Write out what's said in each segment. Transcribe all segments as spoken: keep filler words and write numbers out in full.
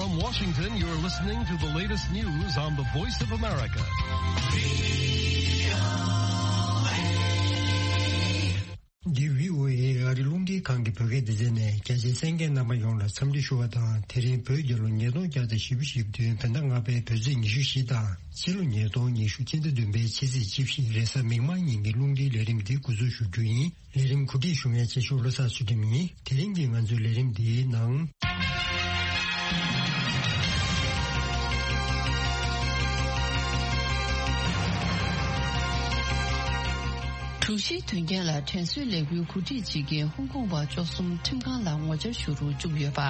From Washington, you're listening to the latest news on the Voice of America. འདི་བྷི་ཨོ་ཨེ་ཨ་རི་རླུང་འཕྲིན་ཁང་གི་བོད་སྐད་སྡེ་ཚན་ནས། རྒྱ་ཆེའི་གསན་མཁན་རྣམ་པ་ཡོངས་ལ་འཚམས་འདྲི་ཞུ་བ་དང་། དེ་རིང་བོད་རྒྱལ་ལོ་ཉིས་སྟོང་བརྒྱ་དང་བཞི་བཅུ་ཞེ་བདུན། བོད་ཟླ་ལྔ་པའི་བོད་ཚེས་ཉི་ཤུ་བཞི་དང་། ཕྱི་ལོ་ཉིས་སྟོང་ཉི་ཤུ་སྤྱི་ཟླ་བདུན་པའི་ཕྱི་ཚེས་བཅུ་བཞི་རེས་གཟའ་མིག་དམར་ཉིན་གྱི་རླུང་འཕྲིན་ལས་རིམ་འདི་འགོ་འཛུགས་ཞུ་རྒྱུ་ཡིན། ལས་རིམ་གོ་སྒྲིག་ཞུ་མཁན་ཆེ་ཤོས་བློ་བཟང་ཚུལ་ཁྲིམས་ཡིན། དེ་རིང་གི་ང་ཚོའི་ལས་རིམ་འདིའི་ནང་། དྲུག་བཞིའི་དོན་རྐྱེན་ལ་དྲན་གསོའི་ལས་འགུལ་གོ་སྒྲིག་བྱེད་མཁན་ཧོང་ཀོང་བ་བཅུ་གསུམ་ཁྲིམས་ཁང་ལ་ངོ་བཅར་ཞུ་རུ་བཅུག་ཡོད་པ།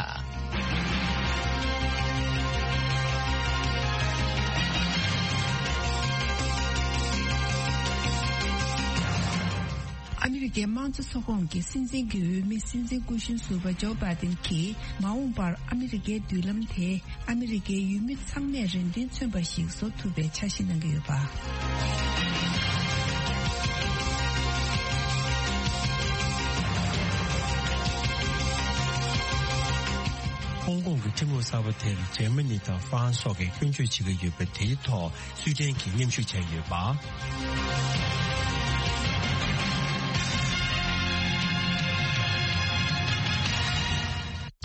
ཨ་མི་རི་ཀའི་དམངས་གཙོ་ཚོགས་ཁོངས་ཀྱི་སྲིད་འཛིན་གྱི་འོས་མི་སྲིད་འཛིན་སྐུ་གཞོན་ཟུར་པ་ཇོ་བྷའི་ཏིན་གྱིས། མ་འོངས་པར་ཨ་མི་རི་ཀའི་མདུན་ལམ་དེ་ཨ་མི་རི་ཀའི་ཡུལ་མི་ཚང་མས་རེ་འདུན་མཚོན་པ་ཞིག་བཟོ་ཐུབ་པའི་འཆར་གཞི་གནང་གི་ཡོད་པ། ཧོང་ཀོང་གི་ཁྲིམས་ལུགས་གསར་པ་དེར་འཇར་མ་ནི་དང་ཧྥ་རན་སོགས་ཀྱིས་སྐྱོན་བརྗོད་བྱེད་ཀྱི་ཡོད་པ། དེའི་ཐོག་སུའེ་ཏན་གྱིས་མཉམ་ཞུགས་བྱས་ཡོད་པ།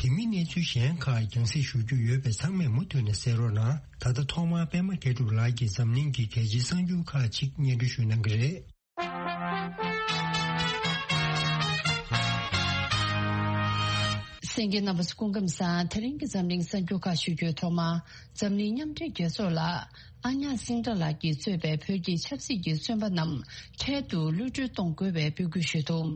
དེ་མིན་གནས་ཚུལ་གཞན་ཁག་རྒྱང་སྲིང་ཞུ་རྒྱུ་ཡོད་པས། ཚང་མས་མུ་མཐུད་ནས་གསན་རོགས་གནང་། ད་ལྟ་ཐོག་མར་པད་མ་དགེ་གྲུབ་ལགས་ཀྱིས་འཛམ་གླིང་གི་གལ་ཆེའི་གསར་འགྱུར་ཁག་ཅིག་སྙན་སྒྲོན་ཞུ་གནང་གི་རེད། གསན་མཁན་རྣམ་པ་ཚོ་སྐུ་ཁམས་བཟང་། དེ་རིང་གི་འཛམ་གླིང་གསར་འགྱུར་ཁག་ཞུ་རྒྱུའི་ཐོག་མ། འཛམ་གླིང་མཉམ་འབྲེལ་རྒྱལ་ཚོགས་ལ་ཨ་ཉག་སིང་ཏྲ་ལགས་ཀྱིས་གཙོས་པའི་བོད་ཀྱི་ཆབ་སྲིད་ཀྱི་བཙོན་པ་རྣམས་འཕྲལ་དུ་གློད་གྲོལ་གཏོང་དགོས་པའི་འབོད་སྐུལ་ཞུས་འདུག་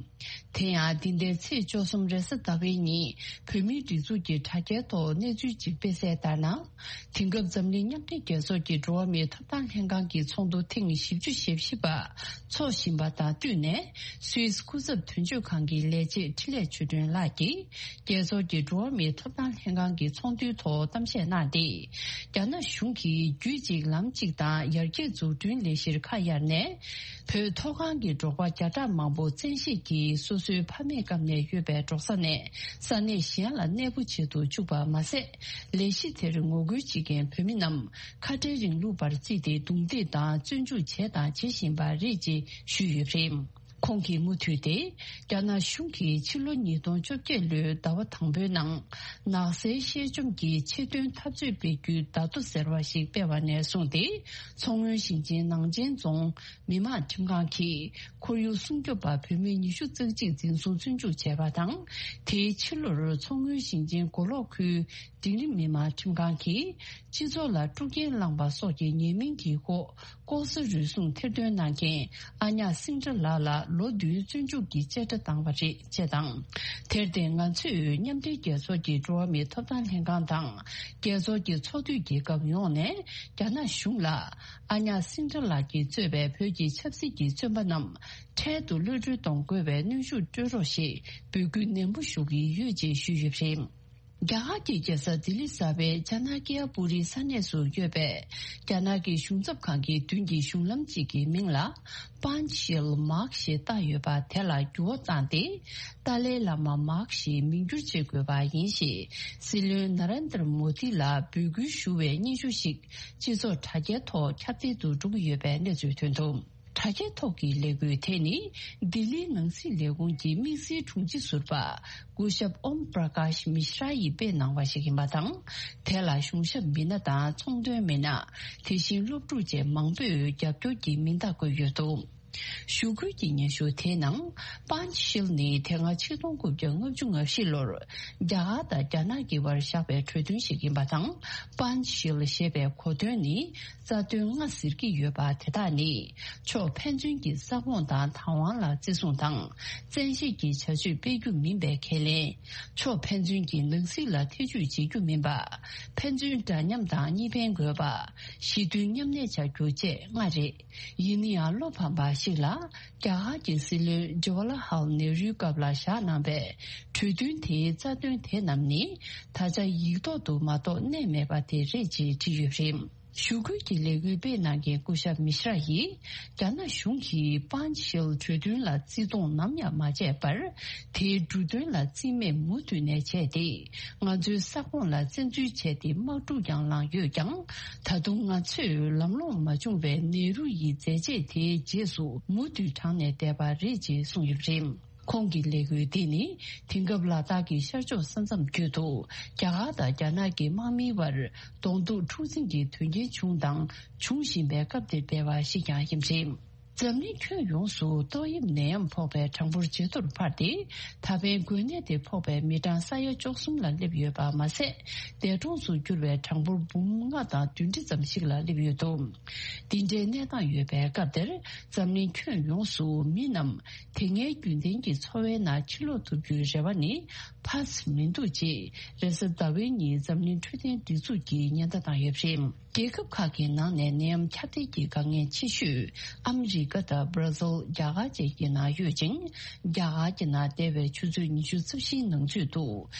དེ་ཡང་འདི་ཟླའི་ཚེས་བཅུ་གསུམ་རེས་གཟའ་ཟླ་བའི་ཉིན་བོད་མིའི་སྒྲིག་འཛུགས་ཀྱི་དྲ་རྒྱའི་ཐོག་གནས་ཚུལ་ཅིག་སྤེལ་གསལ་ལྟར་ན། དེང་སྐབས་འཛམ་གླིང་མཉམ་འབྲེལ་རྒྱལ་ཚོགས་ཀྱི་འགྲོ་བ་མིའི་ཐོབ་ཐང་ལྷན་ཁང་གི་ཚོགས་འདུ་ཐེངས་བཞི་བཅུ་ཞེ་བཞི་པ་འཚོགས་བཞིན་པ་དང་བསྟུན་ནས། སུད་སི་སྐུ་ཚབ་དོན་གཅོད་ཁང་གི་ལས་བྱེད་འཕྲིན་ལས་ཆོས་སྒྲོན་ལགས་ཀྱིས། རྒྱལ་ཚོགས་ཀྱི་འགྲོ་བ་མིའི་ཐོབ་ཐང་ལྷན་ཁང་གི་ཚོགས་འདུའི་ཐོག་གཏམ་བཤད་གནང་སྟེ། རྒྱ་ནག་གཞུང་གིས་རྒྱུད་གཅིག་ལམ་གཅིག་དང་ཡར་རྒྱས་འཛུགས་སྐྲུན་ལས་གཞིར་ཁ་གཡར་ནས། བོད་མཐོ་སྒང་གི་འབྲོག་པ་བརྒྱ་ཕྲག་མང་པོ་བཙན་ཤེད་ཀྱིས་སོ་སོའི་ཕ་མེས་སྐབས་ནས་ཡོད་པའི་འབྲོག་ས་ནས་ས་གནས་གཞན་ལ་གནས་སྤོ་བྱེད་དུ་བཅུག་པ་མ་ཟད། ལས་གཞི་དེར་ངོ་རྒོལ་བྱེད་མཁན་བོད་མི་རྣམས་ཁ་བྲལ་རིང་ལུགས་པར་བརྩིས་ཏེ་རྡུང་རྡེག་དང་བཙོན་འཇུག་བྱས་དང་བྱེད་བཞིན་པ་རེད་ཅེས་ཞུས་ཡོད་པ་རེད། ཁོང་གིས་མུ་མཐུད་དེ། རྒྱ་ནག་གཞུང་གིས་ཕྱི་ལོ་ཉིས་སྟོང་བཅོ་བརྒྱད་ལོའི་ཟླ་བ་དང་པོའི་ནང་། ནགས་ཚལ་གཤེད་བཅོམ་གྱི་ཆེད་དོན་འཐབ་རྩོད་སྤེལ་རྒྱུའི་བརྡ་ཐོ་ཟེར་བ་ཞིག་སྤེལ་བ་ནས་བཟུང་སྟེ། མཚོ་སྔོན་ཞིང་ཆེན་ནང་ཆེན་རྫོང་མི་དམངས་ཁྲིམས་ཁང་གིས་ཁོར་ཡུག་སྲུང་སྐྱོབ་པ་བོད་མི་ཉི་ཤུ་རྩ་གཅིག་འཛིན་བཟུང་བཙོན་འཇུག་བྱས་པ་དང་། དེའི་ཕྱི་ལོར་མཚོ་སྔོན་ཞིང་ཆེན་མགོ་ལོག་ཁུལ་འབྲིང་རིམ་མི་དམངས་ཁྲིམས་ཁང་གིས་སྤྱི་ཚོགས་ལ་དཀྲུག་རྐྱེན་བསླངས་པ་སོགས་ཀྱི་ཉེས་མིང་གི་འོག་ལྐོག་ཟ་རུལ་སུངས་ཐེར་འདོན་གནང་མཁན་ཨ་ཉག་སིང་ཏྲ་ལགས་ལ་ལོ་བདུན་བཙོན་འཇུག་གི་བཅད་ཁྲ་བཏང་བ་རེད་ཅེས་དང་། དེར་བརྟེན་ང་ཚོས་མཉམ་འབྲེལ་རྒྱལ་ཚོགས་ཀྱི་འགྲོ་བ་མིའི་ཐོབ་ཐང་ལྷན་ཁང་དང་། རྒྱལ་ཚོགས་ཀྱི་ཚོགས་འཐུས་རྒྱལ་ཁབ་ཡོངས་ནས་རྒྱ་ནག་གཞུང་ལ་ཨ་ཉག་སིང་ཏྲ་ལགས་ཀྱིས་གཙོས་པའི་བོད་ཀྱི་ཆབ་སྲིད་ཀྱི་བཙོན་པ་རྣམས་འཕྲལ་དུ་གློད་གྲོལ་གཏོང་དགོས་པའི་གནོན་ཤུགས་སྤྲོད་རོགས་ཞེས་འབོད་སྐུལ་ནན་པོ་ཞུ་གི་ཡོད་ཅེས་ཞུས་ཡོད་པ་རེད། རྒྱ་གར་གྱི་རྒྱལ་ས་ལྡི་ལི་གསར་པའི་ཇ་ན་ཀི་ཡ་པུ་རི་ས་གནས་སུ་ཡོད་པའི་རྒྱ་ནག་གི་གཞུང་ཚབ་ཁང་གི་མདུན་གྱི་གཞུང་ལམ་གཅིག་གི་མིང་ལ་པཱན་ཤིལ་མཱག་ཞེས་བཏགས་ཡོད་པ་དེ་ལ་འགྱུར་བ་བཏང་སྟེ། ཏཱ་ལའི་བླ་མ་མཱག་ཞེས་མིང་བསྒྱུར་བྱེད་དགོས་པ་ཡིན་ཞེས་སྲིད་བློན་ན་རེན་དྲ་མོ་དི་ལ་འབོད་སྐུལ་ཞུ་བའི་སྙན་ཞུ་ཞིག་སྤྱི་ཚོགས་དྲ་རྒྱའི་ཐོག་ཁྱབ་གདལ་དུ་འགྲོ་གི་ཡོད་པའི་གནས་ཚུལ་ཐོན་འདུག་དྲ་རྒྱའི་ཐོག་གི་ལས་འགུལ་དེ་ནི་ལྡི་ལིའི་ནང་སྲིད་ལས་ཁུངས་ཀྱི་དམིགས་བསལ་དྲུང་ཆེ་ཟུར་པ་སྐུ་ཞབས་ཨོམ་པྲ་ཀཱཤ་མི་ཤྲ་ཡིས་སྤེལ་གནང་བ་ཞིག་ཡིན་པ་དང་། དེ་ལ་གཞུང་ཞབས་མི་སྣ་དང་ཚོང་དོན་མི་སྣ། དེ་བཞིན་སློབ་ཕྲུག་བཅས་མང་པོས་རྒྱབ་སྐྱོར་གྱི་མིང་རྟགས་བཀོད་ཡོད་འདུག་ཞུ་སྐུལ་གྱི་སྙན་ཞུ་དེའི་ནང་། པཱན་ཤིལ་ནི་དེ་སྔ་ཆིག་སྟོང་དགུ་བརྒྱ་ལྔ་བཅུ་ང་བཞི་ལོར་རྒྱ་གར་དང་རྒྱ་ནག་གི་བར་བཞག་པའི་གྲོས་མཐུན་ཞིག་ཡིན་པ་དང་། པཱན་ཤིལ་ཞེས་པའི་གོ་དོན་ནི། རྩ་དོན་ལྔ་ཟེར་གྱི་ཡོད་པ་དེ་དག་ནི། ཕྱོགས་ཕན་ཚུན་གྱི་ས་ཁོངས་དང་བདག་དབང་ལ་བརྩི་སྲུང་དང་། བཙན་ཤེད་ཀྱི་བྱ་སྤྱོད་སྤེལ་རྒྱུ་མིན་པའི་ཁས་ལེན། ཕྱོགས་ཕན་ཚུན་གྱི་ནང་སྲིད་ལ་ཐེ་ཇུས་བྱེད་རྒྱུ་མིན་པ། ཕན་ཚུན་འདྲ་མཉམ་དང་གཉིས་ཕན་དགོས་པ། ཞི་མཐུན་མཉམ་གནས་བྱ་རྒྱུ་བཅས་ལྔ་རེད། ཡིན་ན་ཡང་བློ་ཕམ་པ་ཞིག་ལ། རྒྱ་གར་གྱི་སྲིད་བློན་ཇ་ཝ་ལ་ཧལ་ནེ་རུའི་སྐབས་ལ་བཞག་གནང་པའི་གྲོས་མཐུན་དེའི་རྩ་དོན་དེ་རྣམས་ནི། ད་ཆ་ཡིག་ཐོག་ཏུ་མ་གཏོགས་གནས་མེད་པ་དེ་རེད་ཅེས་བྲིས་ཡོད་པ་རེད། ཞུ་སྐུལ་གྱི་ལས་འགུལ་སྤེལ་གནང་མཁན་སྐུ་ཞབས་མི་ཤྲ་ཡིས། རྒྱ་ནག་གཞུང་གིས་པཱན་ཤེལ་གྲོས་མཐུན་ལ་བརྩི་མཐོང་ནམ་ཡང་མ་བྱས་པར། དེའི་འབྲུ་དོན་ལ་བརྩི་མེད་མུ་མཐུད་ནས་བྱས་ཏེ། ང་ཚོའི་ས་ཁོངས་ལ་བཙན་འཛུལ་བྱས་ཏེ་དམག་འཁྲུག་ཀྱང་ལངས་ཡོད་ཀྱང་། ད་དུང་ང་ཚོས་ལམ་ལྷོང་མ་བྱུང་བའི་ནེ་རུ་ཡི་མཛད་རྗེས་དེའི་རྗེས་སུ་མུ་མཐུད་དྲངས་ནས་བསྡད་པ་རེད་ཅེས་གསུངས་ཡོད་པ་རེད། ཁོང་གི་ལས་འགུལ་འདི་ནི། དེང་སྐབས་ལ་དྭགས་ཀྱི་ཤར་ཕྱོགས་ས་མཚམས་བརྒྱུད་དུ། རྒྱ་གར་དང་རྒྱ་ནག་གི་དམག་མིའི་བར་གདོང་ཐུག་འཁྲུག་འཛིང་གི་དོན་རྐྱེན་བྱུང་དང་འབྱུང་བཞིན་པའི་སྐབས་འདིར་སྤེལ་བ་ཞིག་ཀྱང་ཡིན་པ་རེད། འཛམ་གླིང་ཁྱོན་ཡོངས་སུ་ཏོག་དབྱིབས་ནད་ཡམས་ཕོག་པའི་གྲངས་འབོར་ཇེ་མཐོར་འཕར་ཏེ། ད་ཕན་འགོས་ནད་དེ་ཕོག་པའི་མི་གྲངས་ས་ཡ་བཅུ་གསུམ་ལ་སླེབས་ཡོད་པ་མ་ཟད། འདས་གྲོངས་སུ་གྱུར་བའི་གྲངས་འབོར་འབུམ་ལྔ་དང་བདུན་ཁྲི་ཙམ་ཞིག་ལ་སླེབས་ཡོད་འདུག་འདི་འདྲའི་གནས་སྟངས་ཡོད་པའི་སྐབས་དེར། འཛམ་གླིང་ཁྱོན་ཡོངས་སུ་མི་རྣམས་དེ་སྔའི་རྒྱུན་ལྡན་གྱི་འཚོ་བའི་ནང་ཕྱིར་ལོག་ཐུབ་རྒྱུའི་རེ་བ་ནི་འཕར་མི་འདུག་ཅེས་རེས་གཟའ་ཟླ་བའི་ཉིན་འཛམ་གླིང་འཕྲོད་བསྟེན་སྒྲིག་འཛུགས་ཀྱིས་ཉེན་བརྡ་བཏང་ཡོད་པ་རེད། རྒྱལ་ཁབ་ཁག་གི་ནང་ནས་ནད་ཡམས་ཁྱབ་གདལ་གྱི་དཀའ་ངལ་ཆེ་ཤོས་ཨ་མི་རི་ཀ་དང་སྦྲ་ཟིལ། རྒྱ་གར་བཅས་ཀྱི་ནང་ཡོད་ཅིང་། རྒྱ་གར་གྱི་ནང་འདས་པའི་ཆུ་ཚོད་ཉི་ཤུ་རྩ་བཞིའི་ནང་ཚུད་དུ་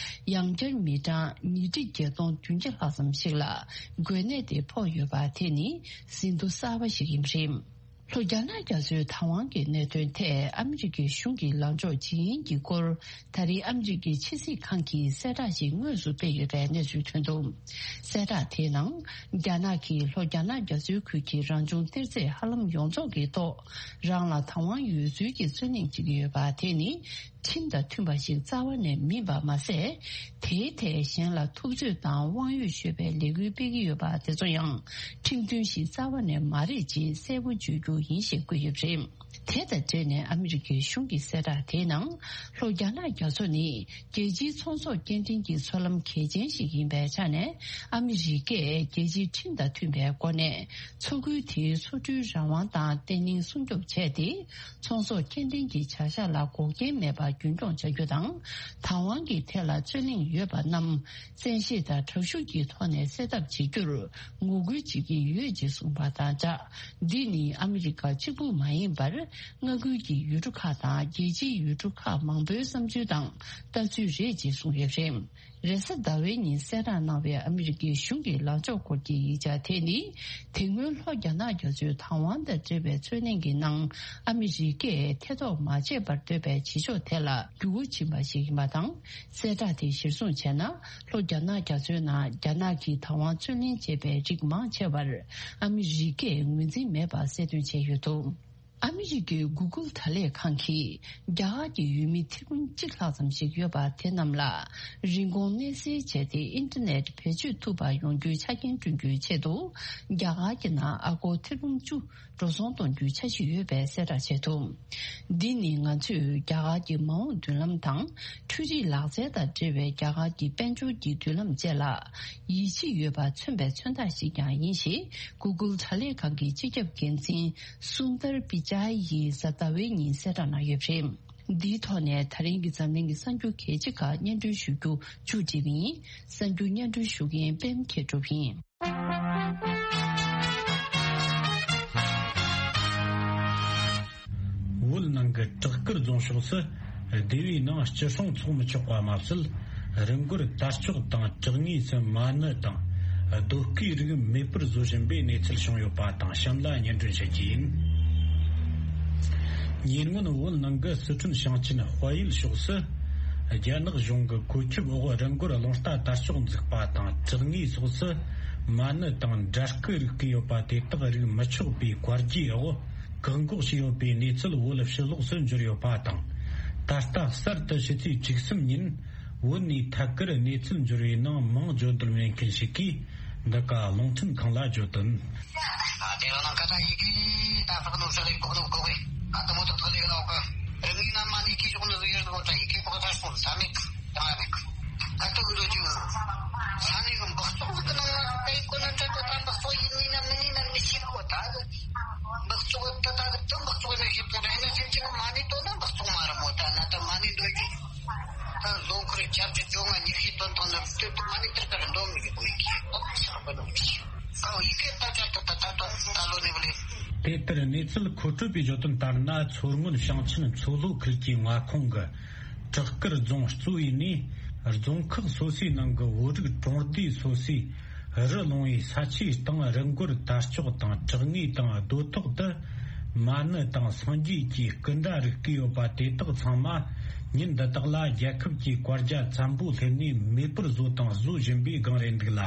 ཡང་བསྐྱར་མི་གྲངས་ཉིས་ཁྲི་བརྒྱད་སྟོང་བདུན་བརྒྱ་ལྷག་ཙམ་ཞིག་ལ་འགོས་ནད་དེ་ཕོག་ཡོད་པ་དེ་ནི་ཟིན་ཐོ་གསར་པ་ཞིག་ཡིན་པ་རེད། ལྷོ་རྒྱ་ནག་རྒྱ་མཚོའི་བདག་དབང་གི་གནད་དོན་ཐད་ཨ་མི་རི་ཀའི་གཞུང་གི་ལངས་ཕྱོགས་ཇི་ཡིན་གྱི་སྐོར། ད་རེས་ཨ་མི་རི་ཀའི་ཕྱི་སྲིད་ཁང་གིས་གསལ་བསྒྲགས་ཤིག་དངོས་སུ་སྤེལ་ཡོད་པའི་གནས་ཚུལ་ཐོན་འདུག་གསལ་བསྒྲགས་དེའི་ནང་། རྒྱ་ནག་གིས་ལྷོ་རྒྱ་ནག་རྒྱ་མཚོའི་ཁུལ་གྱི་རང་བྱུང་གཏེར་རྫས་ཧ་ལམ་ཡོངས་རྫོགས་ཀྱི་ཐོག་རང་ལ་བདག་དབང་ཡོད་ཚུལ་གྱི་རྩོད་གླེང་བྱེད་ཀྱི་ཡོད་པ་དེ་ནི། ཁྲིམས་དང་མཐུན་པ་ཞིག་རྩ་བ་ནས་མིན་པ་མ་ཟད། དེའི་ཐད་གཞན་ལ་ཐུབ་ཚོད་དང་དབང་ཡོད་ཤོད་པའི་ལས་འགུལ་སྤེལ་གྱི་ཡོད་པ་དེ་ཚོ་ཡང་ཁྲིམས་མཐུན་ཞིག་རྩ་བ་ནས་མ་རེད་ཅེས་གསལ་པོ་བརྗོད་རྒྱུ་ཡིན་ཞེས་བཀོད་ཡོད་པ་རེད། དེ་དང་འབྲེལ་ནས་ཨ་མི་རི་ཀའི་གཞུང་གི་གསལ་བསྒྲགས་དེའི་ནང་། ལྷོ་རྒྱ་ནག་རྒྱ་མཚོ་ནི་རྒྱལ་སྤྱིའི་ཚོང་ཟོག་སྐྱེལ་འདྲེན་གྱི་མཚོ་ལམ་གལ་ཆེན་ཞིག་ཡིན་པའི་ཆ་ནས། ཨ་མི་རི་ཀས་རྒྱལ་སྤྱིའི་ཁྲིམས་དང་མཐུན་པའི་སྒོ་ནས་མཚོ་ཁུལ་དེའི་མཚོ་གྲུའི་རང་དབང་དང་བརྟན་ལྷིང་སྲུང་སྐྱོབ་བྱས་ཏེ། ཚོང་ཟོག་སྐྱེལ་འདྲེན་གྱི་བྱ་གཞག་ལ་འགོག་རྐྱེན་མེད་པར་རྒྱུན་འཁྱོངས་བྱ་རྒྱུ་དང་། བདག་དབང་གི་ཐད་ལ་རྩོད་གླེང་ཡོད་པ་རྣམས་བཙན་ཤེད་དང་དྲག་ཤུགས་ཀྱི་ཐོག་ནས་སེལ་ཐབས་བྱེད་རྒྱུར་ངོ་རྒོལ་བྱེད་ཀྱི་ཡོད་ཅེས་གསུངས་པ་དང་སྦྲགས། འདི་ནི་ཨ་མི་རི་ཀ་གཅིག་པུ་མ་ཡིན་པར། མངའ་ཁུལ་གྱི་ཡུལ་གྲུ་ཁག་དང་རྒྱལ་སྤྱིའི་ཡུལ་གྲུ་ཁག་མང་པོའི་བསམ་ཚུལ་དང་ལྟ་ཚུལ་རེད་ཅེས་གསུངས་ཡོད་པ་རེད། རེས་གཟའ་ཟླ་བའི་ཉིན་གསལ་བསྒྲགས་གནང་བའི་ཨ་མི་རི་ཀའི་གཞུང་གི་ལངས་ཕྱོགས་སྐོར་གྱི་ཡིག་ཆ་དེ་ནི། དེ་སྔོན་ལྷོ་རྒྱ་ནག་རྒྱ་མཚོའི་བདག་དབང་དང་འབྲེལ་བའི་རྩོད་གླེང་གི་ནང་ཨ་མི་རི་ཀས་ཐེ་གཏོགས་མ་བྱས་པར་འདོད་པའི་བྱེད་ཕྱོགས་དེ་ལ་འགྱུར་བ་ཕྱིན་པ་ཞིག་ཡིན་པ་དང་། གསལ་བསྒྲགས་དེ་གཞིར་བཟུང་བྱས་ན། ལྷོ་རྒྱ་ནག་རྒྱ་མཚོའི་ནང་རྒྱ་ནག་གིས་བདག་དབང་རྩོད་ལེན་བྱས་པའི་རིགས་མང་ཆེ་བར་ཨ་མི་རི་ཀས་ངོས་འཛིན་མེད་པ་གསལ་སྟོན་བྱས་ཡོད་འདུག་ཨ་མི་རི་ཀའི་གུ་གུལ་དྲ་ལས་ཁང་གིས་རྒྱ་གར་གྱི་ཡུལ་མི་ཐེར་འབུམ་གཅིག་ལྷག་ཙམ་ཞིག་ཡོད་པ་དེ་རྣམས་ལ་རིན་གོང་མནན་སེལ་བྱས་ཏེ་ཨིན་ཊར་ནེཊ་བེད་སྤྱོད་ཐུབ་པ་ཡོང་རྒྱུའི་ཆ་རྐྱེན་བསྐྲུན་རྒྱུའི་ཆེད་དུ། རྒྱ་གར་གྱི་ནང་ཨ་སྒོར་ཐེར་འབུམ་བཅུ་འགྲོ་སོང་གཏོང་རྒྱུའི་འཆར་གཞི་ཡོད་པའི་གསལ་བསྒྲགས་བྱས་འདུག་འདི་ནི་ང་ཚོས་རྒྱ་གར་གྱི་མ་འོངས་མདུན་ལམ་དང་། འཕྲུལ་རིག་ལག་རྩལ་དང་འབྲེལ་བའི་རྒྱ་གར་གྱི་དཔལ་འབྱོར་གྱི་མདུན་ལམ་བཅས་ལ་ཡིད་ཆེས་ཡོད་པ་མཚོན་པའི་མཚོན་རྟགས་ཤིག་ཀྱང་ཡིན་ཞེས། གུ་གུལ་དྲ་ལས་ཁང་གི་སྤྱི་ཁྱབ་འགན་འཛིན་སུན་དར་པི་ཅཱ་ཡིས་གཟའ་ཟླ་བའི་ཉིན་གསལ་བསྒྲགས་གནང་ཡོད་པ་རེད། འདིའི་ཐོག་ནས་ད་རིང་གི་འཛམ་གླིང་གི་གསར་འགྱུར་གལ་ཆེ་ཁག་སྙན་སྒྲོན་ཞུ་རྒྱུ་མཇུག་སྒྲིལ་བ་ཡིན། གསར་འགྱུར་སྙན་སྒྲོན་ཞུ་མཁན་པད་མ་མཁས་གྲུབ་ཡིན། བོད་ནང་གི་བྲག་དཀར་རྫོང་ཕྱོགས་སུ་སྡེ་བའི་ནང་སྤྱི་སྲུང་ཚོགས་མི་ཆོག་པ་མ་ཟད། རི་མགོར་དར་ལྕོག་དང་བྲག་ངོས་སུ་མ་ཎི་དང་རྡོ་བརྐོས་རིགས་མེད་པར་བཟོ་བཞིན་པའི་གནས་ཚུལ་བྱུང་ཡོད་པ་དང་གཤམ་ལ་སྙན་སྒྲོན་བྱེད་ཀྱི་ཡིན། ཉེ་སྔོན་བོད་ནང་གི་སི་ཁྲོན་ཞིང་ཆེན་དཔལ་ཡུལ་ཕྱོགས་སུ་རྒྱ་ནག་གཞུང་གི་བཀོད་ཁྱབ་འོག་རི་མགོར་རླུང་རྟ་དར་ལྕོག་འཛུགས་པ་དང་བྲག་ངོས་སོགས་སུ་མ་ཎི་དང་འདྲ་སྐུ་རིགས་བརྐོས་ཡོད་པ་དེ་དག་རིགས་མི་ཆོག་པའི་བཀའ་རྒྱའི་འོག་བཀག་འགོག་བྱས་ཡོད་པའི་གནས་ཚུལ་བོད་ཕྱི་ལོགས་སུ་འབྱོར་ཡོད་པ་དང་། ད་ལྟ་གསར་དུ་ཕྱི་ཚེས་བཅུ་གསུམ་ཉིན་བོད་ནས་ཐད་ཀར་གནས་ཚུལ་འབྱོར་བའི་ནང་མིང་བརྗོད་འདོད་མེད་མཁན་ཞིག་གིས་འདི་ག་རླུང་འཕྲིན་ཁང་ལ་བརྗོད་དོན། ད་ལོ་འཁོར་བརྒྱད་ཅུ་གྱ་གཉིས་ནང་མི་ཤེས་གོ་ད་འདི་འདི་མ་ནི་དེར་ཀར་འདོན་མི་དགོས་ཀྱི་ཨོ་ཤ་པ་ནོ་ཅི་ཨོ་ཡི་གེ་ད་ད་ད་ད་ད་ད་ལོ་ནི་བ་ལེ། དེ་ལྟར་གནས་ཚུལ་མཁོ་སྤྲོད་པས་བརྗོད་དོན་ལྟར་ན། མཚོ་སྔོན་ཞིང་ཆེན་མཚོ་ལྷོ་ཁུལ་གྱི་མངའ་ཁོངས་ཀྱི་བྲག་དཀར་རྫོང་གཙོ་བོའི་ནས་རྫོང་ཁག་སོ་སོའི་ནང་གི་བོད་རིགས་གྲོང་སྡེ་སོ་སོའི་ རི་ལུང་བའི་ས་ཆའི་སྟེང་རི་མགོར་དར་ལྕོག་དང་བྲག་ངོས་དང་རྡོ་ཐོག་ཏུ་མ་ཎི་དང་སངས་རྒྱས་ཀྱི་སྐུ་འདྲ་རིགས་བརྐོས་ཡོད་པ་དེ་དག་ཚང་མ་ཉིན་འདི་དག་ལ་རྒྱལ་ཁབ་ཀྱི་བཀའ་རྒྱ་བཙན་པོ་སླེབས་ནས་མེད་པར་བཟོ་དང་བཟོ་བཞིན་པའི་སྒང་རེད་འདུག་ལ།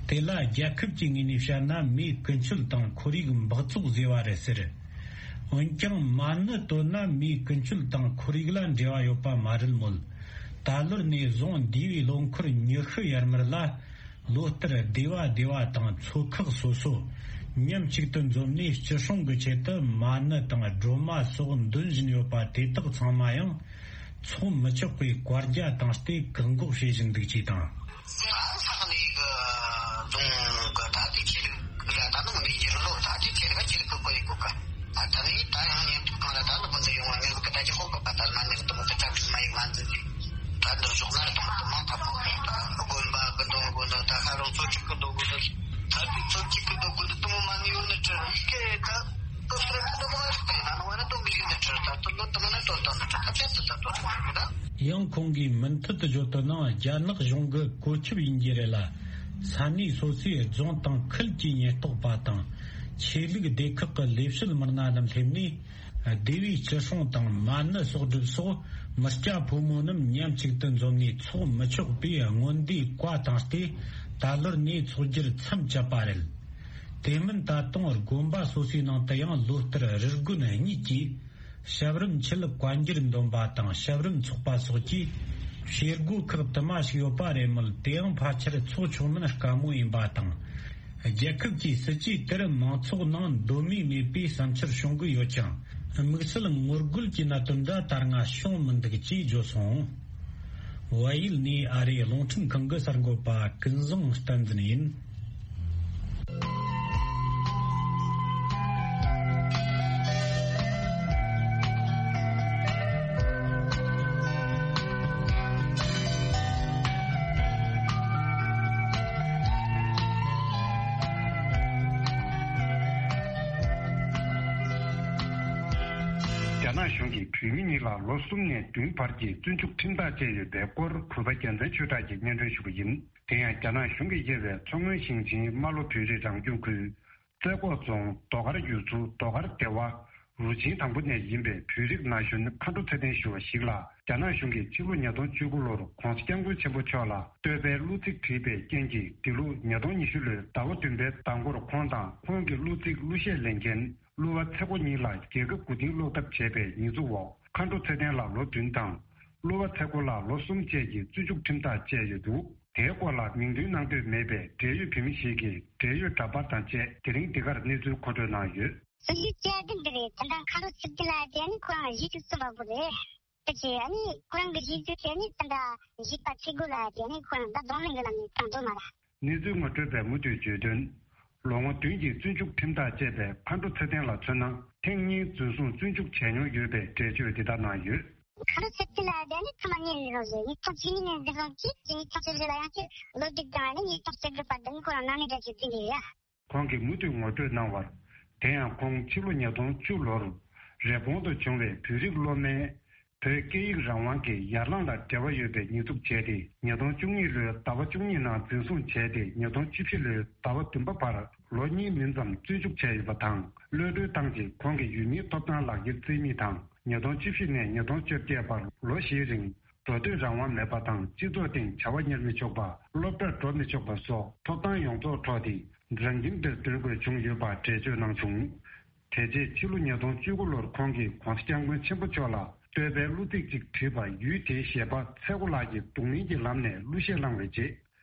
དེ་ལ་རྒྱལ་ཁབ་ཀྱི་ངོས་ནས་བཤད་ན་མིའི་ཀུན་སྤྱོད་དང་ཁོར་ཡུག་འབག་བཙོག་ཟེར་བ་རེད་ཟེར། འོན་ཀྱང་མ་ཎི་བཏོན་ན་མིའི་ཀུན་སྤྱོད་དང་ཁོར་ཡུག་ལ་འབྲེལ་བ་ཡོད་པ་མ་རེད་མོད། ད་ལོར་ནས་བཟུང་འདས་པའི་ལོ་འཁོར་ཉི་ཤུ་ཡར་མར་ལ། ལོ་ལྟར་སྡེ་བ་སྡེ་བ་དང་ཚོ་ཁག་སོ་སོ་མཉམ་གཅིག་ཏུ་འཛོམས་ནས་སྤྱི་སྲུང་གི་ཆེད་དུ་མ་ཎི་དང་སྒྲོལ་མ་སོགས་འདོན་བཞིན་ཡོད་པ་དེ་དག་ཚང་མ་ཡང་ཚོགས་མི་ཆོག་པའི་བཀའ་རྒྱ་བཏང་སྟེ་བཀག་འགོག་བྱེད་བཞིན་འདུག་ཅེས་དང་། ས་ས་གནས་ཀྱི་རྫོང་གི་ད་ལྟའི་ཆོས་ལུགས་ལ་ད་ནང་མི་འགྱུར་ལོ་ད་ལྟའི་ཆོས་ལུགས་ཆོས་ལུགས་ཀྱི་བཀོད་ཡིག་གོ་ག་ད་ནི་ད་ཡང་ཉན་ཐོས་གང་ལ་ད་ནི་ཀུན་ཏུ་ཡོང་བ་ངེས་ཀྱི་ད་ཅི་ཧོ་གོ་ག་ད་མ་ནི་དུ་མ་གི་ད་དུ་མ་ཡིག་མ་འཛིན་ཏེ། ད་འདིར་ཞོགས་ན་རི་དང་དུ་མ་ཐ་མ་དགོན་པ་དགོན་དོང་དགོན་དོང་ད་ཁ་རོང་ཚོ་གཅིག་གི་དོ་དགོན་དོ་ད་དུ་ཚོ་གཅིག་གི་དོ་དགོན་དོ་དུ་མ་མ་ནི་ཡོད་ནི་ཁྲི་ཡི་གེ་ད་དོ་སུ་ར་དུ་མ་རི་ད་ཡིན་ན་ནི་བ་ན་དོ་མི་ཡོད་ནི་ཁྲི་ད་དུ་ལོ་དུ་མ་ན་དོ་དོ་ནི་ཁྲི་ད་ཆ་དུ་ད་དོ་དོ་ནི་ད། ཡང་ཁོང་གིས་མུ་མཐུད་དུ་བརྗོད་དོ་ན་རྒྱ་ནག་གཞུང་གི་བཀོད་ཁྱབ་ཡིན་རྒྱུ་རེད་ལ། ས་གནས་སོ་སོའི་རྫོང་དང་ཁུལ་གྱི་ཉེན་རྟོག་པ་དང་ཆོས་ལུགས་སྡེ་ཁག་གི་ལས་བྱེད་མི་སྣ་རྣམས་སླེབས་ནས། སྡེ་བའི་སྤྱི་སྲུང་དང་མ་ཎི་གསོག་སྒྲུབ་སོགས་མི་སྐྱ་ཕོ་མོ་རྣམས་མཉམ་གཅིག་ཏུ་འཛོམས་ནས་འཚོགས་མི་ཆོག་པའི་སྔོན་བརྡའི་བཀའ་བཏང་སྟེ། ད་ལོར་ནས་འཚོགས་རྒྱུར་མཚམས་བཅད་པ་རེད། དེ་མིན་ད་དུང་དགོན་པ་སོ་སོའི་ནང་དུ་ཡང་ལོ་ལྟར་རི་དགོན་གཉིས་ཀྱིས་ཞབས་རིམ་ཆེད་བཀའ་འགྱུར་འདོན་པ་དང་ཞབས་རིམ་འཚོགས་པ་སོགས་ཀྱི་བྱེད་སྒོ་ཁག་དུ་མ་ཞིག་ཡོད་པ་རེད་མོད། དེའང་ཕལ་ཆེར་འཚོགས་ཆོག་མིན་དཀའ་མོ་ཡིན་པ་དང་། རྒྱལ་ཁབ་ཀྱི་སྲིད་ཇུས་དེར་མང་ཚོགས་ནང་འདོད་མོས་མེད་པའི་བསམ་འཆར་བྱུང་གི་ཡོད་ཀྱང་། དམིགས་བསལ་ངོ་རྒོལ་གྱི་གནད་དོན་འདྲ་ད་སྔ་བྱུང་མི་འདུག་ཅེས་བརྗོད་སོང་། བལ་ཡུལ་ནས་ཨ་རིའི་རླུང་འཕྲིན་ཁང་གི་གསར་འགོད་པ་ཀུན་བཟང་བསྟན་འཛིན་ཡིན། རྒྱ་ནག་གཞུང་གིས་བོད་མི་གཉིས་ལ་ལོ་གསུམ་ནས་བདུན་བར་གྱི་བཙོན་འཇུག་ཁྲིམས་ཐག་བཅད་ཡོད་པའི་སྐོར་གུས་པ་རྒྱལ་མཚན་ཆོས་གྲགས་ཀྱིས་སྙན་སྒྲོན་ཞུ་གི་ཡིན། དེ་ཡང་རྒྱ་ནག་གཞུང་གིས་དབྱེ་བའི་མཚོ་སྔོན་ཞིང་ཆེན་རྨ་ལྷོ་བོད་རིགས་རང་སྐྱོང་ཁུལ། རྩེ་ཁོག་རྫོང་རྡོ་དཀར་ཡུལ་ཚོ་རྡོ་དཀར་སྡེ་བ་རུ་ཆེན་དང་པོ་ནས་ཡིན་པའི་བོད་རིགས་ན་གཞོན་མཁའ་འགྲོ་ཚེ་བརྟན་ཞུ་བ་ཞིག་ལ་རྒྱ་ནག་གཞུང་གིས་ཕྱི་ལོ་ཉིས་སྟོང་བཅུ་དགུ་ལོར་༧གོང་ས་༧སྐྱབས་མགོན་ཆེན་པོ་མཆོག་ལ་བསྟོད་པའི་གླུ་ཚིག་བྲིས་པའི་རྐྱེན་གྱིས་འདི་ལོ་ཉིས་སྟོང་ཉི་ཤུ་ལོའི་ཟླ་བ་བདུན་པའི་ཟླ་འགོར་ཁོང་དང་ཁོང་གི་གླུ་ཚིག་གླུ་གཞས་ལེན་མཁན་གླུ་བ་ཚེ་རྒོ་གཉིས་ལ་རྒྱལ་ཁབ་མགོ་རྟིང་སློག་ཐབས་བྱས་པའི་ཉེས་འཛུགས་འོག་མཁའ་འགྲོ་ཚེ་བརྟན་ལ་ལོ་བདུན་དང་། གླུ་བ་ཚེ་རྒོ་ལ་ལོ་གསུམ་བཅས་ཀྱི་བཙོན་འཇུག་ཁྲིམས་ཐག་བཅད་ཡོད་འདུག་དེའི་སྐོར་ལ་མིང་འདོན་གནང་འདོད་མེད་པའི་འབྲེལ་ཡོད་བོད་མི་ཞིག་གིས་འབྲེལ་ཡོད་འདྲ་པར་དང་བཅས་དེ་རིང་འདི་གར་གནས་ཚུལ་མཁོ་སྤྲོད་གནང་ཡོད། སྲིད་ཇུས་བཅའ་སྒྲིག་འདི་རེད། ད་ལྟ་མཁའ་འགྲོ་ཚེ་བརྟན་ལགས་དེ་ནི་ཁོ་རང་གཞིས་སུ་གསོན་པ་པོ་རེད། ད་ཅི་ཨ་ནི་ཁོ་རང་གི་གཞིས་སུ་དེ་ནི་ད་ལྟ་གཞིས་པ་ཚེ་རྒོ་ལགས་དེ་ནི་ཁོ་རང་ད་རྡུང་ལེན་གྱི་ལམ་ནས་བཏང་འདུག་མ་རེད། གནས་ཚུལ་ངོ་སྤྲོད་པས་མུ་མཐུད་བརྗོད་དོན། ལོ་ངོ་བདུན་གྱི་བཙོན་འཇུག་ཁྲིམས་ཐག་བཅད་པའི་མཁའ་འགྲོ་ཚེ་བརྟན་ལ་མཚོན་ན་ཐེངས་གཉིས་འཛིན་བཟུང་བཙོན་འཇུག་བྱས་མྱོང་ཡོད་པའི་འགྲེལ་བརྗོད་འདི་ལྟར་གནང་ཡོད། མཁའ་འགྲོ་ཚེ་བརྟན་ལགས་དེ་ནི་ཐ་མ་གཉིས་ནས་རོགས་ཟེར་ཉིས་སྟོང་བཅུ་གཉིས་ནས་འཛིན་བཟུང་གིས་ཉིས་སྟོང་བཅུ་བཞི་ལ་ཡང་བསྐྱར་བློ་སྒྲིག་དང་ནི་ཉིས་སྟོང་བཅུ་དགུ་བར་དུ་ནི་ཁོ་རང་ནང་མི་འདྲ་ཞིག་འཛིན་གྱི་ཡོད། ཁོང་གིས་མུ་མཐུད་ངོ་སྤྲོད་གནང་བར། དེ་ཡང་ཁོང་ཕྱི་ལོ་ཉིས་སྟོང་བཅུ་ལོར་རེབ་གོང་དུ་བྱུང་བའི་བོད་རིགས་སློབ་མའི་བོད་སྐད་ཡིག་རང་དབང་གི་ཡར་ལངས་ལ་འབྲེལ་བ་ཡོད་པའི་ཉེས་འཛུགས་བྱས་ཏེ་ཉིས་སྟོང་བཅུ་གཉིས་ལོའི་ཟླ་བ་བཅུ་གཉིས་ནང་འཛིན་བཟུང་བྱས་ཏེ་ཉིས་སྟོང་བཅུ་བཞི་ལོའི་ཟླ་བ་བདུན་པ་བར་ལོ་གཉིས་མིན་ཙམ་བཙོན་འཇུག་བྱས་ཡོད་པ་དང་གློད་གྲོལ་བཏང་རྗེས་ཁོང་གིས་ཡུལ་མིའི་ཐོབ་ཐང་ལག་འཁྱེར་བཙལ་མིན་དང་ཉིས་སྟོང་བཅུ་བཞི་ནས་ཉིས་སྟོང་བཅོ་བརྒྱད་བར་ལོ་བཞིའི་རིང་འགྲོ་སྡོད་རང་དབང་མེད་པ་དང་སྤྱི་ཚོགས་སྟེང་བྱ་བ་གཉེར་མི་ཆོག་པ། སློབ་གྲྭར་འགྲོ་མི་ཆོག་པ་སོགས་ཐོབ་ཐང་ཡོངས་རྫོགས་འཕྲོག་སྟེ་རང་ཁྱིམ་དུ་སྡོད་དགོས་བྱུང་ཡོད་པ་འགྲེལ་བརྗོད་གནང་བྱུང་། དེ་རྗེས་ཕྱི་ལོ་ཉིས་སྟོང་བཅུ་དགུ་ལོར་ཁོང་གིས་༧གོང་ས་༧སྐྱབས་མགོན་ཆེན་པོ་མཆོག་ལ་བསྟོད་པའི་གླུ་ཚིག་ཅིག་བྲིས་པ་ཡུལ་དེའི་གཞས་པ་ཚེ་རྒོ་ལགས་ཀྱིས་རྡུང་ལེན་གྱི་ལམ་ནས་གླུ་གཞས་བླངས་པའི་རྗེས།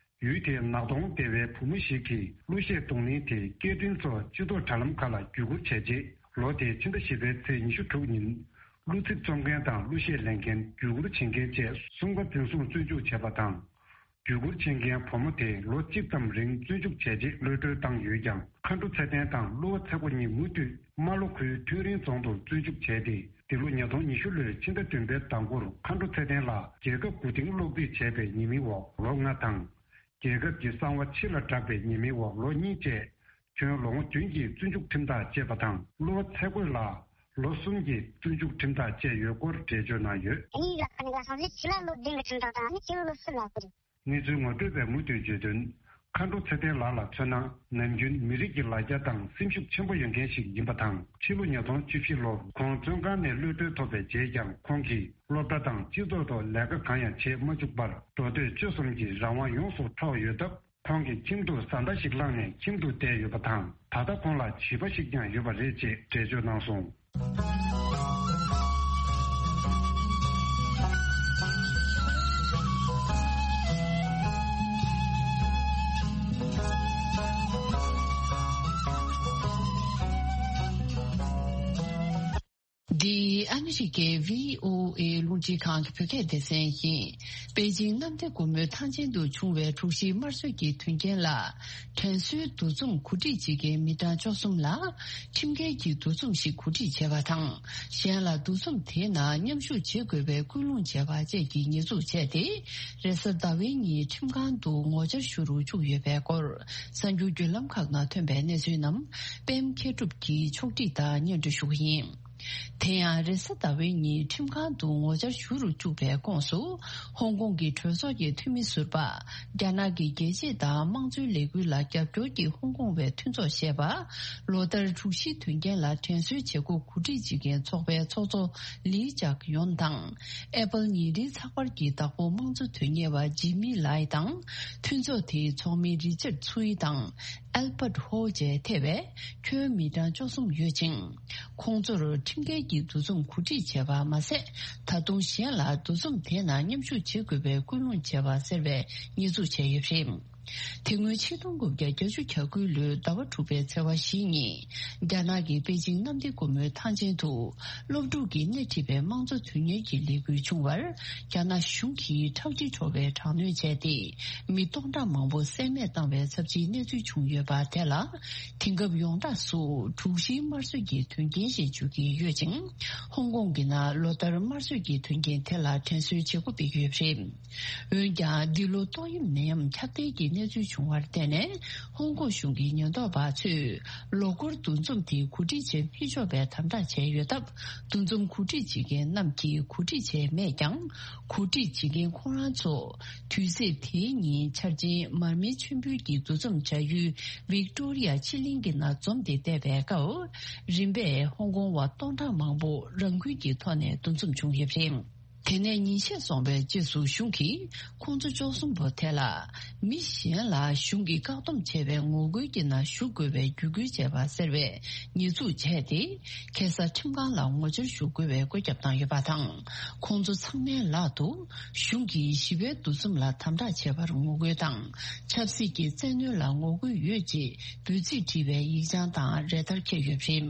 ཡུལ་དེའི་ནག་གདོང་སྡེ་བའི་བུ་མོ་ཞིག་གིས་གླུ་གཞས་རྡུང་ལེན་དེ་སྐད་འཕྲིན་སོགས་སྤྱི་ཚོགས་དྲ་ལམ་ཁག་ལ་བརྒྱུད་སྐུར་བྱས་རྗེས་ལོ་དེའི་ཕྱི་ཟླ་བཞི་པའི་ཚེས་ཉི་ཤུ་དྲུག་ཉིན། གླུ་ཚིག་རྩོམ་མཁན་དང་གླུ་གཞས་ལེན་མཁན་བརྒྱུད་སྐུར་བྱེད་མཁན་བཅས་གསུམ་ཀ་འཛིན་བཟུང་བཙོན་འཇུག་བྱས་པ་དང་། བརྒྱུད་སྐུར་བྱེད་མཁན་བུ་མོ་དེ་ལོ་གཅིག་ཙམ་རིང་བཙོན་འཇུག་བྱས་རྗེས་གློད་གྲོལ་བཏང་ཡོད་ཀྱང་མཁའ་འགྲོ་ཚེ་བརྟན་དང་གླུ་བ་ཚེ་རྒོ་གཉིས་མུ་མཐུད་རྨ་ལྷོ་ཁུལ་ཐོན་རིན་རྫོང་དུ་བཙོན་འཇུག་བྱས་ཏེ་འདི་ལོ་ཉིས་སྟོང་ཉི་ཤུ་ལོའི་ཕྱི་ཟླ་བདུན་པའི་ཟླ་འགོར་མཁའ་འགྲོ་ཚེ་བརྟན་ལ་རྒྱལ་ཁབ་མགོ་རྟིང་སློག་སྡུད་བྱས་པའི་ཉེས་མིང་འོག་ལོ་ལྔ་དང་། རྒྱལ་ཁབ་ཀྱི་གསང་བ་ཕྱི་ལ་བསྒྲགས་པའི་ཉེས་མིང་འོག་ལོ་གཉིས་བཅས་ཁྱོན་ལོ་ངོ་བདུན་གྱི་བཙོན་འཇུག་ཁྲིམས་ཐག་བཅད་པ་དང་གླུ་བ་ཚེ་རྒོ་ལ་ལོ་གསུམ་གྱི་བཙོན་འཇུག་ཁྲིམས་ཐག་བཅད་ཡོད་སྐོར་འགྲེལ་བརྗོད་གནང་ཡོད། གཉིས་ལ་ཁ་ནས་ལ་སོང་ཚེ་ཕྱི་ལ་ལོ་བདུན་གྱི་ཁྲིམས་ཐག་དང་ནི་ཕྱི་ལ་ལོ་གསུམ་ལ་བསྐུར། གནས་ཚུལ་ངོ་སྤྲོད་པས་མུ་མཐུད་བརྗོད་དོན། མཁའ་འགྲོ་ཚེ་བརྟན་ལགས་ལ་མཚོན་ན། ནམ་རྒྱུན་མི་རིགས་ཀྱི་ལ་རྒྱ་དང་སེམས་ཤུགས་ཆེན་པོ་ཡོད་མཁན་ཞིག་ཡིན་པ་དང་། ཕྱི་ལོ་ཉིས་སྟོང་བཅུ་བཞི་ལོར་ཁོང་བཙོན་ཁང་ནས་གློད་གྲོལ་ཐོབ་པའི་རྗེས་ཀྱང་། ཁོང་གིས་སློབ་གྲྭ་དང་སྤྱི་ཚོགས་ཐོག་ལས་ཀ་གང་ཡང་བྱེད་མ་བཅུག་པར། འགྲོ་སྡོད་སྤྱོད་གསུམ་གྱི་རང་དབང་ཡོངས་སུ་འཕྲོག་ཡོད་སྟབས། ཁོང་གི་ཁྱིམ་དུ་བཟའ་ཟླ་ཞིག་བླངས་ནས་ཁྱིམ་དུ་བསྡད་ཡོད་པ་དང་། ད་ལྟ་ཁོང་ལ་བྱིས་པ་ཞིག་ཀྱང་ཡོད་པ་རེད་ཅེས་འགྲེལ་བརྗོད་གནང་སོང་། འདི་ཨ་མི་རི་ཀའི་བྷི་ཨོ་ཨེ་རླུང་འཕྲིན་ཁང་གི་བོད་སྐད་སྡེ་ཚན་ཡིན། པེ་ཅིང་གནམ་བདེ་སྒོ་མོའི་ཐང་ཆེན་དུ་བྱུང་བའི་འབྲོག་ཞིའི་དམར་གསོད་ཀྱི་དོན་རྐྱེན་ལ། དྲན་གསོའི་འདུ་འཛོམས་གོ་སྒྲིག་བྱེད་མཁན་མི་གྲངས་བཅུ་གསུམ་ལ། ཁྲིམས་འགལ་གྱི་འདུ་འཛོམས་ཤིག་གོ་སྒྲིག་བྱས་པ་དང་། གཞན་ལ་འདུ་འཛོམས་དེའི་ནང་མཉམ་ཞུགས་བྱེད་དགོས་པའི་སྐུལ་སློང་བྱས་པ་བཅས་ཀྱི་ཉེས་འཛུགས་བྱས་ཏེ། རེས་གཟའ་ཟླ་བའི་ཉིན་ཁྲིམས་ཁང་དུ་ངོ་བཅར་ཞུ་རུ་བཅུག་ཡོད་པའི་སྐོར། གསར་འགྱུར་བརྒྱུད་ལམ་ཁག་ནང་ཐོན་པའི་གནས་ཚུལ་རྣམས་པད་མ་མཁས་གྲུབ་ཀྱིས་ཕྱོགས་སྒྲིག་དང་སྙན་སྒྲོན་ཞུ་གི་ཡིན། དེ་ཡང་རེས་གཟའ་ཟླ་བའི་ཉིན་ཁྲིམས་ཁང་དུ་ངོ་བཅར་ཞུ་རུ་བཅུག་པའི་ཁོངས་སུ། ཧོང་ཀོང་གི་གྲོས་ཚོགས་ཀྱི་འཐུས་མི་ཟུར་པ། རྒྱ་ནག་གི་རྒྱལ་གཅེས་དང་དམངས་གཙོའི་ལས་འགུལ་ལ་རྒྱབ་སྐྱོར་གྱི་ཧོང་ཀོང་བའི་མཐུན་ཚོགས་ཞེས་པ། ལོ་ལྟར་འབྲོག་ཞིའི་དོན་རྐྱེན་ལ་དྲན་གསོའི་བྱེད་སྒོ་གོ་སྒྲིག་བྱེད་མཁན་ཚོགས་པའི་ཚོགས་གཙོ་ལི་ཅག་ཡོན་དང་། ཨེ་པལ་ཉིན་རེའི་ཚགས་པར་གྱི་བདག་པོ་དམངས་གཙོ་དོན་གཉེར་བ་ཇི་མི་ལའི་དང་། མཐུན་ཚོགས་དེའི་ཚོགས་མི་རི་ཅར་ཚུའི་དང་། ཨལ་པར་ཧོ་བཅས་ཐེ་བའི་ཁྱོན་མི་གྲངས་བཅུ་གསུམ་ཡོད་ཅིང་། ཁོང་ཚོར་ཁྲིམས་འགལ་གྱི་འདུ་འཛོམས་གོ་སྒྲིག་བྱས་པ་མ་ཟད། ད་དུང་གཞན་ལ་འདུ་འཛོམས་དེ་ནང་མཉམ་ཞུགས་བྱེད་དགོས་པའི་སྐུལ་སློང་བྱས་པ་ཟེར་བའི་ཉེས་འཛུགས་བྱས་ཡོད་པ་རེད། དེ་སྔོན་ཆིག་སྟོང་དགུ་བརྒྱ་བརྒྱད་ཅུ་གྱ་དགུ་ལོའི་ཟླ་བ་དྲུག་པའི་ཚེས་པ་བཞི་ཉིན། རྒྱ་ནག་གི་པེ་ཅིང་གནམ་བདེ་སྒོ་མོའི་ཐང་ཆེན་དུ། སློབ་ཕྲུག་གིས་སྣེ་ཁྲིད་པའི་དམངས་གཙོ་དོན་གཉེར་གྱི་ལས་འགུལ་བྱུང་བར། རྒྱ་ནག་གཞུང་གིས་ཁྲག་དྲི་བྲོ་བའི་དྲག་གནོན་བྱས་ཏེ། མི་སྟོང་ཕྲག་མང་པོ་བསད་རྨས་བཏང་བའི་ཚབས་ཆེའི་གནས་ཚུལ་བྱུང་ཡོད་པ་དེ་ལ། དེང་སྐབས་ཡོངས་གྲགས་སུ་འབྲོག་ཞིའི་དམར་གསོད་ཀྱི་དོན་རྐྱེན་ཞེས་བརྗོད་ཀྱི་ཡོད་ཅིང་། ཧོང་ཀོང་གི་ནང་ལོ་ལྟར་དམར་གསོད་ཀྱི་དོན་རྐྱེན་དེ་ལ་དྲན་གསོའི་བྱེད་སྒོ་སྤེལ་གྱི་ཡོད་པ་རེད། འོན་ཀྱང་། འདི་ལོ་ཏོག་དབྱིབས་ནད་ཡམས་ཁྱབ་གདལ་གྱི་གནས་ཚུལ་བྱུང་བར་བརྟེན་ནས། ཧོང་ཀོང་གཞུང་གི་ཉེན་རྟོག་པ་ཚོས་ལོ་འཁོར་འདུ་འཛོམས་དེ་གོ་སྒྲིག་བྱེད་མི་ཆོག་པའི་དམ་དྲག་བྱས་ཡོད་སྟབས། འདུ་འཛོམས་གོ་སྒྲིག་བྱེད་མཁན་རྣམས་ཀྱིས་གོ་སྒྲིག་བྱས་མེད་ཀྱང་། གོ་སྒྲིག་བྱེད་མཁན་ཁོང་རང་ཚོ། དུས་ཚེས་དེའི་ཉིན་འཆར་ཅན་མར་མེ་མཆོད་འབུལ་གྱི་འདུ་འཛོམས་བྱ་ཡུལ་ཝིག་ཏོ་རི་ཡ་ཆི་གླིང་གི་ནང་འཛོམས་ཏེ་བསྡད་པའི་སྐབས། རིམ་པས་ཧོང་ཀོང་བ་སྟོང་ཕྲག་མང་པོ་རང་འགུལ་གྱི་ཐོག་ནས་འདུ་འཛོམས་བྱུང་ཡོད་པ་རེད། དེ་ནས་ཉིན་ཤས་སོང་བའི་རྗེས་སུ་གཞུང་གིས་ཁོང་ཚོ་བཅུ་གསུམ་པོ་དེ་ལ། མི་གཞན་ལ་གཞུང་གིས་བཀག་སྡོམ་བྱས་པའི་ངོ་རྒོལ་གྱི་ནང་ཞུགས་དགོས་པའི་བརྒྱུད་སྐུལ་བྱས་པ་ཟེར་བའི་ཉེས་འཛུགས་བྱས་ཏེ། ཁ་སང་ཁྲིམས་ཁང་ལ་ངོ་བཅར་ཞུ་དགོས་པའི་བཀོད་ཁྱབ་བཏང་ཡོད་པ་དང་། ཁོང་ཚོ་ཚང་མའི་ལག་ཏུ་གཞུང་གིས་ཞི་བའི་འདུ་འཛོམས་ལ་དམ་དྲག་བྱས་པར་ངོ་རྒོལ་དང་། ཆབ་སྲིད་ཀྱི་བཙན་གནོན་ལ་ངོ་རྒོལ་ཡོད་ཅེས་འབོད་ཚིག་བྲིས་པའི་ཡིག་བྱང་དང་རེ་ཐལ་འཁྱེར་ཡོད་པ་རེད།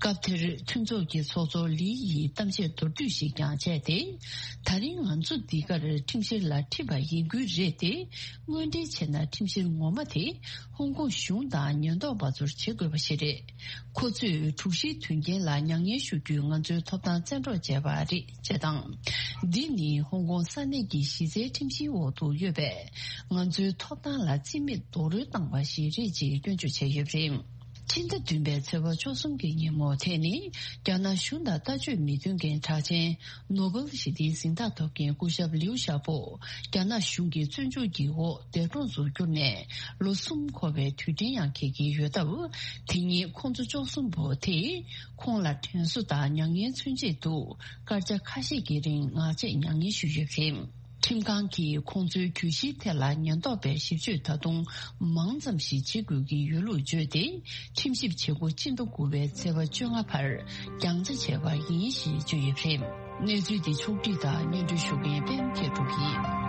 སྐབས་དེར་མཐུན་ཚོགས་ཀྱི་ཚོགས་གཙོ་ལི་ཡིས་གཏམ་བཤད་མདོར་བསྡུས་ཤིག་ཀྱང་བྱས་ཏེ། ད་རིང་ང་ཚོ་འདི་གར་ཁྲིམས་བཤེར་ལ་ཁྲིད་པ་ཡིན་ཁུལ་རེད་དེ། དངོས་འབྲེལ་བྱས་ན་ཁྲིམས་བཤེར་ངོ་མ་དེ་ཧོང་ཀོང་གཞུང་དང་ཉེན་རྟོག་པ་ཚོར་བྱེད་དགོས་པ་ཞིག་རེད། ཁོ་ཚོས་འབྲོག་ཞིའི་དོན་རྐྱེན་ལ་མྱ་ངན་ཞུ་རྒྱུའི་ང་ཚོའི་ཐོབ་ཐང་བཙན་འཕྲོག་བྱས་པ་རེད་ཅེས་དང་། འདི་ནི་ཧོང་ཀོང་ས་གནས་ཀྱི་གཞི་རྩའི་ཁྲིམས་གཞིའི་འོག་ཏུ་ཡོད་པས། ང་ཚོའི་ཐོབ་ཐང་ལ་རྩིས་མེད་རྡོག་རོལ་བཏང་བ་ཞིག་རེད་ཅེས་སྐྱོན་བརྗོད་བྱས་ཡོད་པ་རེད། ཕྱི་ཟླ་བདུན་པའི་ཚེས་པ་བཅུ་གསུམ་གྱི་ཉིན་མོ་དེ་ནི། རྒྱ་ནག་གཞུང་དང་ལྟ་སྤྱོད་མི་མཐུན་མཁན་གྲགས་ཅན། ནོ་སྦེལ་ཞི་བདེའི་གཟེངས་རྟགས་ཐོབ་མཁན་སྐུ་ཞབས་ལིའུ་ཞའོ་པོ། རྒྱ་ནག་གཞུང་གི་བཙོན་འཇུག་གི་འོག་འདས་གྲོངས་སུ་གྱུར་ནས་ལོ་གསུམ་འཁོར་བའི་དུས་དྲན་ཡང་འཁེལ་གྱི་ཡོད་སྟབས། དེ་ཉིན་ཁོང་ཚོ་བཅུ་གསུམ་པོ་དེས་ཁོང་ལ་དྲན་གསོ་དང་མྱ་ངན་མཚོན་ཆེད་དུ་སྐར་ཆ་ཁ་ཤས་ཀྱི་རིང་ངག་བཅད་མྱ་ངན་ཞུས་ཡོད་པ་རེད། ཁྲིམས་ཁང་གིས་ཁོང་ཚོའི་གྱོད་གཞིའི་ཐད་ལ་ཉེན་རྟོག་པའི་ཞིབ་དཔྱོད་ད་དུང་མང་ཙམ་ཞིག་བྱེད་དགོས་ཀྱི་ཡོད་ལུགས་བརྗོད་དེ། ཁྲིམས་ཞིབ་བྱེད་སྒོ་སྤྱི་ཟླ་དགུ་པའི་ཚེས་པ་བཅོ་ལྔ་བར་རྒྱང་ཆ་བྱས་པ་ཡིན་ཞེས་བརྗོད་ཡོད་པ་རེད། གནས་ཚུལ་འདི་ཕྱོགས་བསྒྲིགས་དང་སྙན་སྒྲོན་ཞུ་མཁན་པད་མ་མཁས་གྲུབ་ཡིན།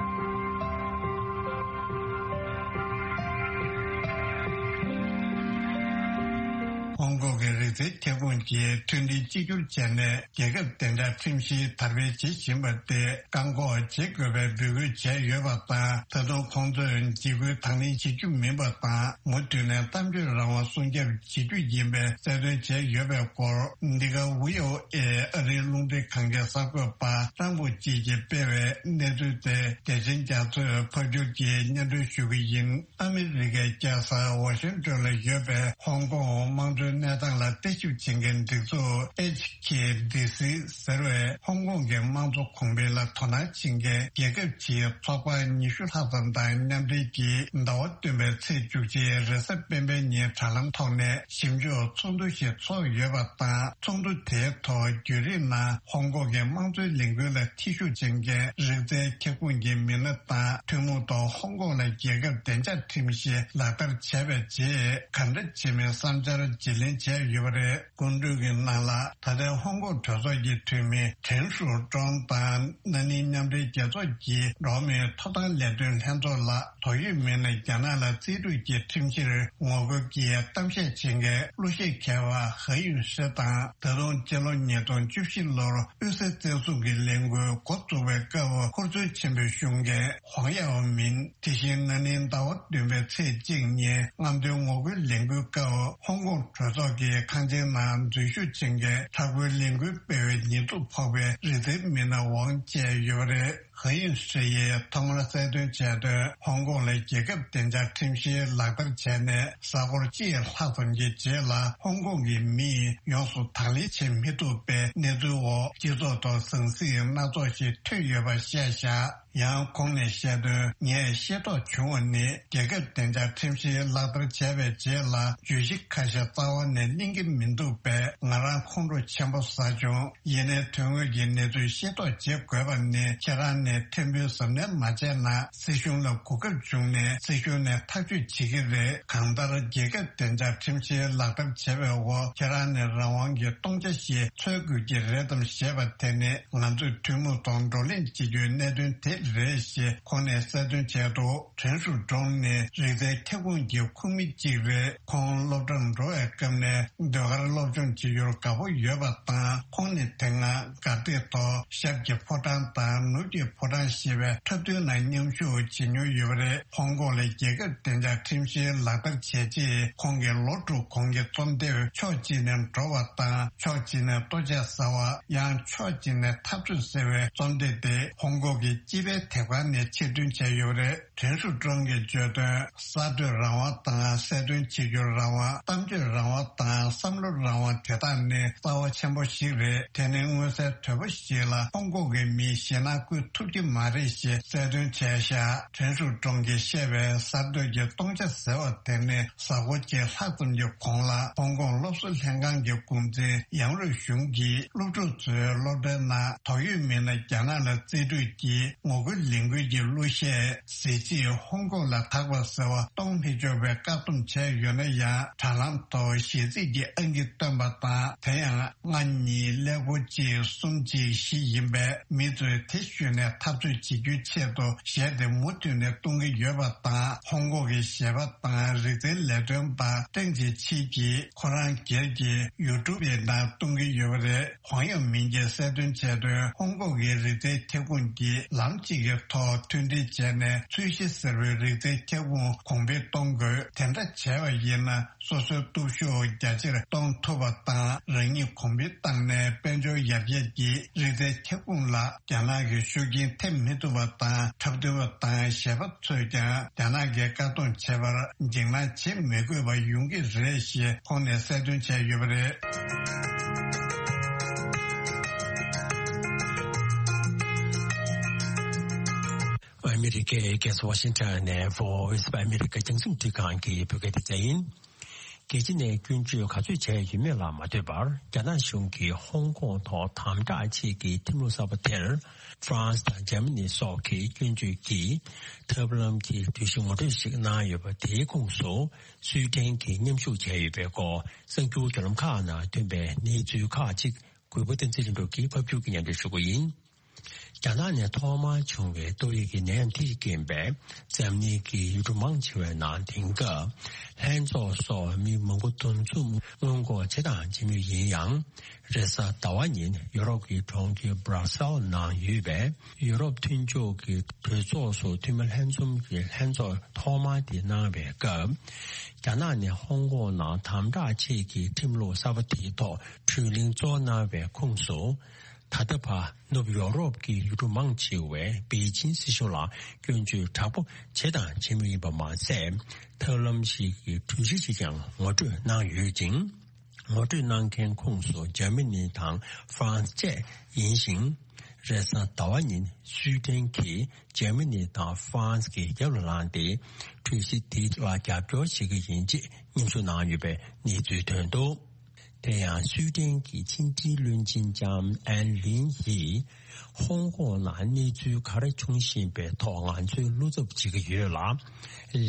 ཧོང་ཀོང་གི་རིག་རྩལ་ཁྱབ་ཁོངས་ཀྱིས་མཐུན་སྒྲིལ་གཅིག་གྱུར་བྱས་ནས། རྒྱལ་ཁབ་བདེ་འཇགས་ཁྲིམས་གཞི་དར་སྤེལ་བྱེད་བཞིན་པ་དེ་བཀག་འགོག་བྱེད་དགོས་པའི་འབོད་སྐུལ་བྱས་ཡོད་པ་དང་། ད་དུང་ཁོང་ཚོས་འཇིགས་སྐུལ་དང་ལེན་བྱེད་རྒྱུ་མིན་པ་དང་། མུ་མཐུད་ནས་གཏམ་བརྗོད་རང་དབང་སྲུང་སྐྱོབ་བྱེད་རྒྱུ་ཡིན་པའི་གསལ་སྟོན་བྱས་ཡོད་པའི་སྐོར། འདི་ག་ཝི་ཨོ་ཨེ་ཨ་རིའི་རླུང་འཕྲིན་ཁང་གི་གསར་འགོད་པ་ཀྲང་པོ་ཅི་གིས་སྤེལ་བའི་གནས་ཚུལ་དེ། བདེ་ཆེན་རྒྱ་མཚོས་ཕབ་སྒྱུར་གྱིས་སྙན་སྒྲོན་ཞུ་གི་ཡིན། ཨ་མི་རི་ཀའི་རྒྱལ་ས་ཝ་ཤིང་ཏོན་ལ་ཡོད་པའི་ཧོང་ཀོང་དམངས་གཙོའི་ གནས་སྟངས་ལ་བརྟག་ཞིབ་བྱེད་མཁན་སྒྲིག་འཛུགས་ཨེཆ་ཁེ་ཌི་སི་ཟེར་བས་ཧོང་ཀོང་གི་དམངས་གཙོ་གོང་འཕེལ་ལ་དོ་སྣང་བྱེད་མཁན་རྒྱལ་ཁབ་ཀྱི་ཚོགས་པ་ཉི་ཤུ་ལྷག་ཙམ་དང་མཉམ་འབྲེལ་གྱིས་ཟླ་བ་བདུན་པའི་ཚེས་བཅུ་གཅིག་རེས་གཟའ་སྤེན་པའི་ཉིན་དྲ་ལམ་ཐོག་ནས་ཞིབ་འཇུག་ཚོགས་འདུ་ཞིག་ཚོགས་ཡོད་པ་དང་། ཚོགས་འདུ་དེའི་ཐོག་བརྒྱུད་རིམ་ནང་ཧོང་ཀོང་གི་དམངས་གཙོའི་ལས་འགུལ་ལ་ཐེ་ཞུགས་བྱེད་མཁན་རིག་རྩལ་ཁྱབ་ཁོངས་ཀྱི་མི་སྣ་དང་། ཐུན་མོང་ཐོག་ཧོང་ཀོང་ལ་རྒྱལ་ཁབ་བདེ་འཇགས་ཁྲིམས་གཞི་ལག་བསྟར་བྱས་པའི་རྗེས་ག་འདྲ་བྱེད་མིན་བསམ་འཆར་བརྗེ་ལེན་བྱས་ཡོད་པ་རེད། སྐུ་མགྲོན་གྱི་ནང་ལ་ད་ལྟའི་ཧོང་ཀོང་གྲོས་ཚོགས་ཀྱི་འཐུས་མི་ཁྲེན་ཧྲུའུ་ཀྲོང་དང་། ན་ནིང་མཉམ་འབྲེལ་རྒྱལ་ཚོགས་ཀྱི་འགྲོ་བ་མིའི་ཐོབ་ཐང་ལས་དོན་ལྷན་ཚོགས་ལ། དོགས་ཡོད་མི་སྣ་རྒྱ་ནག་ལ་རྩིས་སྤྲོད་ཀྱི་ཁྲིམས་གཞིར་ངོ་རྒོལ་གྱི་གཏམ་བཤད་བྱེད་མཁན་གླུ་གཞས་མཁས་པ་ཧེ་ཡུན་ཧྲི་དང་། ད་དུང་སྤྱི་ལོ་ཉིས་སྟོང་བཅུ་བཞི་ལོར་དབུས་སའི་བཙན་བཟུང་གི་ལས་འགུལ་འགོ་བཙུགས་པའི་སྐབས་ཧུར་བརྩོན་ཆེན་པོས་ཞུགས་མཁན་ཧོང་ཡའོ་མིན། དེ་བཞིན་ན་ནིང་ཟླ་བ་བདུན་པའི་ཚེས་གཅིག་ཉིན་རྔམ་སྟོན་ངོ་རྒོལ་ལས་འགུལ་སྐབས་ཧོང་ཀོང་གྲོས་ཚོགས་ཀྱི་ཁང་ཆེན་ནང་འཛུལ་ཞུགས་བྱེད་མཁན་ཧྲག་བརྒོལ་ལས་འགུལ་སྤེལ་བའི་ཉེས་འཛུགས་ཕོག་པའི་རིག་རྩལ་མི་སྣ་ཝང་བཅས་ཡོད་པ་རེད། ཧེ་ཡུན་ཧྲི་ཡིས་ཐོག་མར་གསལ་སྟོན་བྱས་དོན། ཧོང་ཀོང་ལ་རྒྱལ་ཁབ་བདེ་འཇགས་ཁྲིམས་གཞི་ལག་བསྟར་བྱས་ནས་གཟའ་འཁོར་གཅིག་ལྷག་ཙམ་གྱི་རྗེས་ལ་ཧོང་ཀོང་གི་མིས་ཡོངས་སུ་དང་ལེན་བྱེད་མི་ཐུབ་པའི་གནས་ཚུལ་འོག་སྤྱི་ཚོགས་ཐོག་ཟང་ཟིང་སྣ་ཚོགས་ཤིག་ཐོན་ཡོད་པ་བཤད་བཞག་ཡང་ཁོང་ནས་བཤད་དོན། ངས་ཤེས་རྟོགས་བྱུང་བ་ནི། རྒྱལ་ཁབ་བདེ་འཇགས་ཁྲིམས་གཞི་ལག་བསྟར་བྱས་པའི་རྗེས་ལ་བརྗོད་གཞི་ཁ་ཤས་རྩ་བ་ནས་གླེང་གི་མི་འདུག་པས་ང་རང་ཁོང་ཁྲོ་ཆེན་པོ་ཟ་བྱུང་། ཡིན་ནའི་དོན་དངོས་ཀྱི་གནས་ཚུལ་ཤེས་རྟོགས་བྱེད་དགོས་པ་ནི། ཁྱེད་རང་ནས་ཕྲན་བུའི་གཟབ་ནན་མ་བྱས་ན་སྲིད་གཞུང་ལ་གོ་སྐབས་བྱུང་ནས་སྲིད་གཞུང་ནས་ཐག་གཅོད་བྱེད་ཀྱི་རེད། གང་ལྟར་རྒྱལ་ཁབ་བདེ་འཇགས་ཁྲིམས་གཞི་ལག་བསྟར་བྱས་པའི་འོག་ཁྱེད་རང་ནས་རང་དབང་གི་སྟོང་ཆ་ཞིག་འཚོལ་དགོས་ཀྱི་རེད་དམ་ཞེས་པ་དེ་ནི་ང་ཚོས་ཐུན་མོང་ཐོག་བགྲོ་གླེང་བྱེད་རྒྱུའི་གནད་དོན་དེ་རེད་ཞེས་ཁོང་ནས་གསལ་སྟོན་བྱས་འདུག་ཁྲེན་ཧྲུའུ་ཀྲོང་ནི་རིག་རྩལ་ཁྱབ་ཁོངས་ཀྱི་ཁོངས་མི་གཅིག་རེད། ཁོང་སློབ་གྲྭར་འགྲོ་བའི་སྐབས་ནས་ཟློས་གར་སློབ་སྦྱོང་བྱེད་རྒྱུར་དགའ་པོ་ཡོད་པ་དང་། ཁོང་ནི་དེ་སྔ་དགའ་སྡེ་ཐོག་ཞབས་ཀྱི་ཕོ་བྲང་དང་ནོར་གྱི་ཕོ་བྲང་ཞེས་པའི་འཁྲབ་སྟོན་ནང་མཉམ་ཞུགས་བྱེད་མྱོང་ཡོད་པ་རེད། ཧོང་ཀོང་ལ་རྒྱལ་ཁབ་བདེ་འཇགས་ཁྲིམས་གཞི་ལག་བསྟར་བྱས་རྗེས་ཁོང་གིས་ལོ་དྲུག་གོང་གི་རྩོམ་དེབ་ཕྱོགས་གཅིག་ནས་འགྲོ་བ་དང་ཕྱོགས་གཅིག་ནས་ལྟོ་ཆས་ཟ་བ། ཡང་ཕྱོགས་གཅིག་ནས་འཐབ་རྩོད་ཟེར་བའི་རྩོམ་དེབ་དེ་ཧོང་ཀོང་གི་སྤྱི་པའི་དེབ་ཁང་ནས་ཕྱིར་འདོན་བྱས་ཡོད་པ་རེད། ཁྲེན་ཧྲུའུ་ཀྲོང་གིས་བརྗོད་དོན། གསར་གཏོད་རང་དབང་དང་གསལ་སྟོན་བྱེད་རྒྱུར་རང་དབང་། གཏམ་བརྗོད་རང་དབང་དང་བསམ་བློ་རང་དབང་དེ་དག་ནི་རྩ་བ་ཆེན་པོ་ཞིག་རེད། དེ་ནི་མངོན་གསལ་དོད་པོ་ཞིག་ལ་ཧོང་ཀོང་གི་མིས་ཞེད་སྣང་བསྐུལ་ཐུབ་ཀྱི་མ་རེད་ཞེས་གསལ་སྟོན་བྱས་བཞག་ཁྲེན་ཧྲུའུ་ཀྲོང་གིས་བཤད་པའི་གསར་གཏོད་ཀྱི་སྟོང་ཆ་ཟེར་བ་དེ་ནི་གཟའ་འཁོར་གཅིག་ལྷག་ཙམ་གྱི་གོང་ལ་ཧོང་ཀོང་སློབ་གསོ་ལྷན་ཁང་གི་འགོ་འཛིན་ཡང་རུས་ཞུང་གིས་སློབ་ཕྲུག་ཚོའི་སློབ་གྲྭའི་ནང་དོགས་ཡོད་མི་སྣ་རྒྱ་ནག་ལ་རྩིས་སྤྲོད་ཀྱིས་ངོ་རྒོལ་ལས་འགུལ་གྱི་གླུ་གཞས། གཟི་བརྗིད་ཧོང་ཀོང་ལ་དག་པ་ཟེར་བ་གཏོང་མི་ཆོག་པའི་བཀག་སྡོམ་བྱས་ཡོད་ན་ཡང་། དྲ་ལམ་ཐོག་གཞས་ཚིག་གི་ཨང་ཀི་བཏོན་པ་དང་། དེ་ཡང་ལྔ་གཉིས་ཀླད་ཀོར་གཅིག་གསུམ་གཅིག་བཞི་ཡིན་པས། མི་ཚོས་དེ་ཞུས་ནས་འཐབ་རྩོད་བྱེད་རྒྱུའི་ཆེད་དུ་གཞས་དེ་མུ་མཐུད་ནས་གཏོང་གི་ཡོད་པ་དང་། ཧོང་ཀོང་གི་གཞས་པ་དང་རིག་རྩལ་ལས་དོན་པ་ཀྲེང་ཅི་ཆི་གིས་ཁོ་རང་སྒེར་གྱི་ཡུ་ཊུབ་ཡི་ནང་གཏོང་གི་ཡོད་པ་རེད། ཝང་ཡང་མིན་གྱིས་གསལ་སྟོན་བྱས་དོན། ཧོང་ཀོང་གི་རིག་རྩལ་ཁྱབ་ཁོངས་ཀྱིས་ལམ་གཅིག་གི་ཐོག་མཐུན་སྒྲིལ་བྱས་ནས་ཚོས་གཞི་ཟེར་བའི་རིག་རྩལ་ཁྱབ་ཁོངས་གོང་འཕེལ་གཏོང་དགོས། དེ་འདྲ་བྱས་པ་ཡིན་ན་སོ་སོའི་སྟོབས་ཤུགས་རྒྱ་ཆེར་གཏོང་ཐུབ་པ་དང་། རང་ཉིད་གོང་འཕེལ་བཏང་ནས་དཔལ་འབྱོར་ཡར་རྒྱས་ཀྱིས་རིག་རྩལ་ཁྱབ་ཁོངས་ལ་རྒྱ་ནག་གི་ཤུགས་རྐྱེན་ཐེབས་མི་ཐུབ་པ་དང་། འཁྲབ་སྟོན་པ་དང་གཞས་པ་ཚོས་ཀྱང་རྒྱ་ནག་གིས་བཀག་སྡོམ་བྱས་པར་འཇིགས་སྣང་བྱེད་མི་དགོས་པ་ཡོང་གི་རེད་ཞེས་ཁོང་ནས་གསལ་སྟོན་བྱས་ཡོད་པ་རེད། ཨ་མི་རི་ཀའི་རྒྱལ་ས་ཝ་ཤིང་ཊོན་ནས་Voice of America རྒྱང་སྲིང་འཕྲིན་ཁང་གི་བོད་སྐད་སྡེ་ཚན་ཡིན། རྒྱལ་སྤྱི་ནས་སྐྱོན་བརྗོད་ག་ཚོད་བྱས་ཡོད་མེད་ལ་མ་ལྟོས་པར། རྒྱ་ནག་གཞུང་གིས་ཧོང་ཀོང་ཐོག་དམ་དྲག་ཆེད་ཀྱི་ཁྲིམས་ལུགས་གསར་པ་དེར་ཧྥ་རན་སི་དང་འཇར་མ་ནི་སོགས་ཀྱིས་སྐྱོན་བརྗོད་ཀྱིས་ཐབས་ལམ་གྱི་གྲོས་གཞི་ངོ་སྤྲོད་ཞིག་གནང་ཡོད་པ། དེའི་ཁོངས་སུ་སུའེ་ཏེན་གྱིས་མཉམ་ཞུགས་བྱས་ཡོད་པའི་སྐོར་གསར་འགྱུར་བརྒྱུད་ལམ་ཁག་ནང་ཐོན་པའི་གནས་ཚུལ་ཁག་ཅིག་གུས་པ་བསྟན་འཛིན་ལྷུན་གྲུབ་ཀྱིས་ཕབ་སྒྱུར་གྱིས་སྙན་སྒྲོན་ཞུ་གི་ཡིན། རྒྱ་ནག་ནས་ཐོག་མར་བྱུང་བའི་ཏོག་དབྱིབས་ཀྱི་ནད་ཡམས་དེས་རྐྱེན་པས། འཛམ་གླིང་གི་ཡུལ་གྲུ་མང་ཆེ་བའི་ནང་དེང་སྐབས་ལྷན་ཚོགས་སོགས་མི་མང་པོ་འདུ་འཛོམས་སྔོན་འགོག་བྱེད་དང་བྱེད་མུས་ཡིན་ཡང་། རེས་གཟའ་ཟླ་བ་ཉིན་ཡུ་རོབ་ཀྱི་གྲོང་ཁྱེར་Brussels ནང་ཡོད་པའི་ཡུ་རོབ་མཐུན་ཕྱོགས་ཀྱི་གྲོས་ཚོགས་སུ་འཐུས་མི་ལྷན་འཛོམས་ཀྱི་ལྷན་ཚོགས་ཐོག་མ་དེ་གནང་བའི་སྐབས། རྒྱ་ནག་ནས་ཧོང་ཀོང་ནང་དམ་དྲག་ཆེད་ཀྱི་ཁྲིམས་ལུགས་གསར་པ་དེའི་ཐོག་གྲོས་གླེང་གཙོ་བོ་གནང་བའི་ཁོངས་སུ། ད་ལྟ་བར་ནུབ་ཡོ་རོབ་ཀྱི་ཡུལ་གྲུ་མང་ཆེ་བས་པེ་ཅིན་སྲིད་གཞུང་ལ་སྐྱོན་བརྗོད་དྲག་པོ་བྱས་དང་བྱེད་མུས་ཡིན་པ་མ་ཟད། ཐབས་ལམ་ཞིག་གི་གྲོས་གཞི་ཞིག་ཀྱང་ངོ་སྤྲོད་གནང་ཡོད་ཅིང་། ངོ་སྤྲོད་གནང་མཁན་ཁོངས་སུ་འཇར་མ་ནི་དང་ཧྥ་རན་སི་བཅས་ཡིན་ཞིང་། རེས་གཟའ་ཟླ་བ་ཉིན་སུའེ་ཏེན་གྱིས་འཇར་མ་ནི་དང་ཧྥ་རན་སི་གི་རྒྱབ་ལ་ལངས་ཏེ། གྲོས་གཞི་དེ་ལ་རྒྱབ་སྐྱོར་བྱེད་ཀྱི་ཡིན་ཅེས་སྙན་ཞུ་གནང་ཡོད་པའི་གནས་ཚུལ་ཐོན་འདུག་དེ་ཡང་སུའེ་ཏེན་གྱི་ཕྱི་འབྲེལ་བློན་ཆེན་ལྕམ་ཨན་ལིན་ཡིས། ཧོང་ཀོང་ནང་གནས་ཚུལ་ག་རེ་འབྱུང་བཞིན་པའི་ཐོག་ང་ཚོས་བློ་འཚབ་བྱེད་ཀྱི་ཡོད་ལ།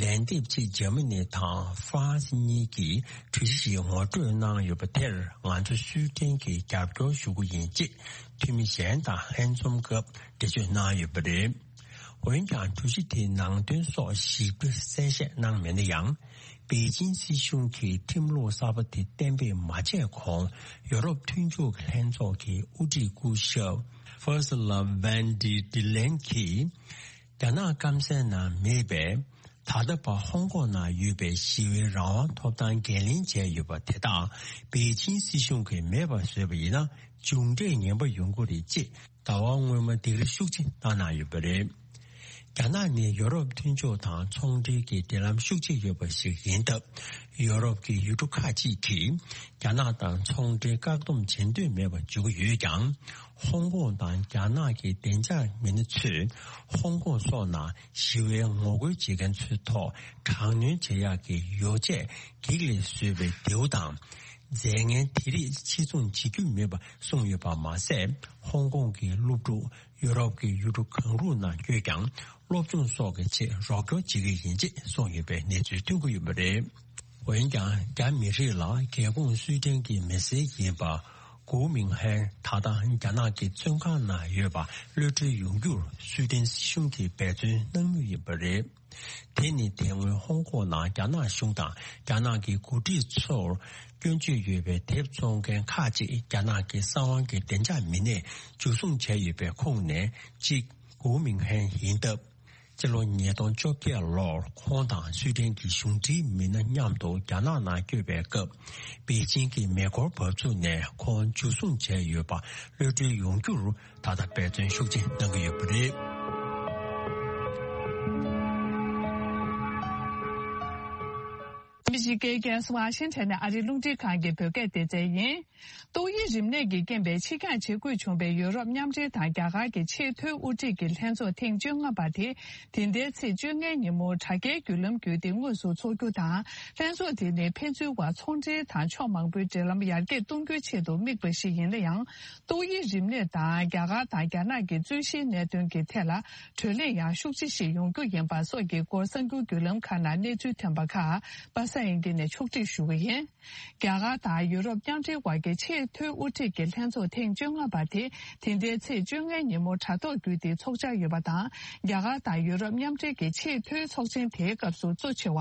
ལན་འདེབས་ཆེད་འཇར་མ་ནི་དང་ཧྥ་རན་སི་གཉིས་ཀྱིས་གྲོས་གཞི་ཞིག་ངོ་སྤྲོད་གནང་ཡོད་པ་དེར་ང་ཚོ་སུའེ་ཏེན་གྱིས་རྒྱབ་སྐྱོར་ཞུ་གི་ཡིན་ཅེས་འཐུས་མི་གཞན་དང་ལྷན་འཛོམས་སྐབས་འགྲེལ་བརྗོད་གནང་ཡོད་པ་རེད། འོན་ཀྱང་གྲོས་གཞི་དེའི་ནང་དོན་སོགས་ཞིབ་ཕྲ་གསལ་བཤད་གནང་མེད་ན་ཡང་། པེ་ཅིན་སྲིད་གཞུང་གིས་ཁྲིམས་ལུགས་གསར་པ་དེ་གཏན་འབེབས་མ་བྱས་གོང་ཡོ་རོབ་མཐུན་ཕྱོགས་ཀྱི་ལྷན་ཚོགས་ཀྱི་དབུ་ཁྲིད་སྐུ་ཞབས་Ursula von der Leyen གྱིས། རྒྱ་ནག་སྐམ་སའི་ནང་མེད་པའི་ད་ལྟ་བར་ཧོང་ཀོང་ནང་ཡོད་པའི་ཞི་བའི་རང་དབང་ཐོབ་ཐང་འགན་ལེན་བྱས་ཡོད་པ་དེ་དག་པེ་ཅིན་སྲིད་གཞུང་གིས་མེད་པར་བཟོས་པ་ཡིན་ན་མཇུག་འབྲས་ངན་པ་ཡོང་གི་རེད་ཅེས་ཟླ་བ་སྔོན་མ་སྡིགས་ར་ཤུགས་ཆེ་བཏང་གནང་ཡོད་པ་རེད། རྒྱ་ནག་ནི་ཡོ་རོབ་མཐུན་ཕྱོགས་དང་ཚོང་འབྲེལ་གྱི་འབྲེལ་ལམ་ཤུགས་ཆེ་ཡོད་པ་ཞིག་ཡིན་སྟབས། ཡོ་རོབ་ཀྱི་ཡུལ་གྲུ་ཁག་ཅིག་གིས་རྒྱ་ནག་དང་ཚོང་འབྲེལ་བཀག་སྡོམ་བྱེད་འདོད་མེད་པར་འཇོག་གི་ཡོད་ཀྱང་། ཧོང་ཀོང་དང་རྒྱ་ནག་གི་བདེ་འཇགས་མི་སྣ་ཚོས་ཧོང་ཀོང་སོགས་ནང་ཞི་བའི་ངོ་རྒོལ་བྱེད་མཁན་ཚོའི་ཐོག་དྲག་གནོན་བྱེད་ཡག་གི་ཡོ་བྱད་གེགས་ལས་བཟོས་པའི་མདེའུ་དང་། རྫས་ངན་དེ་རིགས་ཕྱིར་ཚོང་བྱེད་རྒྱུ་མེད་པ་གསུངས་ཡོད་པ་མ་ཟད། ཧོང་ཀོང་གི་སློབ་ཕྲུག་ཡོ་རོབ་ཀྱི་ཡུལ་གྲུ་གང་རུང་ནང་བསྐྱོད་ཀྱང་སློབ་སྦྱོང་སོགས་ཀྱི་ཆེད་རོགས་སྐྱོར་བྱེད་ཀྱི་ཡིན་ཅེས་གསུངས་ཡོད་པའི་གནས་ཚུལ་ཐོན་གྱི་ཡོད་པ་རེད། འོན་ཀྱང་རྒྱ་མི་རིགས་ལ་རྒྱལ་ཁོངས་སུའེ་ཏེན་གྱི་མི་སེར་ཡིན་པ་གུའུ་མིང་ཧན་ད་ལྟ་རྒྱ་ནག་གི་བཙོན་ཁང་ནང་ཡོད་པ་གློད་གྲོལ་ཡོང་རྒྱུར་སུའེ་ཏེན་སྲིད་གཞུང་གིས་འབད་བརྩོན་གནང་མུས་ཡིན་པ་རེད། དེ་ནི་དེ་སྔོན་ཧོང་ཀོང་ནང་རྒྱ་ནག་གཞུང་དང་རྒྱ་ནག་གི་འགོ་ཁྲིད་ཚོར་སྐྱོན་བརྗོད་ཡོད་པའི་དེབ་བཙོང་མཁན་ཁག་ཅིག་རྒྱ་ནག་གི་གསང་བ་གི་བདེ་འཇགས་མི་སྣས་འཇུ་བཟུང་བྱས་ཡོད་པའི་ཁོངས་ནས་གཅིག་གུའུ་མིང་ཧན་ཡིན་སྟབས། སྤྱི་ལོ་ཉིས་སྟོང་བཅོ་བརྒྱད་ལོར་ཁོང་དང་སུའེ་ཏེན་གྱི་གཞུང་འབྲེལ་མི་སྣ་མཉམ་དུ་རྒྱ་ནག་ནང་བསྐྱོད་པའི་སྐབས། པེ་ཅིང་གི་མེ་འཁོར་འབབ་ཚུགས་ནས་ཁོང་འཇུ་བཟུང་བྱས་ཡོད་པ་གློད་གྲོལ་ཡོང་རྒྱུར་ད་ལྟ་འབད་བརྩོན་ཤུགས་ཆེ་གནང་གི་ཡོད་པ་རེད། ཨ་མི་རི་ཀའི་རྒྱལ་ས་ཝ་ཤིང་ཊོན་ནས་ཨ་རིའི་རླུང་འཕྲིན་ཁང་གི་བོད་སྐད་སྡེ་ཚན་ཡིན། ཏོག་དབྱིབས་རིམས་ནད་ཀྱི་རྐྱེན་པས་ཕྱིར་འགྱངས་བྱེད་དགོས་བྱུང་བའི་ཡུ་རོབ་མཉམ་འབྲེལ་དང་རྒྱ་གར་གྱི་ཆེས་མཐོའི་དབུ་ཁྲིད་ཀྱི་ལྷན་ཚོགས་ཐེངས་བཅོ་ལྔ་པ་དེ་དེ་ཟླའི་ཚེས་བཅོ་ལྔའི་ཉིན་མོ་དྲ་རྒྱའི་བརྒྱུད་ལམ་བརྒྱུད་དེ་དངོས་སུ་འཚོགས་རྒྱུ་དང་། ལྷན་ཚོགས་དེ་ནི་ཕན་ཚུན་བར་ཚོང་འབྲེལ་དང་ཕྱོགས་མང་པོའི་འབྲེལ་ལམ་ཡར་རྒྱས་གཏོང་རྒྱུའི་ཆེད་དུ་དམིགས་པ་ཞིག་ཡིན་ན་ཡང་། ཏོག་དབྱིབས་རིམས་ནད་དང་རྒྱ་གར་དང་རྒྱ་ནག་གི་རྩོད་གཞིའི་གནད་དོན་གྱི་ཐད་ལ་གྲོས་གླེང་ཡང་ཤུགས་ཆེ་ཞིག་ཡོང་རྒྱུ་ཡིན་པ་སོགས་ཀྱི་སྐོར་གསར་འགྱུར་བརྒྱུད་ལམ་ཁག་ནང་གནས་ཚུལ་ཐོན་པ་ཁག་པ་སངས་དབྱངས་སྐྱིད་ནས་ཕྱོགས་སྒྲིག་ཞུ་གི་ཡིན། རྒྱ་གར་དང་ཡུ་རོབ་མཉམ་འབྲེལ་དབར་གྱི་ཆེས་མཐོའི་དབུ་ཁྲིད་ཀྱི་ལྷན་ཚོགས་ཐེངས་བཅོ་ལྔ་པ་དེ་དེ་ཟླའི་ཚེས་བཅོ་ལྔའི་ཉིན་མོ་དྲ་ཐོག་བརྒྱུད་དེ་འཚོགས་འཆར་ཡོད་པ་དང་། རྒྱ་གར་དང་ཡུ་རོབ་མཉམ་འབྲེལ་གྱི་ཆེས་མཐོའི་ཚོགས་ཆེན་དེའི་སྐབས་སུ་གཙོ་ཆེ་བ་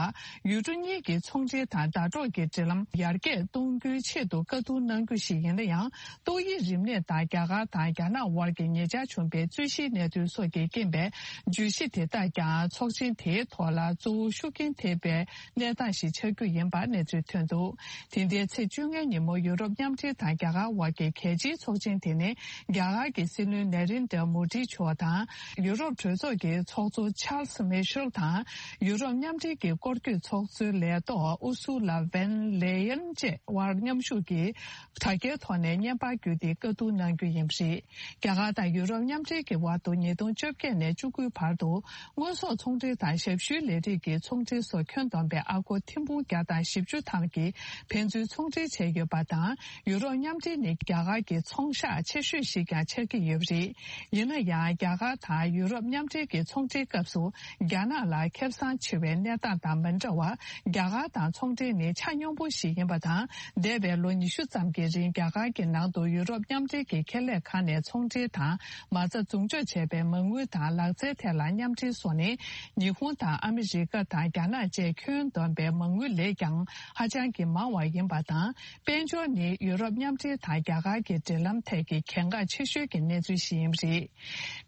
ཡུལ་གྲུ་གཉིས་ཀྱི་ཚོང་འབྲེལ་དང་ཟླ་གྲོགས་ཀྱི་འབྲེལ་ལམ་ཡར་རྒྱས་གཏོང་རྒྱུའི་ཆེད་དུ་བཀའ་བསྡུར་གནང་རྒྱུ་ཞིག་ཡིན་ན་ཡང་། ཏོག་དབྱིབས་རིམས་ནད་དང་རྒྱ་གར་དང་རྒྱ་ནག་དབར་གྱི་ཉེ་ཆར་བྱུང་པའི་རྩོད་གཞིའི་གནད་དོན་སོགས་ཀྱི་རྐྱེན་པས། བརྗོད་གཞི་དེ་དག་ཀྱང་ཚོགས་ཆེན་དེའི་ཐོག་ལ་གཙོ་བོ་ཤུགས་རྐྱེན་ཐེབས་པའི་གནས་སྟངས་ཤིག་ཆགས་རྒྱུ་ཡིན་པ་གནས་ཚུལ་ཐོན་འདུག་དེ་ཟླའི་ཚེས་བཅོ་ལྔའི་ཉིན་མོ་ཡུ་རོབ་མཉམ་འབྲེལ་དང་རྒྱ་གར་དབར་གྱི་གལ་ཆེའི་ཚོགས་ཆེན་དེ་ནི། རྒྱ་གར་གྱི་སྲིད་བློན་ནེ་རེན་དྲ་མོ་དི་མཆོག་དང་། ཡུ་རོབ་གྲོས་ཚོགས་ཀྱི་ཚོགས་གཙོ་ཆཱལ་སི་མེ་ཤེལ་དང་། ཡུ་རོབ་མཉམ་འབྲེལ་གྱི་སྐོར་སྐྱོད་ཚོགས་གཙོའི་ལས་ཐོག་ཨུ་སུ་ལ་ཝན་ལེ་ཡན་བཅས་དབར་མཉམ་ཞུགས་ཀྱིས་དྲ་རྒྱའི་ཐོག་ནས་བརྙན་པར་བརྒྱུད་དེ་བཀའ་བསྡུར་གནང་རྒྱུ་ཡིན་པ་རེད། རྒྱ་གར་དང་ཡུ་རོབ་མཉམ་འབྲེལ་གྱི་དབར་དུ་ཉིས་སྟོང་བཅོ་བརྒྱད་ནས་བཅུ་དགུའི་བར་དུ་དངོས་ཟོག་ཚོང་འབྲེལ་དང་ཞབས་ཞུའི་ལས་རིགས་ཀྱི་ཚོང་འབྲེལ་སོགས་ཁྱོན་བསྡོམས་པའི་ཨ་སྒོར་ཐེར་འབུམ་བརྒྱ་དང་བཞི་བཅུ་ཐམ་གྱི་ཕན་ཚུན་ཚོང་འབྲེལ་བྱས་ཡོད་པ་དང་། ཡུ་རོབ་མཉམ་འབྲེལ་ནི་རྒྱ་གར་གྱི་ཚོང་ཤག་ཆེ་ཤོས་ཤིག་ཀྱང་ཆགས་ཀྱི་ཡོད་པ་རེད། ཡིན་ན་ཡང་རྒྱ་གར་དང་ཡུ་རོབ་མཉམ་འབྲེལ་གྱི་ཚོང་འབྲེལ་སྐབས་སུ་རྒྱ་ནག་ལ་ཁེ་བཟང་ཆེ་བའི་གནས་སྟངས་དང་མི་འདྲ་བར། རྒྱ་གར་དང་ཚོང་འབྲེལ་ནི་ཆ་སྙོམས་པོ་ཞིག་ཡིན་པ་དང་། འདས་པའི་ལོ་ཉི་ཤུ་ཙམ་གྱི་རིང་རྒྱ་གར་གྱི་ནང་དུ་ཡུ་རོབ་མཉམ་འབྲེལ་གྱི་ཁེ་ལས་ཁང་ནས་ཚོང་འབྲེལ་དང་མ་རྩ་འཛུགས་འཇོག་བྱས་པའི་མ་དངུལ་དང་ལག་རྩལ་ཐད་ལ་མཉམ་འབྲེལ་སོགས་ནི། ཉི་ཧོང་དང་ཨ་མི་རི་ཀ་དང་རྒྱ་ནག་བཅས་ཁྱོན་བསྡོམས་པའི་མ་དངུལ་ལས་ཀྱང་ཧ་ཅང་གི་མང་བ་ཡིན་པ་དང་། དཔལ་འབྱོར་ནི་ཡུ་རོབ་མཉམ་འབྲེལ་དང་རྒྱ་གར་གྱི་འབྲེལ་ལམ་ཐད་ཀྱི་གལ་འགངས་ཆེ་ཤོས་ཀྱི་གནས་ཚུལ་ཞིག་ཡིན་པ་རེད།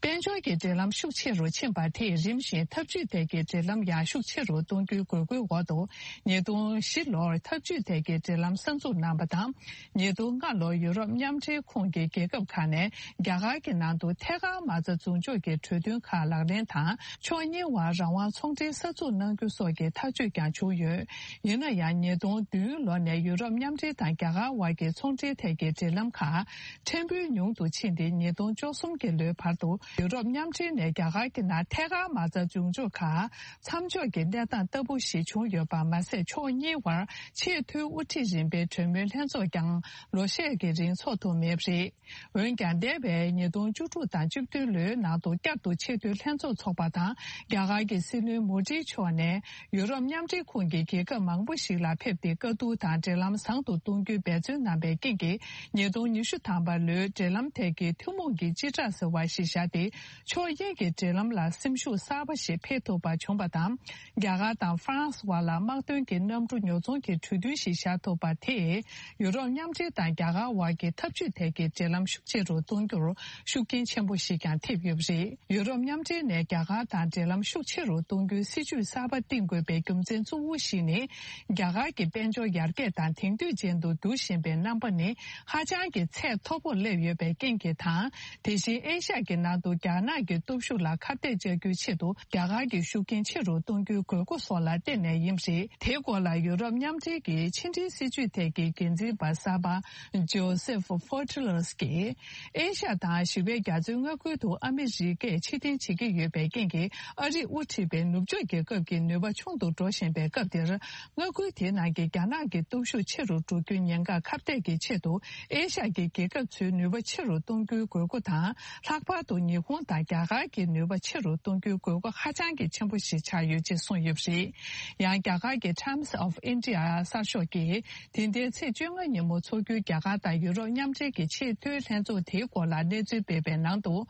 དཔལ་འབྱོར་གྱི་འབྲེལ་ལམ་ཤུགས་ཆེ་རུ་ཕྱིན་པ་དེས་རིམ་བཞིན་འཐབ་ཇུས་ཐད་ཀྱི་འབྲེལ་ལམ་ཡང་ཤུགས་ཆེ་རུ་གཏོང་རྒྱུའི་དགོས་མཁོའི་འོག་ཏུ། ཉིས་སྟོང་བཞི་ལོར་འཐབ་ཇུས་ཐད་ཀྱི་འབྲེལ་ལམ་གསར་འཛུགས་གནང་བ་དང་། ཉིས་སྟོང་ལྔ་ལོར་ཡུ་རོབ་མཉམ་འབྲེལ་ཁོངས་ཀྱི་རྒྱལ་ཁབ་ཁག་ནས་རྒྱ་གར་གྱི་ནང་དུ་ཐད་ཀར་མ་རྩ་འཛུགས་འཇོག་གི་གྲོས་མཐུན་ཁག་ལག་ལེན་དང་། ཕྱོགས་གཉིས་དབར་རང་དབང་ཚོང་འབྲེལ་གསར་འཛུགས་གནང་རྒྱུ་སོགས་ཀྱི་ཐག་གཅོད་ཀྱང་བྱུང་ཡོད། ཡིན་ན་ཡང་ཉིས་སྟོང་བདུན་ལོ་ནས་ཡུ་རོབ་མཉམ་འབྲེལ་དང་རྒྱ་གར་དབར་གྱི་ཚོང་འབྲེལ་ཐད་ཀྱི་འབྲེལ་ལམ་ཁག་ཕྲན་བུ་ཉུང་དུ་ཕྱིན་ཏེ། ཉིས་སྟོང་བཅུ་གསུམ་གྱི་ལོའི་བར་དུ་ཡུ་རོབ་མཉམ་འབྲེལ་ནས་རྒྱ་གར་གྱི་ནང་ཐད་ཀར་མ་རྩ་འཇུག་ཕྱོགས་ཁག་མཚམས་འཇོག་གི་གནས་སྟངས་ལྟ་བུ་ཞིག་བྱུང་ཡོད་པ་མ་ཟད། ཕྱོགས་གཉིས་དབར་ཆེས་མཐོའི་དབུ་ཁྲིད་རིམ་པའི་གྲོས་མོལ་ལྷན་ཚོགས་ཀྱང་ལོ་ཤས་ཀྱི་རིང་ཚོགས་ཐུབ་མེད་པ་རེད། འོན་ཀྱང་། འདས་པའི་ཉིས་སྟོང་བཅུ་དྲུག་དང་བཅུ་བདུན་ལོའི་ནང་དུ་བསྐྱར་དུ་ཆེས་མཐོའི་ལྷན་ཚོགས་འཚོགས་པ་དང་། རྒྱ་གར་གྱི་སྲིད་བློན་མོ་དྷི་མཆོག་ནས་ཡུ་རོབ་མཉམ་འབྲེལ་ཁོངས་ཀྱི་རྒྱལ་ཁབ་མང་པོ་ཞིག་ལ་ཕེབས་ཏེ། བཀའ་བསྡུར་དང་འབྲེལ་ལམ་བཟང་དུ་གཏོང་རྒྱུའི་འབད་བརྩོན་གནང་བའི་རྐྱེན་གྱིས། ཉིས་སྟོང་ཉི་ཤུ་ཐམ་པ་ལོའི་འབྲེལ་ལམ་ཐད་ཀྱི་ཐུན་མོང་གི་སྤྱི་བསྒྲགས་ཟེར་བ་ཞིག་བཞག་སྟེ། ཕྱོགས་གཉིས་ཀྱི་འབྲེལ་ལམ་ལ་སེམས་ཤུགས་གསར་པ་ཞིག་འཕེལ་ཐུབ་པ་བྱུང་བ་དང་། རྒྱ་གར་དང་ཧྥ་རན་སི་བར་ལ་དམག་དོན་གྱི་གནམ་གྲུ་ཉོ་ཚོང་གི་གྲོས་མཐུན་ཞིག་བཞག་ཐུབ་པ་དེས། ཡུ་རོབ་མཉམ་འབྲེལ་དང་རྒྱ་གར་དབར་གྱི་འཐབ་ཇུས་ཐད་ཀྱི་འབྲེལ་ལམ་ཤུགས་ཆེ་རུ་གཏོང་རྒྱུར་ཤུགས་རྐྱེན་ཆེན་པོ་ཞིག་ཀྱང་ཐེབས་ཡོད་པ་རེད། ཡུ་རོབ་མཉམ་འབྲེལ་ནས་རྒྱ་གར་དང་འབྲེལ་ལམ་ཤུགས་ཆེ་རུ་གཏོང་རྒྱུའི་སྲིད་ཇུས་གསར་པ་བཏིང་དགོས་པའི་རྒྱུ་མཚན་གཙོ་བོ་ཞིག་ནི། རྒྱ་གར་གྱི་དཔལ་འབྱོར་ཡར་རྒྱས་དང་དེང་དུས་ཅན་དུ་འགྱུར་བཞིན་པའི་རྣམ་པ་ནི་ཧ་ཅང་གི་ཚད་མཐོ་པོར་སླེབས་ཡོད་པའི་རྐྱེན་གྱིས་དང་། དེ་བཞིན་ཨེ་ཤ་ཡ་གི་ནང་དུ་རྒྱ་ནག་གི་སྟོབས་ཤུགས་ལ་ཁ་གཏད་གཅོག་རྒྱུའི་ཆེད་དུ་རྒྱ་གར་གྱི་ཤུགས་རྐྱེན་ཆེ་རུ་གཏོང་རྒྱུའི་དགོས་མཁོ་སོགས་ལ་བརྟེན་ནས་ཡིན་པ་རེད། དེའི་སྐོར་ལ་ཡུ་རོབ་མཉམ་འབྲེལ་གྱི་ཕྱི་འབྲེལ་སྲིད་ཇུས་ཐད་ཀྱི་འགན་འཛིན་པ་གསར་པ་ཇོ་སེཕ་ཧྥོ་ཏི་ལར་གྱིས། ཨེ་ཤ་ཡ་དང་ཞི་བའི་རྒྱ་མཚོའི་མངའ་ཁུལ་དུ་ཨ་མི་རི་ཀས་ཕྱིར་འཐེན་བྱེད་ཀྱི་ཡོད་པའི་རྐྱེན་གྱིས། ཨ་རིས་དབུ་ཁྲིད་པའི་ནུབ་ཕྱོགས་རྒྱལ་ཁབ་ཀྱི་ནུས་པ་ཆུང་དུ་འགྲོ་བཞིན་པའི་སྐབས་འདིར། མངའ་ཁུལ་དེའི་ནང་གི་རྒྱ་ནག་གི་སྟོབས་ཤུགས་ཆེ་རུ་འགྲོ་རྒྱུའི་ཉེན་ཁ་ཁ་གཏད་ཀྱི་ཆེད་དུ། ཨེ་ཤ་ཡ་གི་རྒྱལ་ཁབ་ཚོའི་ནུས་པ་ཆེ་རུ་གཏོང་རྒྱུའི་དགོས་མཁོ་དང་། ལྷག་པར་དུ་ཉི་ཧོང་དང་རྒྱ་གར་གྱི་ནུས་པ་ཆེ་རུ་གཏོང་རྒྱུའི་དགོས་མཁོ་ཧ་ཅང་གི་ཆེན་པོ་ཞིག་ཆགས་ཡོད་ཅེས་གསུངས་ཡོད་པ་རེད། ཡང་རྒྱ་གར་གྱི་Times of India གསར་ཤོག་གིས། དེ་ཟླའི་ཚེས་བཅོ་ལྔ་ཉིན་མོ་འཚོགས་རྒྱུའི་རྒྱ་གར་དང་ཡུ་རོབ་མཉམ་འབྲེལ་གྱི་ཆེས་མཐོའི་ལྷན་ཚོགས་དེའི་སྐོར་ལ་གནས་ཚུལ་སྤེལ་བའི་ནང་དུ།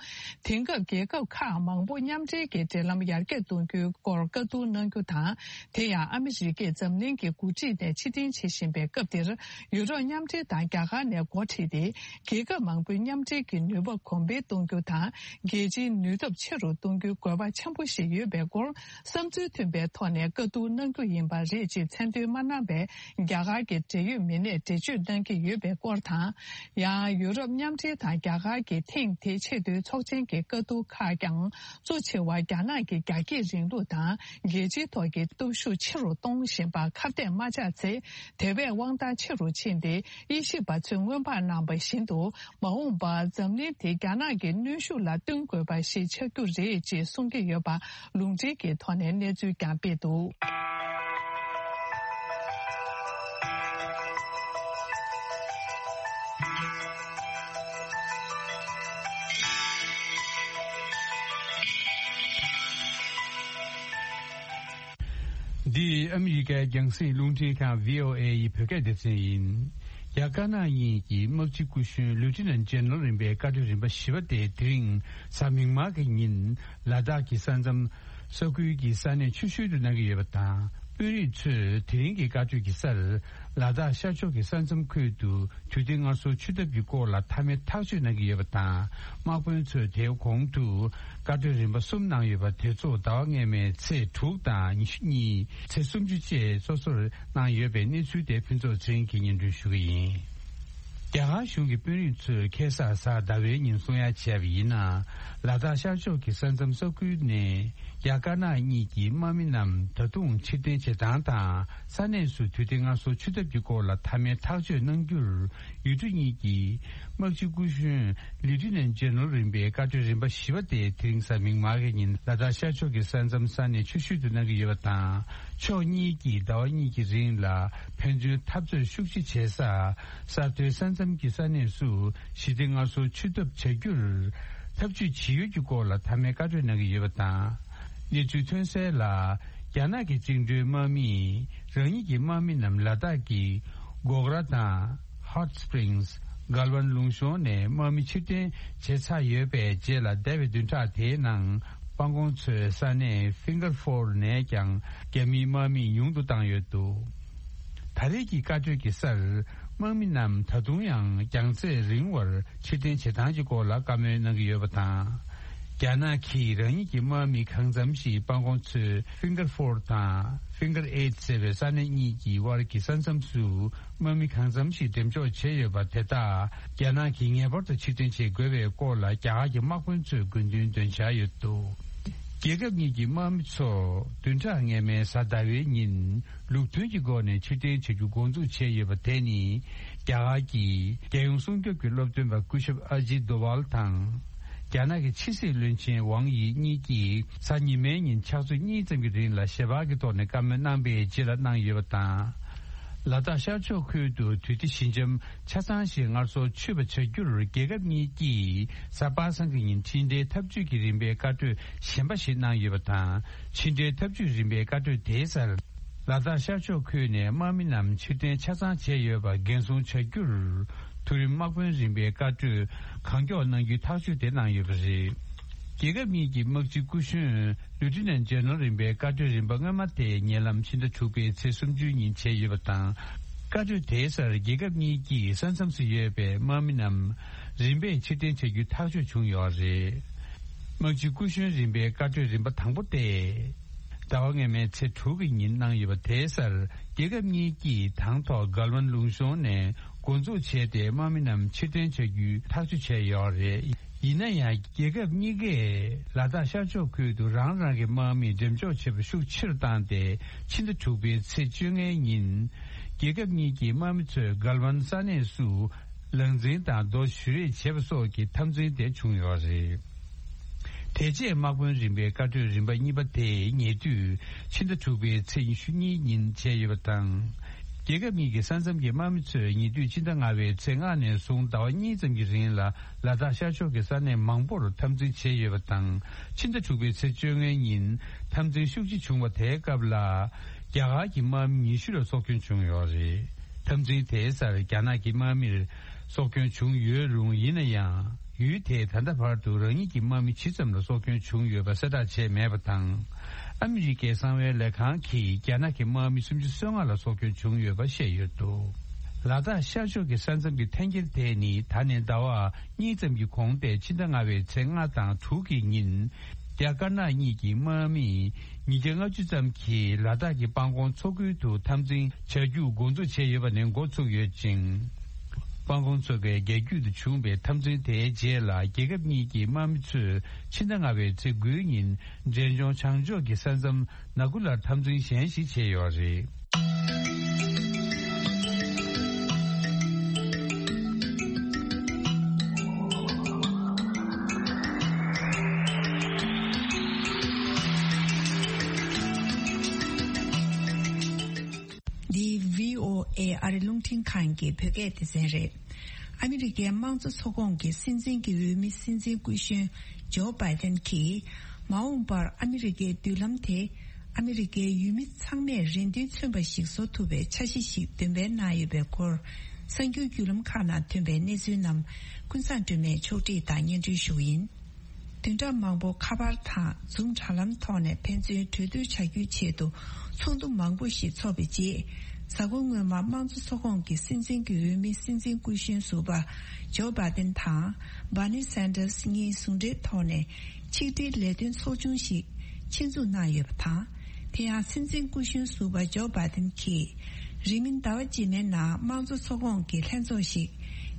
དེང་སྐབས་རྒྱལ་ཁབ་ཁག་མང་པོ་མཉམ་འབྲེལ་གྱི་འབྲེལ་ལམ་ཡར་རྒྱས་གཏོང་རྒྱུའི་སྐོར་བཀའ་བསྡུར་གནང་རྒྱུ་དང་། དེ་ཡང་ཨ་མི་རི་ཀས་འཛམ་གླིང་གི་འགོ་ཁྲིད་ནས་ཕྱིར་འཐེན་བྱེད་བཞིན་པའི་སྐབས་འདིར། ཡུ་རོབ་མཉམ་འབྲེལ་དང་རྒྱ་གར་ནས་འགོ་ཁྲིད་དེ། རྒྱལ་ཁབ་མང་པོའི་མཉམ་འབྲེལ་གྱི་ནུས་པ་གོང་འཕེལ་གཏོང་རྒྱུ་དང་། རྒྱལ་སྤྱིའི་ནུས་སྟོབས་ཆེ་རུ་གཏོང་རྒྱུའི་དགོས་པ་ཆེན་པོ་ཞིག་ཡོད་པའི་སྐོར། བསམ་ཚུལ་མཐུན་པའི་ཐོག་ནས་བཀའ་བསྡུར་གནང་རྒྱུ་ཡིན་པ་རེད་ཅེས་མཚན་འདོན་མ་གནང་བའི་རྒྱ་གར་གྱི་འབྲེལ་ཡོད་མི་སྣས་འགྲེལ་བརྗོད་གནང་གི་ཡོད་པའི་སྐོར་དང་། ཡང་ཡུ་རོབ་མཉམ་འབྲེལ་དང་རྒྱ་གར་གྱི་ཐེངས་དེའི་ཆེས་མཐོའི་ཚོགས་ཆེན་གྱི་བཀའ་བསྡུར་ཁག་ཀྱང་གཙོ་ཆེ་བ་རྒྱ་ནག་གི་རྒྱ་སྐྱེད་རིང་ལུགས་དང་རྒྱལ་སྤྱིའི་ཐོག་གི་སྟོབས་ཤུགས་ཆེ་རུ་གཏོང་བཞིན་པ་ཁ་གཏད་མ་བཅག་ཚེ། དེ་བས་དབང་ཐང་ཆེ་རུ་ཕྱིན་ཏེ། དབྱེ་ཞིབ་པ་ཚོས་སྔོན་དཔག་གནང་བ་བཞིན་དུ། མ་འོངས་པར་འཛམ་གླིང་དེ་རྒྱ་ནག་གི་གནོན་ཤུགས་ལ་བསྟུན་དགོས་པ་ཞིག་ཆགས་རྒྱུ་རེད་ཅེས་གསུང་གི་ཡོད་པ་ལུང་འདྲེན་གྱི་ཐོག་ནས་གནས་ཚུལ་ཀྱང་སྤེལ་འདུག། འདི་ཨ་མི་རི་ཀའི་རྒྱང་སྲིང་རླུང་འཕྲིན་ཁང་བྷི་ཨོ་ཨེ་ཡི་བོད་སྐད་སྡེ་ཚན་ཡིན། རྒྱ་དཀར་ནག་གཉིས་ཀྱི་དམག་སྤྱི་སྐུ་གཞོན་ལིའུ་ཊི་ནན་ཇེ་ནེ་རལ་རིམ་པའི་བཀའ་གྲོས་རིམ་པ་བཞི་པ་དེ་དེ་རིང་གཟའ་མིག་དམར་གྱི་ཉིན་ལ་དྭགས་ཀྱི་ས་མཚམས་ས་ཁུལ་གྱི་ས་གནས་ཆུ་ཤུལ་དུ་གནང་གི་ཡོད་པ་དང་། དཔོན་རིགས་ཚོས་དེ་རིང་གི་བཀའ་གྲོས་ཀྱི་སར་ལ་དྭགས་ཤར་ཕྱོགས་ཀྱི་ས་མཚམས་ཁུལ་དུ་དུས་དེབ་སྔར་སྲོལ་ཆུ་འཐབ་ཀྱི་སྐོར་ལ་མཐའ་མའི་ཐག་གཅོད་གནང་གི་ཡོད་པ་དང་། དམག་དཔོན་ཚོས་དེའི་གོང་དུ་བཀའ་གྲོས་རིམ་པ་གསུམ་གནང་ཡོད་པ་དེ་ཚོ་ཟླ་བ་སྔོན་མའི་ཚེས་དྲུག་དང་ཉི་ཤུ་གཉིས། ཚེས་སུམ་ཅུ་བཅས་སོ་སོར་གནང་ཡོད་པའི་གནས་ཚུལ་དེ་ཕུན་ཚོགས་ཚེ་རིང་གིས་སྙན་སྒྲོན་ཞུ་གི་ཡིན། རྒྱ་གར་གཞུང་གི་དཔོན་རིགས་ཚོས་ཁ་སང་གཟའ་ཟླ་བའི་ཉིན་གསུང་ཡ་བྱས་པ་ཡིན་ན། ལ་དྭགས་ཤར་ཕྱོགས་ཀྱི་ས་མཚམས་ས་ཁུལ་ནས་རྒྱ་དཀར་ནག་གཉིས་ཀྱི་དམག་མི་རྣམས་ད་དུང་ཕྱིར་འཐེན་བྱེད་སྟངས་དང་། ས་གནས་སུ་དུས་དེབ་སྔར་སྲོལ་ཆུ་འཐབ་ཀྱི་སྐོར་ལ་མཐའ་མའི་ཐག་གཅོད་གནང་རྒྱུར། ཡུལ་གྲུ་གཉིས་ཀྱི་དམག་སྤྱི་སྐུ་གཞོན་ལིའུ་ཊི་ནན་ཇེ་ནེ་རལ་རིམ་པའི་བཀའ་གྲོས་རིམ་པ་བཞི་པ་དེ་དེ་རིང་གཟའ་མིག་དམར་གྱི་ཉིན་ལ་དྭགས་ཤར་ཕྱོགས་ཀྱི་ས་མཚམས་ས་གནས་ཆུ་ཤུལ་དུ་གནང་གི་ཡོད་པ་དང་། ཕྱོགས་གཉིས་ཀྱིས་ཟླ་བ་གཉིས་ཀྱི་རིང་ལ་ཕན་ཚུན་འཐབ་རྩོད་ཤུགས་ཆེ་བྱེད་ས་ས་མཐོའི་ས་མཚམས་ཀྱི་ས་གནས་སུ་ཞི་བདེ་སྔར་སྲོལ་ཆུ་འཐབ་བྱ་རྒྱུར་ཐབས་ཇུས་ཇི་ཡོད་ཀྱི་སྐོར་ལ་མཐའ་མའི་བཀའ་གྲོས་གནང་གི་ཡོད་པ་དང་། གནས་ཚུལ་ཐོན་གསལ་ལ། རྒྱ་ནག་གི་བཅིངས་འགྲོལ་དམག་མིས་རང་ཉིད་ཀྱི་དམག་མི་རྣམས་ལ་དྭགས་ཀྱི་གོག་ར་དང་། Hot Springs། གལ་ཝན་ལུང་གཤོང་ནས་དམག་མི་ཕྱིར་འཐེན་བྱས་ཚར་ཡོད་པའི་རྗེས་ལ། འདས་པའི་བདུན་ཕྲག་དེའི་ནང་སྤང་གོང་མཚོའི་ས་གནས་Finger Four ནས་ཀྱང་རྒྱ་མིའི་དམག་མི་ཉུང་དུ་བཏང་ཡོད་འདུག། ད་རེས་ཀྱི་བཀའ་གྲོས་ཀྱི་སར་དམག་མི་རྣམས་ད་དུང་ཡང་རྒྱང་ཚད་རིང་བར་ཕྱིར་འཐེན་བྱེད་སྟངས་ཀྱི་སྐོར་ལ་བཀའ་མོལ་གནང་གི་ཡོད་པ་དང་། རྒྱ་ནག་གིས་རང་ཉིད་ཀྱི་དམག་མི་གང་འཚམ་ཞིག་སྤང་གོང་མཚོའི་Finger Four དང་Finger Eight ཟེར་བའི་ས་གནས་གཉིས་ཀྱི་དབར་གྱི་ས་མཚམས་སུ་དམག་མི་གང་འཚམ་ཞིག་འགྲེམས་འཇོག་བྱས་ཡོད་པ་དེ་དག་རྒྱ་ནག་གིས་ངེས་པར་དུ་ཕྱིར་འཐེན་བྱེད་དགོས་པའི་སྐོར་ལ་རྒྱ་གར་གྱི་དམག་དཔོན་ཚོས་དགོས་འདུན་འདོན་འཆར་ཡོད་འདུག། རྒྱལ་ཁབ་གཉིས་ཀྱི་དམག་མི་ཚོ་བདུན་ཕྲག་སྔ་མའི་གཟའ་ཟླ་བའི་ཉིན་ལུགས་མཐུན་གྱི་སྒོ་ནས་ཕྱིར་འཐེན་བྱ་རྒྱུ་འགོ་འཛུགས་བྱས་ཡོད་པ་དེ་ནི། རྒྱ་གར་གྱི་རྒྱལ་ཡོངས་སྲུང་སྐྱོབ་ཀྱི་སློབ་སྟོན་པ་སྐུ་ཞབས་ཨ་ཇིད་དོ་ཝལ་དང་། རྒྱ་ནག་གི་ཕྱི་སྲིད་བློན་ཆེན་ཝང་དབྱི་གཉིས་ཀྱིས་གཟའ་ཉི་མའི་ཉིན་ཕྱག་ཚོད་གཉིས་ཙམ་གྱི་རིང་ལ་ཞལ་པར་གྱི་ཐོག་ནས་བཀའ་མོལ་གནང་པའི་རྗེས་ལ་གནང་ཡོད་པ་དང་། ལ་དྭགས་ཤར་ཕྱོགས་ཁུལ་དུ་དུས་བདེ་ཞི་འཇམ་ཆ་ཚང་ཞིག་སྔར་སྲོལ་ཆོད་པ་བྱ་རྒྱུར། རྒྱལ་ཁབ་གཉིས་ཀྱིས་གཟའ་པ་སངས་ཀྱི་ཉིན་འཕྲིན་ཕྲན་འཐབ་ཇུས་ཀྱི་རིམ་པའི་བཀའ་གྲོས་གཞན་པ་ཞིག་གནང་ཡོད་པ་དང་། འཕྲིན་ཕྲན་འཐབ་ཇུས་རིམ་པའི་བཀའ་གྲོས་དེའི་སར། ལ་དྭགས་ཤར་ཕྱོགས་ཁུལ་ནས་དམག་མི་རྣམས་ཕྱིར་འཐེན་ཆ་ཚང་བྱས་ཡོད་པ་འགན་སྲུང་བྱ་རྒྱུར། མཐོ་རིམ་དམག་དཔོན་རིམ་པའི་བཀའ་གྲོས་གང་མགྱོགས་གནང་རྒྱུའི་ཐག་གཅོད་དེ་གནང་ཡོད་པ་རེད། རྒྱལ་ཁབ་གཉིས་ཀྱི་དམག་སྤྱི་སྐུ་གཞོན་ལུ་ཊི་ནན་ཇེ་ནེ་རལ་རིམ་པའི་བཀའ་གྲོས་རིམ་པ་སྔོན་མ་དེ་ཉེ་ལམ་ཕྱི་ཟླ་དྲུག་པའི་ཚེས་སུམ་ཅུའི་ཉིན་བྱས་ཡོད་པ་དང་། བཀའ་གྲོས་དེའི་སར་རྒྱལ་ཁབ་གཉིས་ཀྱིས་ས་མཚམས་སུ་ཡོད་པའི་དམག་མི་རྣམས་རིམ་པས་ཕྱིར་འཐེན་བྱ་རྒྱུའི་ཐག་གཅོད་བྱུང་ཡོད་རེད། དམག་སྤྱི་སྐུ་གཞོན་རིམ་པའི་བཀའ་གྲོས་རིམ་པ་དང་པོ་སྟེ། ཟླ་བ་སྔ་མའི་ཚེས་དྲུག་གི་ཉིན་གནང་ཡོད་པ་དེའི་སར་རྒྱལ་ཁབ་གཉིས་ཀྱིས་དང་ཐོག་གལ་ཝན་ལུང་གཤོང་ནས་འགོ་འཛུགས་བྱས་ཏེ་དམག་མི་རྣམས་ཕྱིར་འཐེན་བྱ་རྒྱུའི་ཐག་གཅོད་བྱས་ཡོད་རེད། ཡིན་ན་ཡང་རྒྱལ་ཁབ་གཉིས་ཀས་ལ་དྭགས་ཤར་ཕྱོགས་ཁུལ་དུ་རང་རང་གི་དམག་མི་འགྲེམས་འཇོག་བྱེད་པ་ཤུགས་ཆེ་རུ་བཏང་སྟེ། ཕྱི་ཟླ་དྲུག་པའི་ཚེས་བཅོ་ལྔའི་ཉིན་རྒྱལ་ཁབ་གཉིས་ཀྱི་དམག་མི་ཚོས་གལ་ཝན་ས་གནས་སུ། ལག་འཛིང་དང་རྡོ་གཞུ་རེས་བྱེད་པ་སོགས་ཀྱི་འཐབ་འཛིང་དེ་བྱུང་ཡོད་རེད། དེ་རྗེས་དམག་དཔོན་རིམ་པའི་བཀའ་གྲོས་རིམ་པ་གཉིས་པ་དེ་ཉེ་དུས་ཕྱི་ཟླ་དྲུག་པའི་ཚེས་ཉི་ཤུ་གཉིས་ཉིན་བྱས་ཡོད་པ་དང་། རྒྱལ་ཁབ་གཉིས་ཀྱི་ས་མཚམས་ཀྱི་དམག་མི་ཚོས་ཉེ་དུས་ཕྱི་ཟླ་ལྔ་པའི་ཚེས་ལྔ་ནས་བཟུང་ཟླ་བ་གཉིས་ཙམ་གྱི་རིང་ལ་ལ་དྭགས་ཤར་ཕྱོགས་ཀྱི་ས་གནས་མང་པོར་འཐབ་འཛིང་བྱས་ཡོད་པ་དང་། ཕྱི་ཟླ་དྲུག་པའི་ཚེས་བཅོ་ལྔའི་ཉིན་འཐབ་འཛིང་ཤུགས་ཆེ་བྱུང་བ་དེའི་སྐབས་ལ། རྒྱ་གར་གྱི་དམག་མི་ཉི་ཤུ་ལ་སྲོག་སྐྱོན་བྱུང་ཡོད་རེད། འཐབ་འཛིང་དེའི་སར་རྒྱ་ནག་གི་དམག་མིར་སྲོག་སྐྱོན་བྱུང་ཡོད་རུང་། ཡིན་ན་ཡང་། ཡུལ་དེས་ད་ལྟ་བར་དུ་རང་ཉིད་ཀྱི་དམག་མི་ཇི་ཙམ་ལ་སྲོག་སྐྱོན་བྱུང་ཡོད་པ་གསལ་བསྒྲགས་བྱས་མེད་པ་དང་། ཨ་མི་རི་ཀའི་གསང་བའི་ལས་ཁང་གིས་རྒྱ་ནག་གི་དམག་མི་སུམ་ཅུ་སོ་ལྔ་ལ་སྲོག་སྐྱོན་བྱུང་ཡོད་པ་བཤད་ཡོད་འདུག་ལ་དྭགས་ཤར་ཕྱོགས་ཀྱི་ས་མཚམས་ཀྱི་འཐེན་འཁྱེར་དེ་ནི་ད་ནས་ཟླ་བ་གཉིས་ཙམ་གྱི་གོང་སྟེ། ཕྱི་ཟླ་ལྔ་པའི་ཚེས་ལྔ་དང་དྲུག་གི་ཉིན། རྒྱ་དཀར་ནག་གཉིས་ཀྱི་དམག་མིས་ཉིས་བརྒྱ་ལྔ་བཅུ་ཙམ་གྱིས་ལ་དྭགས་ཀྱི་སྤང་གོང་མཚོ་ཁུལ་དུ་འཐབ་འཛིང་བྱ་རྒྱུ་འགོ་འཛུགས་བྱས་ཡོད་པ་ནས་འགོ་ཚུགས་ཡོད་ཅིང་། སྤང་གོང་མཚོ་ཁའི་རྒྱ་རྒྱུད་དུ་བྱུང་བའི་འཐབ་འཛིང་དེའི་རྗེས་ལ། རྒྱལ་ཁབ་གཉིས་ཀྱི་དམག་མི་ཚོས་ཕྱི་ཟླ་ལྔ་པའི་ཚེས་དགུའི་ཉིན་འབྲས་ལྗོངས་བྱང་ཕྱོགས་ཀྱི་ས་མཚམས་ནག་ཁུ་ལར་འཐབ་འཛིང་གཞན་ཞིག་བྱས་ཡོད་རེད། འདི་བྷི་ཨོ་ཨེ་ཨ་རི་རླུང་འཕྲིན་ཁང་གི་བོད་སྐད་སྡེ་ཚན་རེད། ཨ་མི་རི་ཀའི་དམངས་གཙོ་ཚོགས་ཁོངས་ཀྱི་སྲིད་འཛིན་གྱི་འོས་མི་སྲིད་འཛིན་སྐུ་གཞོན་ཇོ་བྷའི་ཏན་གྱིས། མ་འོངས་པར་ཨ་མི་རི་ཀའི་མདུན་ལམ་དེ་ཨ་མི་རི་ཀའི་ཡུལ་མི་ཚང་མས་རེ་འདུན་མཚོན་པ་ཞིག་བཟོ་ཐུབ་པའི་འཆར་གཞི་ཞིག་འདོན་སྤེལ་གནང་ཡོད་པའི་སྐོར། གསར་འགྱུར་བརྒྱུད་ལམ་ཁག་ནང་ཐོན་པའི་གནས་ཚུལ་རྣམས་ཀུན་བཟང་སྒྲོལ་མས་ཕྱོགས་སྒྲིག་དང་སྙན་སྒྲོན་ཞུ་བ་ཡིན། བདུན་ཕྲག་མང་པོ་ཁ་པར་དང་Zoom་དྲ་ལམ་ཐོག་ནས་ཕན་ཚུན་གྲོས་བསྡུར་བྱ་རྒྱུའི་ཆེད་དུ་ཚོགས་འདུ་མང་པོ་ཞིག་འཚོགས་པའི་རྗེས། གཟའ་འཁོར་སྔོན་མ་དམངས་གཙོ་ཚོགས་ཁོངས་ཀྱི་སྲིད་འཛིན་གྱི་འོས་མི་སྲིད་འཛིན་སྐུ་གཞོན་ཟུར་པ་ཇོ་བྷའི་ཏན་དང་Bernie Sanders་གཉིས་ཟུང་འབྲེལ་ཐོག་ནས་ཆིག་སྒྲིལ་ལས་དོན་ཚོགས་ཆུང་ཞིག་ཆེད་འཛུགས་གནང་ཡོད་པ་དང་། དེ་ཡང་སྲིད་འཛིན་སྐུ་གཞོན་ཟུར་པ་ཇོ་བྷའི་ཏན་གྱིས། རིང་མིན་ཟླ་བ་རྗེས་མའི་ནང་དམངས་གཙོ་ཚོགས་ཁོངས་ཀྱི་ལྷན་ཚོགས་ཤིག་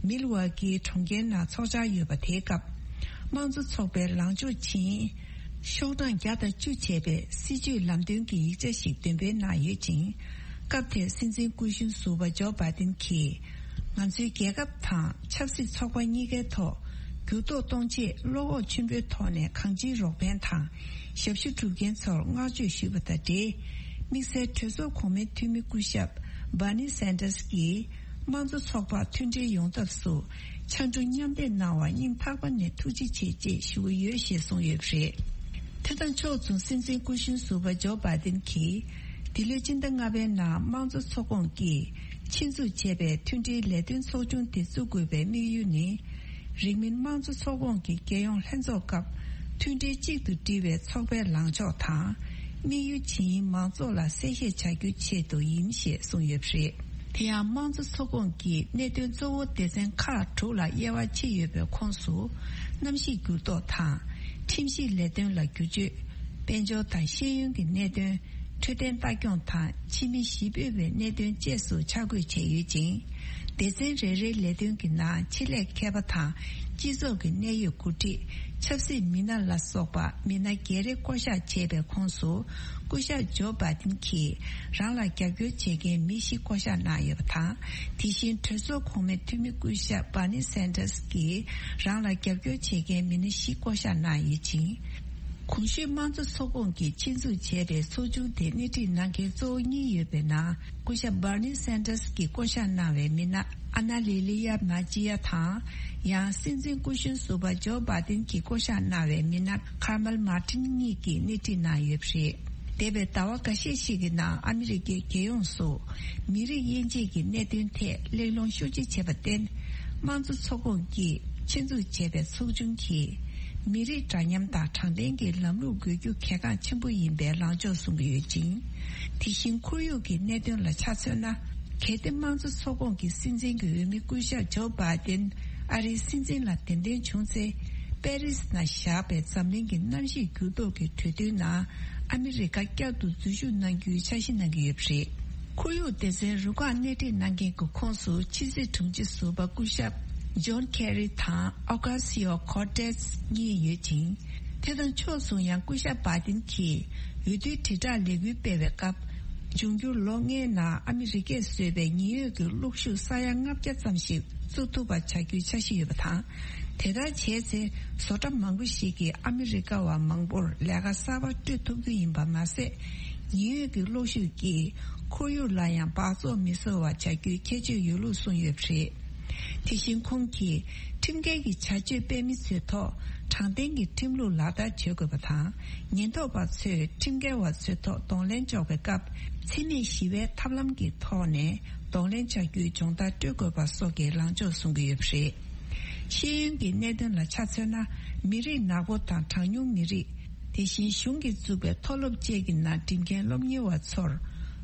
མིལ་ཝ་ཀིའི་གྲོང་ཁྱེར་ནང་འཚོགས་འཆར་ཡོད་པ་དེའི་སྐབས། དམངས་གཙོ་ཚོགས་པའི་ལངས་ཕྱོགས་ཆེན་ཤོག་གྲངས་བརྒྱ་དང་བཅུ་བྱས་པའི་སྲིད་ཇུས་ལམ་སྟོན་གྱི་ཡིག་ཆ་ཞིག་འདོན་སྤེལ་གནང་ཡོད་ཅིང་། སྐབས་དེར་སྲིད་འཛིན་སྐུ་གཞོན་ཟུར་པ་ཇོ་བྷའི་ཏིན་གྱིས། ང་ཚོའི་རྒྱལ་ཁབ་དང་ཆབ་སྲིད་ཚོགས་པ་གཉིས་ཀའི་ཐོག་འགྱུར་ལྡོག་གཏོང་ཆེད་བློ་ཁོག་ཆེན་པོའི་ཐོག་ནས་གང་ཅིའི་རོགས་ཕན་དང་ཞབས་ཞུ་སྒྲུབ་མཁན་ཚོར་བསྔགས་བརྗོད་ཞུས་པ་དང་འབྲེལ། དམིགས་བསལ་གྲོས་ཚོགས་གོང་མའི་འཐུས་མི་སྐུ་ཞབས་Bernie Sanders་གྱིས། དམངས་གཙོ་ཚོགས་པ་མཐུན་སྒྲིལ་ཡོང་ཐབས་སུ་ཕྱར་གྲུ་མཉམ་འདེགས་གནང་བར་སྙིང་ཐག་པ་ནས་ཐུགས་རྗེ་ཆེ་ཅེས་ཞུ་གི་ཡོད་ཞེས་གསུངས་ཡོད་པ་རེད། དེ་དང་ཕྱོགས་མཚུངས་སྲིད་འཛིན་སྐུ་གཞོན་ཟུར་པ་ཇོ་བྷའི་ཏིན་གྱིས། འདི་ལོའི་སྤྱི་ཟླ་ལྔ་པའི་ནང་དམངས་གཙོ་ཚོགས་ཁོངས་ཀྱིས་ཆེད་འཛུགས་བྱས་པའི་མཐུན་སྒྲིལ་ལས་དོན་ཚོགས་ཆུང་དེ་བཙུགས་དགོས་པའི་དམིགས་ཡུལ་ནི། རིང་མིན་དམངས་གཙོ་ཚོགས་ཁོངས་ཀྱི་རྒྱལ་ཡོངས་ལྷན་ཚོགས་སྐབས་མཐུན་སྒྲིལ་གཅིག་ཏུ་སྒྲིལ་བའི་ཚོགས་པའི་ལངས་ཕྱོགས་དང་། དམིགས་ཡུལ་ཇི་ཡིན་མང་ཚོགས་ལ་གསལ་བཤད་བྱ་རྒྱུའི་ཆེད་དུ་ཡིན་ཞེས་གསུངས་ཡོད་པ་རེད། དེ་ཡང་དམངས་གཙོ་ཚོགས་ཁོངས་ཀྱི་གནད་དོན་གཙོ་བོ་སྡེ་ཚན་ཁག་དྲུག་ལ་དབྱེ་བ་ཕྱེ་ཡོད་པའི་ཁོངས་སུ། གནམ་གཤིས་འགྱུར་ལྡོག་དང་། ཁྲིམས་ཞིབ་ལས་དོན་ལ་བསྒྱུར་བཅོས། དཔལ་འབྱོར་དང་ཤེས་ཡོན་གྱི་གནད་དོན། འཕྲོད་བསྟེན་ལྟ་སྐྱོང་དང་ཕྱི་མི་ཞི་སྤོབས་པའི་གནད་དོན་བཅས་སུ་ཆ་བགོས་བྱས་ཡོད་ཅིང་། སྡེ་ཚན་རེ་རེའི་ལས་དོན་གྱི་ནང་ཆེད་ལས་མཁས་པ་དང་སྤྱི་ཚོགས་ཀྱི་གནད་ཡོད་འགོ་ཁྲིད། ཆབ་སྲིད་མི་སྣ་ལ་སོགས་པ་མི་སྣ་བརྒྱད་རེ་བསྐོ་གཞག་བྱས་པའི་ཁོངས་སུ། སྐུ་ཞབས་ཇོ་བྷ་དིན་གྱིས་རང་ལ་རྒྱབ་སྐྱོར་བྱེད་མཁན་མི་བཞི་བསྐོ་གཞག་གནང་ཡོད་པ་དང་། དེ་བཞིན་གྲོས་ཚོགས་གོང་མའི་འཐུས་མི་སྐུ་ཞབས་Bernie Sanders་གྱིས་རང་ལ་རྒྱབ་སྐྱོར་བྱེད་མཁན་མི་སྣ་བཞི་བསྐོ་གཞག་གནང་ཡོད་ཅིང་། གོང་ཞུས་དམངས་གཙོ་ཚོགས་ཁོངས་ཀྱིས་ཆེད་འཛུགས་བྱས་པའི་ཚོགས་ཆུང་དེ་སྣེ་ཁྲིད་གནང་མཁན་གཙོ་བོ་གཉིས་ཡོད་པའི་ནང་། སྐུ་ཞབས་Bernie Sanders་གྱིས་བསྐོ་གཞག་གནང་བའི་མི་སྣ་ཨ་ན་ལི་ལི་ཡ་མ་ཅི་ཡ་དང་། ཡང་སྲིད་འཛིན་སྐུ་གཞོན་ཟུར་པ་ཇོ་བྷ་དིན་གྱིས་བསྐོ་གཞག་གནང་བའི་མི་སྣ་ཁར་མལ་མར་ཏིན་གཉིས་ཀྱིས་སྣེ་ཁྲིད་གནང་ཡོད་པ་རེད། འདས་པའི་ཟླ་བ་འགའ་ཤས་ཤིག་གི་ནང་ཨ་མི་རི་ཀའི་རྒྱལ་ཡོངས་སུ་མི་རིགས་དབྱེ་འབྱེད་ཀྱི་གནད་དོན་ཐད་གླེང་སློང་ཤུགས་ཆེ་བྱས་པར་བརྟེན། དམངས་གཙོ་ཚོགས་ཁོངས་ཀྱིས་ཆེད་འཛུགས་བྱས་པའི་ཚོགས་ཆུང་གིས། མི་རིགས་འདྲ་མཉམ་དང་དྲང་བདེན་གྱི་ལམ་ལུགས་དགོས་རྒྱུ་གལ་འགངས་ཆེན་པོ་ཡིན་པའི་ལངས་ཕྱོགས་གསུང་གི་ཡོད་ཅིང་། དེ་བཞིན་ཁོར་ཡུག་གི་གནད་དོན་ལ་ཆ་མཚོན་ན། གལ་ཏེ་དམངས་གཙོ་ཚོགས་ཁོངས་ཀྱི་སྲིད་འཛིན་གྱི་འོས་མི་སྐུ་ཞབས་ཇོ་བྷ་དིན་ཨ་རིའི་སྲིད་འཛིན་ལ་གདན་འདྲེན་བྱུང་ཚེ། པེ་རིས་ནང་བཞག་པའི་འཛམ་གླིང་གི་གནམ་གཤིས་འགྱུར་ལྡོག་གི་གྲོས་མཐུན་ནང་ཨ་མི་རི་ཀ་བསྐྱར་དུ་འཛུལ་ཞུགས་གནང་རྒྱུའི་འཆར་གཞི་གནང་གི་ཡོད་པ་རེད། ཁོར་ཡུག་སྡེ་ཚན་རུ་ཁག་སྣེ་ཁྲིད་གནང་མཁན་གྱི་ཁོངས་སུ་ཕྱི་སྲིད་དྲུང་ཆེ་ཟུར་པ་སྐུ་ཞབས་ཇོན་ཁེ་རི་དང་ཨོ་ཀ་སི་ཡོ་ཁོར་ཏེས་གཉིས་ཡོད་ཅིང་། དེ་དང་ཕྱོགས་མཚུངས་ཡང་སྐུ་ཞབས་བྷ་དིན་གྱིས་འོས་བསྡུའི་དྲིལ་བསྒྲགས་ལས་འགུལ་སྤེལ་བའི་སྐབས། འབྱུང་འགྱུར་ལོ་ལྔའི་ནང་ཨ་མི་རི་ཀས་བཟོས་པའི་ཉེན་གཡོལ་གྱི་གློག་ཤུགས་ས་ཡ་ལྔ་བརྒྱ་ཙམ་ཞིག་བཙུགས་ཐུབ་པ་བྱ་རྒྱུའི་འཆར་གཞི་ཡོད་པ་དང་། དེ་ལྟར་བྱས་ཚེ་བཟོ་གྲྭ་མང་པོ་ཞིག་གིས་ཨ་མི་རི་ཀ་བ་མང་པོར་ལས་ཀ་གསར་པ་སྤྲོད་ཐུབ་རྒྱུ་ཡིན་པ་མ་ཟད། ཉེན་གཡོལ་གྱི་གློག་ཤུགས་ཀྱིས་ཁོར་ཡུག་ལ་ཡང་འབག་བཙོག་མི་བཟོ་བ་བྱ་རྒྱུའི་ཁྱད་ཆོས་ཡོད་ལུགས་གསུངས་ཡོད་པ་རེད། དེ་བཞིན་ཁོང་གིས་ཁྲིམས་འགལ་གྱི་བྱ་སྤྱོད་སྤེལ་མི་ཚོའི་ཐོག་དྲང་བདེན་གྱི་ཁྲིམས་ལུགས་ལག་བསྟར་བྱེད་དགོས་པ་དང་། ཉེན་རྟོག་པ་ཚོས་ཁྲིམས་འགལ་བ་ཚོའི་ཐོག་གདོང་ལེན་འཇོག་པའི་སྐབས། འཚེ་མེད་ཞི་བའི་ཐབས་ལམ་གྱི་ཐོག་ནས་གདོང་ལེན་བྱ་རྒྱུའི་སྦྱོང་བརྡར་སྤྲོད་དགོས་པ་སོགས་ཀྱི་ལངས་ཕྱོགས་གསུང་གི་ཡོད་པ་རེད། ཤེས་ཡོན་གྱི་གནད་དོན་ལ་ཆ་མཚོན་ན། མི་རིགས་ནག་པོ་དང་གྲངས་ཉུང་མི་རིགས། དེ་བཞིན་གཞུང་གིས་བཙུགས་པའི་མཐོ་སློབ་བཅས་ཀྱི་ནང་འགྲིམ་མཁན་སློབ་གཉེར་བ་ཚོར་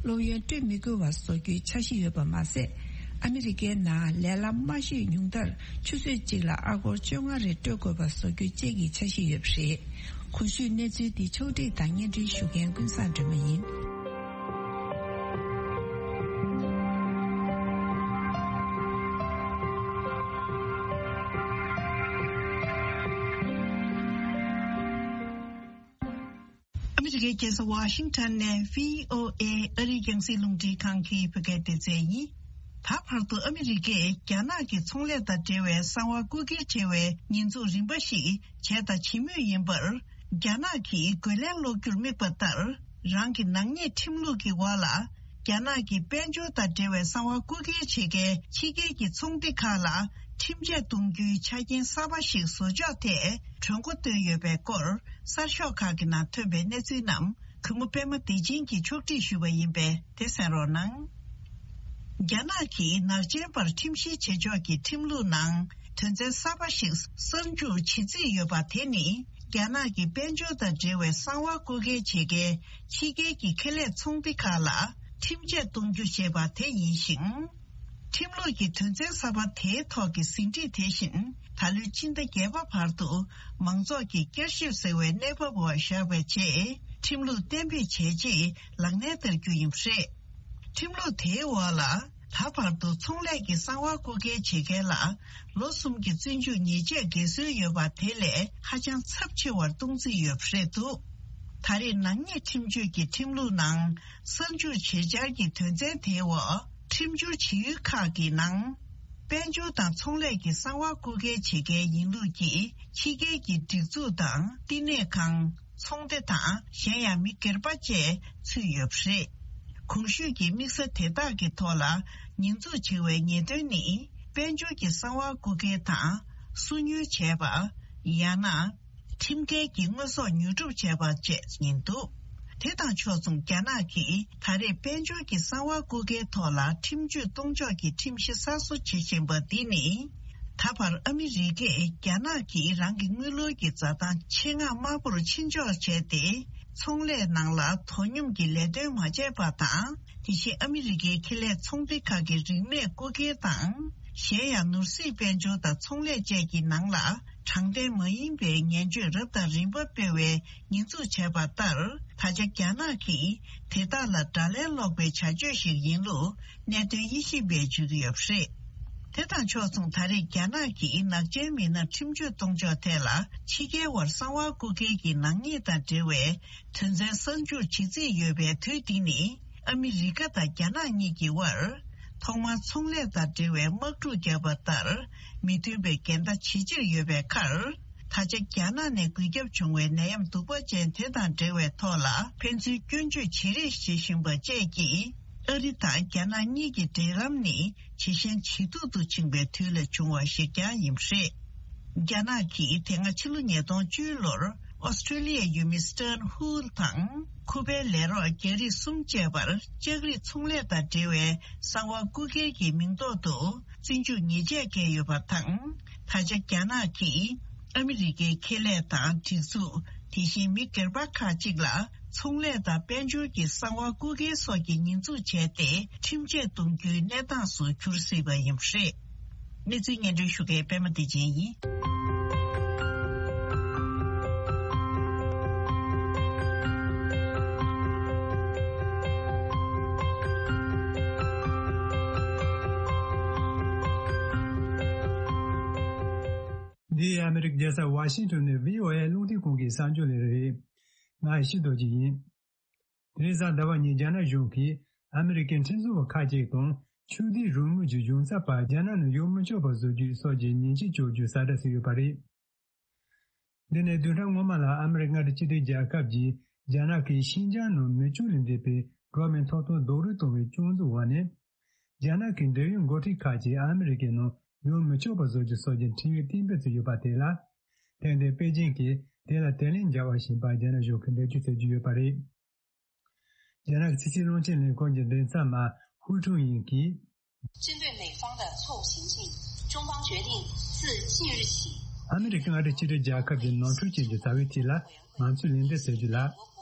སློབ་ཡོན་སྤྲོད་མི་དགོས་པ་བཟོ་རྒྱུའི་འཆར་གཞི་ཡོད་པ་མ་ཟད། ཨ་མི་རི་ཀའི་ནང་ལས་སླ་མ་ཤོས་ཉུང་མཐར་ཆུ་ཚོད་གཅིག་ལ་ཨ་སྒོར་བཅོ་ལྔ་རེ་སྤྲོད་དགོས་པ་བཟོ་རྒྱུ་བཅས་ཀྱི་འཆར་གཞི་ཡོད་པ་རེད། གོང་ཞུས་གནས་ཚུལ་འདི་ཕྱོགས་སྒྲིག་དང་སྙན་སྒྲོན་ཞུ་མཁན་ཀུན་བཟང་སྒྲོལ་མ་ཡིན། ཨ་མི་རི་ཀའི་རྒྱལ་ས་ཝ་ཤིང་ཊོན་ནས་བྷི་ཨོ་ཨེ་ཨ་རིའི་རྒྱང་སྲིང་རླུང་འཕྲིན་ཁང་གི་བོད་སྐད་སྡེ་ཚན་ཡིན། ད་བར་དུ་ཨ་མི་རི་ཀས་རྒྱ་ནག་གི་ཚོང་ལས་དང་འབྲེལ་བའི་གསང་བ་རྐུ་འཁྱེར་བྱས་པའི་ཉེས་འཛུགས་རིམ་པ་ཞིག་བྱས་དང་བྱེད་མུས་ཡིན་པར། རྒྱ་ནག་གིས་རྒོལ་ལན་སློག་རྒྱུར་དམིགས་པ་ལྟར། རང་གི་ནག་ཉེས་ཁྲིམས་ལུགས་ཀྱི་འོག་ལ། རྒྱ་ནག་གི་དཔལ་འབྱོར་དང་འབྲེལ་བའི་གསང་བ་རྐུ་འཁྱེར་བྱེད་མཁན་ཕྱི་རྒྱལ་གྱི་ཚོང་སྡེ་ཁག་ལ་ཁྲིམས་ཆད་གཏོང་རྒྱུའི་ཆ་རྐྱེན་གསར་པ་ཞིག་བཟོ་ཕྱོགས་ཐད་གྲོས་འགོ་བཏོན་ཡོད་པའི་སྐོར། གསར་ཤོག་ཁག་གི་ནང་ཐོན་པའི་གནས་ཚུལ་རྣམས་གུས་མོ་པད་མ་བདེ་ཆེན་གྱིས་ཕྱོགས་སྒྲིག་ཞུས་པ་ཡིན་པས་དེ་གསན་རོགས་གནང་། རྒྱ་ནག་གིས་ནག་ཅན་པར་ཁྲིམས་བཤེར་བྱེད་ཕྱོགས་ཀྱི་ཁྲིམས་ལུགས་ནང་དོན་ཚན་གསར་པ་ཞིག་གསར་འཇུག་བྱེད་རྩིས་ཡོད་པ་དེ་ནི། རྒྱ་ནག་གི་དཔལ་འབྱོར་དང་འབྲེལ་བའི་གསང་བ་རྐུ་འཁྱེར་བྱེད་མཁན་ཕྱི་རྒྱལ་གྱི་ཁེ་ལས་ཚོང་སྡེ་ཁག་ལ་ཁྲིམས་ཆད་གཏོང་རྒྱུ་ཞེས་པ་དེ་ཡིན་ཞིང་། ཁྲིམས་ལུགས་ཀྱི་དོན་ཚན་གསར་པ་དེའི་ཐོག་གི་ཟིན་བྲིས་དེ་བཞིན་ད་ལོའི་སྤྱི་ཟླ་བརྒྱད་པ་བར་དུ་མང་ཚོགས་ཀྱིས་བསྐྱར་ཞིབ་ཟེར་བའི་གནས་བབ་འོག་བཞག་པའི་རྗེས་ཁྲིམས་ལུགས་གཏན་འབེབས་བྱས་རྗེས་ལག་ལེན་བསྟར་རྒྱུ་ཡིན་པ་རེད། ཁྲིམས་ལུགས་དེའི་འོག་ལ། ད་བར་དུ་ཚོང་ལས་ཀྱི་གསང་བ་རྐུ་འཁྱེར་བྱེད་མཁན་ལ་ལོ་གསུམ་གྱི་བཙོན་འཇུག་ཉེས་ཆད་འགེལ་སྲོལ་ཡོད་པ་དེ་ལས་ཧ་ཅང་ཚབས་ཆེ་བར་གཏོང་རྩིས་ཡོད་པ་རེད་འདུག་ད་རེས་ནག་ཉེས་ཁྲིམས་གཅོད་ཀྱི་ཁྲིམས་ལུགས་ནང་གསར་འཇུག་བྱེད་འཆར་གྱི་དོན་ཚན་དེའི་འོག་ཁྲིམས་སྦྱོར་བྱེད་ཡུལ་ཁག་གི་ནང་། དཔལ་འབྱོར་དང་ཚོང་ལས་ཀྱི་གསང་བ་རྐུ་འཁྱེར་བྱེད་མཁན་ཡིན་ལུགས་ཀྱི་ཕྱི་རྒྱལ་གྱི་སྒྲིག་འཛུགས་དང་བསྟི་གནས་ཁང་། ཚོང་སྡེ་དང་གཞན་ཡང་མི་སྒེར་པ་བཅས་ཚུད་ཡོད་པ་རེད། གོང་ཞུས་ཀྱི་དམིགས་བསལ་དེ་དག་གི་ཐོག་ལ་ཉེས་འཛུགས་བྱེད་པའི་ཉེས་དོན་ནི་དཔལ་འབྱོར་གྱི་གསང་བ་རྐུ་འཁྱེར་དང་སུ་ཉུལ་བྱས་པ། ཡང་ན་ཁྲིམས་འགལ་གྱི་དངོས་ཟོག་ཉོ་སྒྲུབ་བྱས་པ་བཅས་ཡིན་འདུག་དེ་དང་ཕྱོགས་མཚུངས་རྒྱ་ནག་གིས་ད་རེས་དཔལ་འབྱོར་གྱི་གསང་བ་རྐུ་འཁྱེར་ཐོག་ལ་ཁྲིམས་གཅོད་གཏོང་ཕྱོགས་ཀྱི་ཁྲིམས་གཞི་གསར་བཟོ་བྱེད་བཞིན་པ་འདི་ནི། ད་བར་ཨ་མི་རི་ཀས་རྒྱ་ནག་གིས་རང་གི་དངུལ་ལོར་གྱི་འཛའ་ཐང་ཆེད་མངགས་དམའ་པོར་ཕྱིན་འཇོག་བྱས་ཏེ། ཚོང་ལས་ནང་ལ་དོ་སྙོམས་ཀྱི་ལས་དོན་མ་བྱས་པ་དང་། དེ་བཞིན་ཨ་མི་རི་ཀའི་ཁེ་ལས་ཚོང་སྡེ་ཁག་གི་རིན་མེད་རྐུ་འཁྱེར་དང་ གཞན་ཡང་ནོར་སྲིད་དཔལ་འབྱོར་དང་ཚོང་ལས་བཅས་ཀྱི་ནང་ལ་དྲང་བདེན་མ་ཡིན་པའི་ངན་བྱུས་རབ་དང་རིམ་པ་སྤེལ་བའི་ཉེས་འཛུགས་བྱས་པ་ལྟར། ད་ཆ་རྒྱ་ནག་གིས་དེ་དག་ལ་དགྲ་ལན་སློག་པའི་བྱ་སྤྱོད་ཞིག་ཡིན་ལུགས་གནད་དོན་དབྱེ་ཞིབ་པས་བརྗོད་ཀྱི་ཡོད་པ་རེད། དེ་དང་ཕྱོགས་མཚུངས། ད་རེས་རྒྱ་ནག་གིས་ནག་ཅན་མི་སྣར་ཁྲིམས་གཅོད་གཏོང་ཕྱོགས་ཐད་ལ་ཕྱི་རྒྱལ་བར་གསང་བ་རྐུ་མཁན་གྱི་ནག་ཉེས་དང་འབྲེལ་བའི་དོན་ཚན་གསར་འཇུག་བྱེད་རྩིས་ཡོད་པའི་དུས་འདི་ནི། ཨ་མི་རི་ཀ་དང་རྒྱ་ནག་གཉིས་ཀྱི་དབར་ཐོག་མར་ཚོང་ལས་དང་འབྲེལ་བའི་དམག་འཁྲུག་བརྒྱབ་པ་ལྟར་མི་མཐུན་པའི་འགལ་ཟླ་ཇེ་ཆེར་ཡོད་པའི་ཁར། ད་ཆ་རྒྱ་ནག་ནས་འགོས་ཁྱབ་བྱུང་བའི་ནད་ཡམས་གདུག་པ་ཅན་དེ་དང་འབྲེལ་བའི་ཐོག་ལ་ཕན་ཚུན་སྐྱོན་བརྗོད་བྱེད་རེས་བྱེད་བཞིན་པ་བཅས་ཀྱིས། ཨ་རི་དང་རྒྱ་ནག་གཉིས་ཀྱི་འབྲེལ་ལམ་ནི་ཇེ་ཞན་ཇེ་སྡུག་ཏུ་ཕྱིན་པའི་དུས་ལ་བྱུང་བ་ཞིག་ཀྱང་ཡིན་པ་རེད། རྒྱ་ནག་གིས་དེ་སྔ་ཕྱི་ལོ་ཉིས་སྟོང་བཅུ་ལོར་ཨོ་སི་ཀྲེ་ལི་ཡའི་ཡུལ་མི་སི་ཊར་ཧུལ་དང་ཁུ་པའི་ལས་རོགས་རྒྱ་རིགས་གསུམ་བཅས་པར་ལྕགས་རིགས་ཚོང་ལས་དང་འབྲེལ་བའི་གསང་བ་རྐུ་མཁན་གྱི་མིང་ཐོག་ཏུ་བཙོན་འཇུག་ཉེས་ཆད་བཀལ་ཡོད་པ་དང་། ད་ཆ་རྒྱ་ནག་གིས་ཨ་མི་རི་ཀའི་ཁེ་ལས་དང་སྒྲིག་འཛུགས། དེ་བཞིན་མི་སྒེར་པ་ཁག་ཅིག་ལ་ཚོང་ལས་དང་དཔལ་འབྱོར་གྱི་གསང་བ་རྐུ་འཁྱེར་སོགས་ཀྱི་ཉེས་འཛུགས་བྱས་ཏེ། ཁྲིམས་ཆད་གཏོང་རྒྱུའི་གནས་སྟངས་སུ་གྱུར་སྲིད་པ་ཡིན་པ་རེད། གནས་ཚུལ་སྙན་སྒྲོན་ཞུ་མཁན་པད་མ་བདེ་ཆེན་ཡིན། འདི་ཨ་མི་རི་ཀའི་རྒྱལ་ས་ཝ་ཤིང་ཊོན་ནས་བྷི་ཨོ་ཨེ་རླུང་འཕྲིན་ཁང་གི་གསར་འགྱུར་ལས་རིགས་རེད། ང་ཡེ་ཤེས་རྡོ་རྗེ་ཡིན། དེ་རིང་གཟའ་ཟླ་བ་ཉིན་རྒྱ་ནག་གཞུང་གིས་ཨ་མི་རི་ཀའི་ཁྲིམས་བཟོ་བ་ཁག་ཅིག་དང་ཆོས་དད་རང་མོས་ཀྱི་གཞུང་ཚབ་པ་རྒྱ་ནག་ནང་ཡོང་མི་ཆོག་པ་བཟོ་རྒྱུའི་སོགས་ཀྱི་ཉེས་ཆད་གཅོད་རྒྱུའི་གསལ་བསྒྲགས་ཤིག་ཡོད་པ་རེད། འདི་ནི་བདུན་ཕྲག་སྔོན་མ་ལ་ཨ་མི་རི་ཀ་མངའ་སྡེ་གཅིག་སྒྲིལ་རྒྱལ་ཁབ་ཀྱིས་རྒྱ་ནག་གིས་ཤིན་ཅང་ནང་མི་སྤྱོད་ལས་འདས་པའི་འགྲོ་བ་མིའི་ཐོབ་ཐང་རྡོག་རོལ་གཏོང་བའི་སྐྱོན་འཛུགས་འོག་ནས། རྒྱ་ནག་གི་འབྲེལ་ཡོད་འགོ་ཁྲིད་ཁག་ཅིག་ཨ་མི་རི་ཀའི་ནང་ཡོང་མི་ཆོག་པ་བཟོ་རྒྱུ་སོགས་ཀྱི་ཁྲིམས་ཡིག་གཏན་འབེབས་བྱས་ཡོད་པ་དེ་ལ། ཐེངས་འདིར་པེ་ཅིང་གིས་དེ་ལ་དེ་ལན་འཇལ་བ་ཞིག་ཡིན་པ་རྒྱ་ནག་གཞུང་གིས་འགྲེལ་བརྗོད་བྱེད་ཀྱི་ཡོད་པ་རེད། རྒྱ་ནག་གི་ཕྱི་སྲིད་བློན་ཆེན་ལས་ཁུངས་ཀྱི་མགྲིན་ཚབ་མ་ཧུའུ་ཁྲུང་ཡིན་གྱིས། 针对美方的错误行径，中方决定自即日起 ཨ་མི་རི་ཀའི་མངའ་སྡེ་གཅིག་སྒྲིལ་རྒྱལ་ཁབ་ཀྱི་ནོར་འཁྲུལ་ཅན་གྱི་བྱ་བའི་ཐད་ལ་ང་ཚོས་ལན་འདེབས་ཟེར་རྒྱུ་ལ།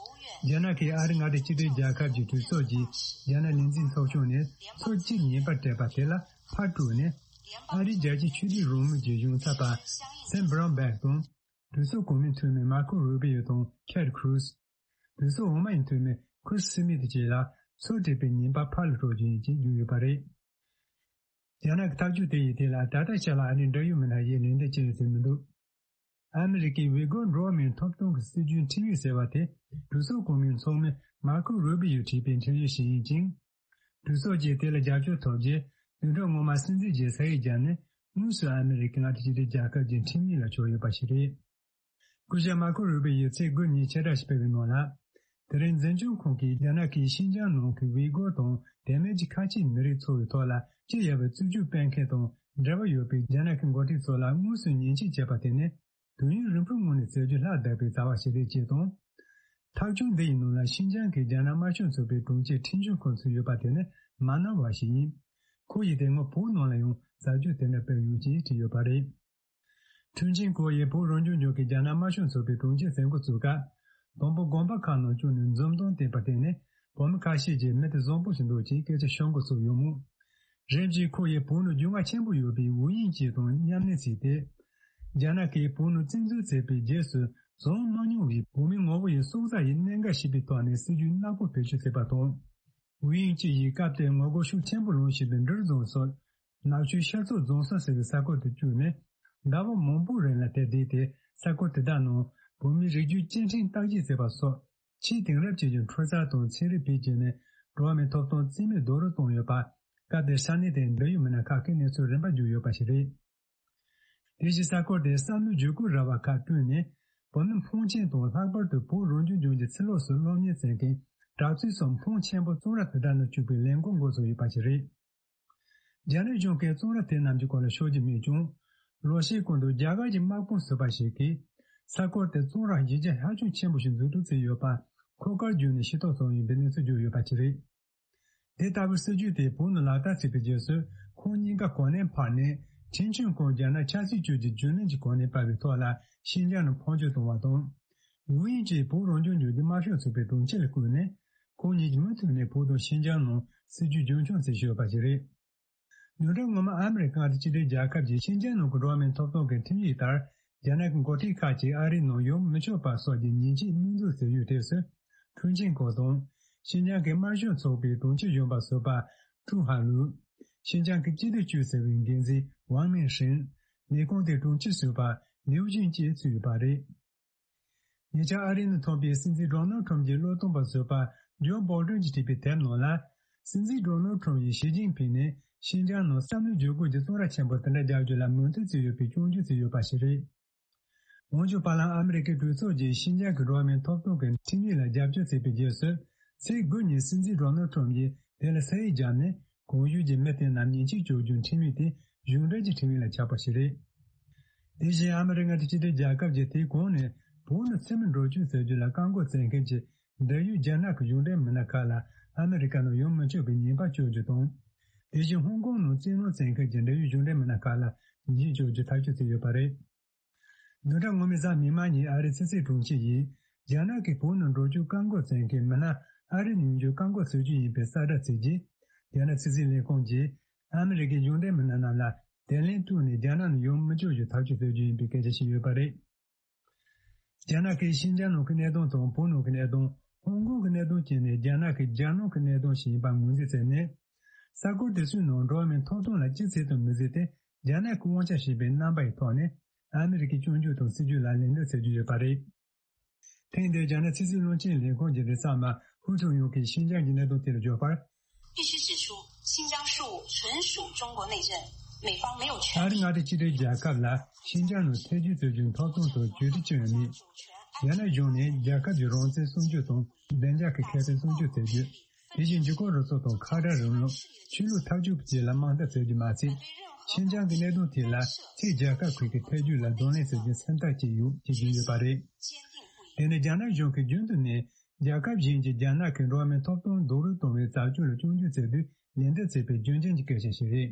རྒྱ་ནག་གིས་ཨ་རི་མངའ་སྡེ་གཅིག་སྒྲིལ་རྒྱལ་ཁབ་ཀྱི་གྲོས་ཚོགས་ཀྱི་རྒྱ་ནག་ལས་འཛིན་ཚོགས་ཆུང་ནས་ཚོགས་སྤྱི་ཉན་པར་སྤྲད་པ་དེ་ལ་ཕར་དཀྲུགས་ནས། ཨ་རིའི་རྒྱལ་སྤྱིའི་ཆོས་དད་རང་མོས་ཀྱི་གཞུང་ཚབ་པ་སེམ་བྷ་རོན་བྷེག་དང་། གྲོས་ཚོགས་གོང་མའི་འཐུས་མི་མར་ཁོ་རུ་བི་ཡོ་དང་ཊེད་ཁུ་རུ་སི། གྲོས་ཚོགས་འོག་མའི་འཐུས་མི་ཁུར་སི་མི་ཐི་བཅས་ལ་ཚོགས་སྒྲིག་པའི་ཉེས་པ་ཕར་ལ་སྤྲོད་རྒྱུ་ཡིན་ཅེས་བརྗོད་ཡོད་པ་རེད། རྒྱ་ནག་གི་ཐག་གཅོད་དེ་ཡི་ཐད་ལ་ད་ལྟ་ཆ་ལ་ཨ་རིའི་འབྲེལ་ཡོད་མི་སྣ་ཡིས་ལན་འདེབས་བྱས་ཡོད་ཚོད་མི་འདུག་ཨ་མི་རི་ཀའི་ཝི་གོར་འགྲོ་བ་མིའི་ཐོབ་ཐང་གི་སྲིད་བྱུས་ཁྲིམས་ཡིག་ཟེར་བ་དེ་གྲོས་ཚོགས་གོང་མའི་ཚོགས་མི་མར་ཁོ་རུ་བི་ཡོས་བྲིས་པའི་ཁྲིམས་ཡིག་ཞིག་ཡིན་ཅིང་། གྲོས་ཚོགས་ཀྱིས་དེ་ལ་རྒྱབ་སྐྱོར་ཐོབ་རྗེས་བདུན་ཕྲག་སྔོན་མ་སྲིད་འཛིན་གྱིས་ས་ཡིག་བརྒྱབ་ནས་དངོས་སུ་ཨ་མི་རི་ཀའི་མངའ་སྡེ་གཅིག་སྒྲིལ་རྒྱལ་ཁབ་ཀྱི་ཁྲིམས་ཡིག་ལ་བསྒྱུར་ཡོད་པ་ཞིག་རེད། སྐུ་ཞབས་མར་ཁོ་རུ་བི་ཡིས་ཚེས་དགུ་ཉིན་ཕྱིར་བསྒྲགས་ཤིག་སྤེལ་བའི་ནང་ལ། དེ་རིང་འཛིན་སྐྱོང་ཁང་གིས་རྒྱ་ནག་གིས་ཤིན་ཅང་ནང་གི་ཝི་གོར་དང་དེ་མིན་གྱི་ཁ་ཆེའི་མི་རིགས་ཚོ་བའི་ཐོག་ལ་སྤྱི་ཡར་བའི་རྩུབ་སྤྱོད་སྤེལ་མཁན་དང་འབྲེལ་བ་ཡོད་པའི་རྒྱ་ནག་གི་འགོ་ཁྲིད་ཚོ་ལ་དངོས་སུ་ཉེས་ཆད་བཅད་པ་དེ་ནི་དུས་ཡུན་རིང་པོའི་སྔོན་ནས་བྱེད་རྒྱུ་ལྷག་བསྡད་པའི་བྱ་བ་ཞིག་རེད་ཅེས་དང་། ཐག་གཅོད་འདི་ཡི་ནང་ལ་ཤིན་ཅང་གི་རྒྱ་ནག་དམར་ཤོག་ཚོགས་པའི་དྲུང་ཆེ་ཁྲིན་ཆོན་ཁོང་ཚུད་ཡོད་པ་དེ་ནི་མ་ནོར་བ་ཞིག་ཡིན། ཁོ་ཡིས་དེ་སྔོན་བོད་ནང་ལ་ཡང་ཟབ་སྦྱོང་དེ་འདྲ་སྤེལ་ཡོང་ཅེས་བྲིས་ཡོད་པ་རེད། ཁྲུན་ཆིན་ཁོ་ཡིས་བོད་རང་སྐྱོང་ལྗོངས་ཀྱི་རྒྱ་ནག་དམར་ཤོག་ཚོགས་པའི་དྲུང་ཆེ་མཛད་འགོ་བཙུགས་སྐབས། དང་པོ་དགོན་པ་ཁག་ནང་བཅུག་ནས་འཛུམ་མདངས་བསྟན་པ་དེ་ནི་བོད་མི་ཁ་ཤས་ཀྱིས་མི་དེ་བཟང་པོ་ཞིག་འདུག་ཅེས་སྐད་ཆ་ཤོད་འགོ་ཚུགས་ཡོང་མོད། རིམ་གྱིས་ཁོ་ཡིས་བོད་ནང་རྒྱུས་མངའ་ཆེན་པོ་ཡོད་པའི་ཝུའུ་དབྱིང་ཅེ་དང་མཉམ་གནས་བྱས་ཏེ། རྒྱ་ནག་གིས་བོད་ནང་བཙན་འཛུལ་བྱས་པའི་རྗེས་སུ་བྱུང་མ་མྱོང་བའི་བོད་མི་ངོ་བོ་ཡི་སྲོག་རྩ་ཡི་གནད་འགག་ཞེས་པའི་ཐོག་ནས་སྲིད་ཇུས་ནག་པོ་བེད་སྤྱོད་བྱས་པ་དང་། ཝུའུ་དབྱིང་ཅེ་ཡིས་སྐབས་དེར་ངོ་རྒོལ་ཤུགས་ཆེན་པོ་ལངས་བཞིན་པའི་འབྲུག་རྫོང་སོགས། ནག་ཆུའི་ཤར་ཕྱོགས་རྫོང་ས་ཟེར་བའི་ས་ཁུལ་དུ་བཅུག་ནས། ཟླ་བ་མང་པོའི་རིང་ལ་དེར་བསྡད་དེ། ས་ཁུལ་དེ་དག་ནང་བོད་མིའི་རིགས་རྒྱུད་སྐྱེ་ཕྲེང་བརྟག་དཔྱད་བྱས་པ་སོགས། ཆེས་དེང་རབས་ཅན་གྱི་འཕྲུལ་རྩལ་དང་ཚན་རིག་བེད་སྤྱོད་ནས་འགྲོ་བ་མིའི་ཐོབ་ཐང་རྩིས་མེད་རྡོག་རོལ་བཏང་ཡོད་པ། སྐབས་དེར་ས་གནས་དེའི་འབྲེལ་ཡོད་མི་སྣ་ཁག་གིས་གནས་ཚུལ་རིམ་པ་བརྗོད་ཡོད་པ་ཞིག་རེད། དེ་བཞིན་ས་ཁུལ་དེར་བསམ་བློའི་བརྒྱུད་སྐུལ་ར་བ་ཁག་བསྐྲུན་ནས། བོད་མི་ཕོན་ཆེན་དང་ལྷག་པར་དུ་བོད་རང་སྐྱོང་ལྗོངས་ཀྱི་ཕྱི་ལོགས་སུ་སློབ་གཉེར་བྱེད་མཁན་གྲྭ་བཙུན་སོགས་ཕོན་ཆེན་པོ་གཙང་ར་དེ་དག་ནང་བཅུག་པའི་ལས་འགུལ་འགོ་བཙུགས་ཡོད་པ་ཞིག་རེད། རྒྱ་ནག་གཞུང་གིས་གཙང་ར་དེ་རྣམས་ཀྱི་སྐོར་ལ་ཤོད་ཀྱི་མེད་ཀྱང་། ལོ་ཤས་གོང་དུ་རྒྱ་གར་གྱི་དམག་དཔུང་ཟུར་པ་ཞིག་གིས་ས་ཁུལ་དེར་གཙང་ར་གཞི་རྒྱ་ཧ་ཅང་ཆེན་པོ་ཞིག་འཛུགས་སྐྲུན་བྱས་ཡོད་པ་འཁོར་སྐར་བརྒྱུད་ནས་ཤེས་རྟོགས་བྱུང་ཡོད་པའི་གནས་ཚུལ་བརྗོད་ཡོད་པ་ཞིག་རེད། དེ་ལྟ་བུའི་སྲིད་ཇུས་དེ་བོད་ནང་ལག་བསྟར་བྱས་པའི་རྗེས་སུ་ཁོང་གཉིས་ཀ་གོ་གནས་འཕར་ནས་ཁྲིན་ཆོན་ཀོང་རྒྱ་ནག་ཆབ་སྲིད་ཅུས་ཀྱི་རྒྱུན་ལས་ཀྱི་གོ་གནས་སྤར་བའི་ཐོག་ལ་ཤིན་ཅང་ནང་འཕོ་འགྱུར་བཏང་བ་དང་། ཝུའུ་དབྱིང་ཅེས་བོད་རང་སྐྱོང་ལྗོངས་ཀྱི་དམར་ཤོག་ཚོགས་པའི་དྲུང་ཆེ་ལ་བསྐོས་ནས་ཁོང་གཉིས་ཀྱིས་མུ་མཐུད་ནས་བོད་དང་ཤིན་ཅང་ནང་སྲིད་ཇུས་རྒྱུན་འཁྱོངས་བྱེད་བཞིན་ཡོད་པ་ཞིག་རེད། བདུན་ཕྲག་སྔོན་མ་ཨ་མི་རི་ཀ་དང་ཕྱི་འབྲེལ་རྒྱལ་ཁབ་ཀྱིས་ཤིན་ཅང་ནང་གི་འགྲོ་བ་མིའི་ཐོབ་ཐང་གི་ཁྲིམས་ཡིག་ལྟར། རྒྱ་ནག་གི་འགོ་ཁྲིད་ཁག་ཅིག་ཨ་རིའི་ནང་ཡོང་མི་ཆོག་པ་སོགས་ཀྱི་ཉེས་ཆད་དམིགས་འཛུགས་བྱས་ཡོད་དུས་སུ། ཁྲུན་ཆིང་ཁོ་དང་། ཤིན་ཅང་གི་དམར་ཤོག་ཚོགས་པའི་དྲུང་ཆེ་གཞོན་པ་ཟུར་པ་ཀྲུའུ་ཧ་ལུ། ཤིན་ཅང་གི་སྤྱི་བདེ་ཅུས་ཟེར་བའི་འགན་འཛིན་ཝང་མིན་ཧྲིན། ལས་ཁུངས་དེའི་དྲུང་ཆེ་ཟུར་པ་ལིའུ་ཅིན་བཅས་ཚུད་ཡོད་པ་རེད། ཉེ་ཆར་ཨ་རིའི་ནང་ཐོན་པའི་སྲིད་འཛིན་ཌོ་ནལ་ཁྲམ་གྱི་བློས་གཏོང་པ་ཟུར་པ་ཇོ་བྷའི་ཌེན་གྱིས་བྲིས་པའི་དེབ་ནང་ལ། སྲིད་འཛིན་ཌོ་ནལ་ཁྲམ་ཡིས་ཞི་ཅིན་ཕིང་ནས་ཤིན་ཅང་ནང་བསམ་བློའི་བརྒྱུད་སྐུལ་གྱི་གཙང་སྦྲ་ཆེན་པོ་དེ་འདྲ་རྒྱག་རྒྱུ་ལ་མོས་མཐུན་བྱས་ཡོད་པའི་སྐྱོན་བརྗོད་བྱས་ཡོད་པ་ཞིག་རེད། འོན་ཀྱང་། བར་ལམ་ཨ་མི་རི་ཀའི་གྲོས་ཚོགས་ཀྱིས་ཤིན་ཅང་གི་འགྲོ་བ་མིའི་ཐོབ་ཐང་གི་ཁྲིམས་ཡིག་ལ་རྒྱབ་སྐྱོར་བྱས་པའི་རྗེས་སུ། ཚེས་དགུ་ཉིན་སྲིད་འཛིན་ཌོ་ནལ་ཁྲམ་གྱིས་དེ་ལ་ས་ཡིག་བརྒྱབ་ནས། གོང་ཞུས་ཀྱི་མི་དེ་རྣམས་ཉེས་ཆད་གཅོད་རྒྱུའི་ཁྲིམས་ཡིག་དེ་གཞུང་འབྲེལ་གྱི་ཁྲིམས་ཡིག་ལ་ཆགས་པ་ཞིག་རེད། དེ་བཞིན་ཨ་མི་རི་ཀ་དང་ཕྱི་འབྲེལ་རྒྱལ་ཁབ་ཀྱིས་དེའི་གོང་ནས་བོད་ནང་ཚུར་མི་འགྲོ་བཅུག་ཟེར་རྒྱུ་ལ་བཀག་འགོག་བྱེད་མཁན་གྱི་འབྲེལ་ཡོད་རྒྱ་ནག་གི་གཞུང་འབྲེལ་མི་སྣ་ཁག་ལ་ཨ་མི་རི་ཀ་ནང་ཡོང་མི་ཆོག་པའི་ཉེས་པ་གཅོད་རྒྱུ་དང་། དེ་བཞིན་ཧོང་ཀོང་ནང་བཙན་གནོན་བྱེད་མཁན་གྱི་འབྲེལ་ཡོད་གཞུང་འབྲེལ་མི་སྣ་ཁག་ལ་ཉེས་ཆད་གཅོད་རྒྱུ་ཐག་གཅོད་བྱས་ཡོད་པ་རེད། བདུན་ཕྲག་སྔོན་མའི་གཟའ་མིག་དམར་ཉིན་ཨ་རིའི་ཕྱི་སྲིད་དྲུང་ཆེ་ཡིས། རྒྱ་ནག་གིས་བོད་ནང་འགྲོ་རྒྱུ་བཀག་འགོག་བྱེད་མཁན་མི་སྣ་ཨ་རིར་ཡོང་རྒྱུ་བཀག་འགོག་བྱེད་རྒྱུ་ཡིན་པའི་གསལ་བསྒྲགས་བྱས་རྗེས། རྒྱ་ནག་ཕྱི་སྲིད་ལས་ཁུངས་ཀྱིས་ཨ་མི་རི་ཀའི་གཞུང་འབྲེལ་མི་སྣ་རྣམས་ལ་དེ་ལན་སྤྲོད་ནས་རྒྱ་ནག་ནང་ཡོང་མི་ཆོག་རྒྱུ་ཐག་གཅོད་བྱེད་རྒྱུ་ཡིན་པའི་སྐད་ཆ་བཤད་ཡོད་པ་རེད། རྒྱ་ནག་གིས་ཤིན་ཅང་ནང་གི་གནད་དོན་དང་བོད་ནང་གི་གནད་དོན། ཧོང་ཀོང་གི་གནད་དོན་བཅས་ནི་རྒྱ་ནག་གི་རྒྱལ་ནང་གི་གནད་དོན་ཞིག་ཡིན་པ་ངོས་འཛིན་བྱས་ནས། ས་ཁུལ་དེ་ཚོའི་ནང་འགྲོ་བ་མིའི་ཐོབ་ཐང་ལ་ཅི་བྱེད་དང་མི་བྱེད་དེ། རྒྱ་ནག་གི་དབང་ཆ་ཞེས་པའི་རྣམ་པ་ཡི་ཐོག་ནས་ཨ་མི་རི་ཀའི་སྐྱོན་བརྗོད་དང་སྲིད་ཇུས་ལ་ལན་འདེབས་བྱེད་རྒྱུ་ཡོད་པ་རེད། ཐེངས་འདིར་རྒྱ་ནག་ཕྱི་སྲིད་བློན་ཆེན་ལས་ཁུངས་ཀྱི་ལས་བྱེད་མ་ཧུའུ་ཁྲུང་ཡུང་གིས་ཤིན་ཅང་གི་གནད་དོན་དེ་ལ་བརྗོད་པར། 必须指出，新疆事务纯属中国内政，美方没有权利。 ཨ་རི་མངའ་སྡེ་གཅིག་སྒྲིལ་རྒྱལ་ཁབ་ལ་ཤིན་ཅང་ནང་ཐེ་ཇུས་རྩོད་རྒྱུའི་ཐོབ་ཐང་དང་བརྒྱུད་རིམ་ཅི་ཡང་མེད། རྒྱ་ནག་གཞུང་ནས་རྒྱལ་ཁབ་ཀྱི་རང་བཙན་སྲུང་སྐྱོབ་དང་བདེ་འཇགས་ཀྱི་ཁེ་ཕན་སྲུང་སྐྱོབ་བྱེད་རྒྱུ། དེ་བཞིན་འཇིགས་སྐུལ་རུ་ཚོགས་དང་ཁ་བྲལ་རིང་ལུགས། ཆོས་ལུགས་འཐབ་ཕྱོགས་བཅས་ལ་དམག་འཐབ་བྱེད་རྒྱུ་མ་ཚད། ཤིན་ཅང་གི་གནད་དོན་དེ་ལ་ཕྱིའི་རྒྱལ་ཁབ་ཁག་གི་ཐེ་ཇུས་ལ་གདོང་ལེན་བྱེད་རྒྱུའི་སེམས་ཐག་བཅད་ཡོད་ཅེས་བརྗོད་ཡོད་པ་རེད། དེ་ནི་རྒྱ་ནག་གཞུང་གིས་རྒྱུན་དུ་ནས་རྒྱལ་ཁབ་གཞན་གྱིས་རྒྱ་ནག་གི་འགྲོ་བ་མིའི་ཐོབ་ཐང་རྡོག་རོལ་གཏོང་བའི་བྱ་སྤྱོད་ལ་སྐྱོན་བརྗོད་བྱེད་དུས་ལན་འདེབས་བྱས་པའི་རྒྱུ་རྐྱེན་གྱི་སྐད་ཆ་ཞིག་རེད།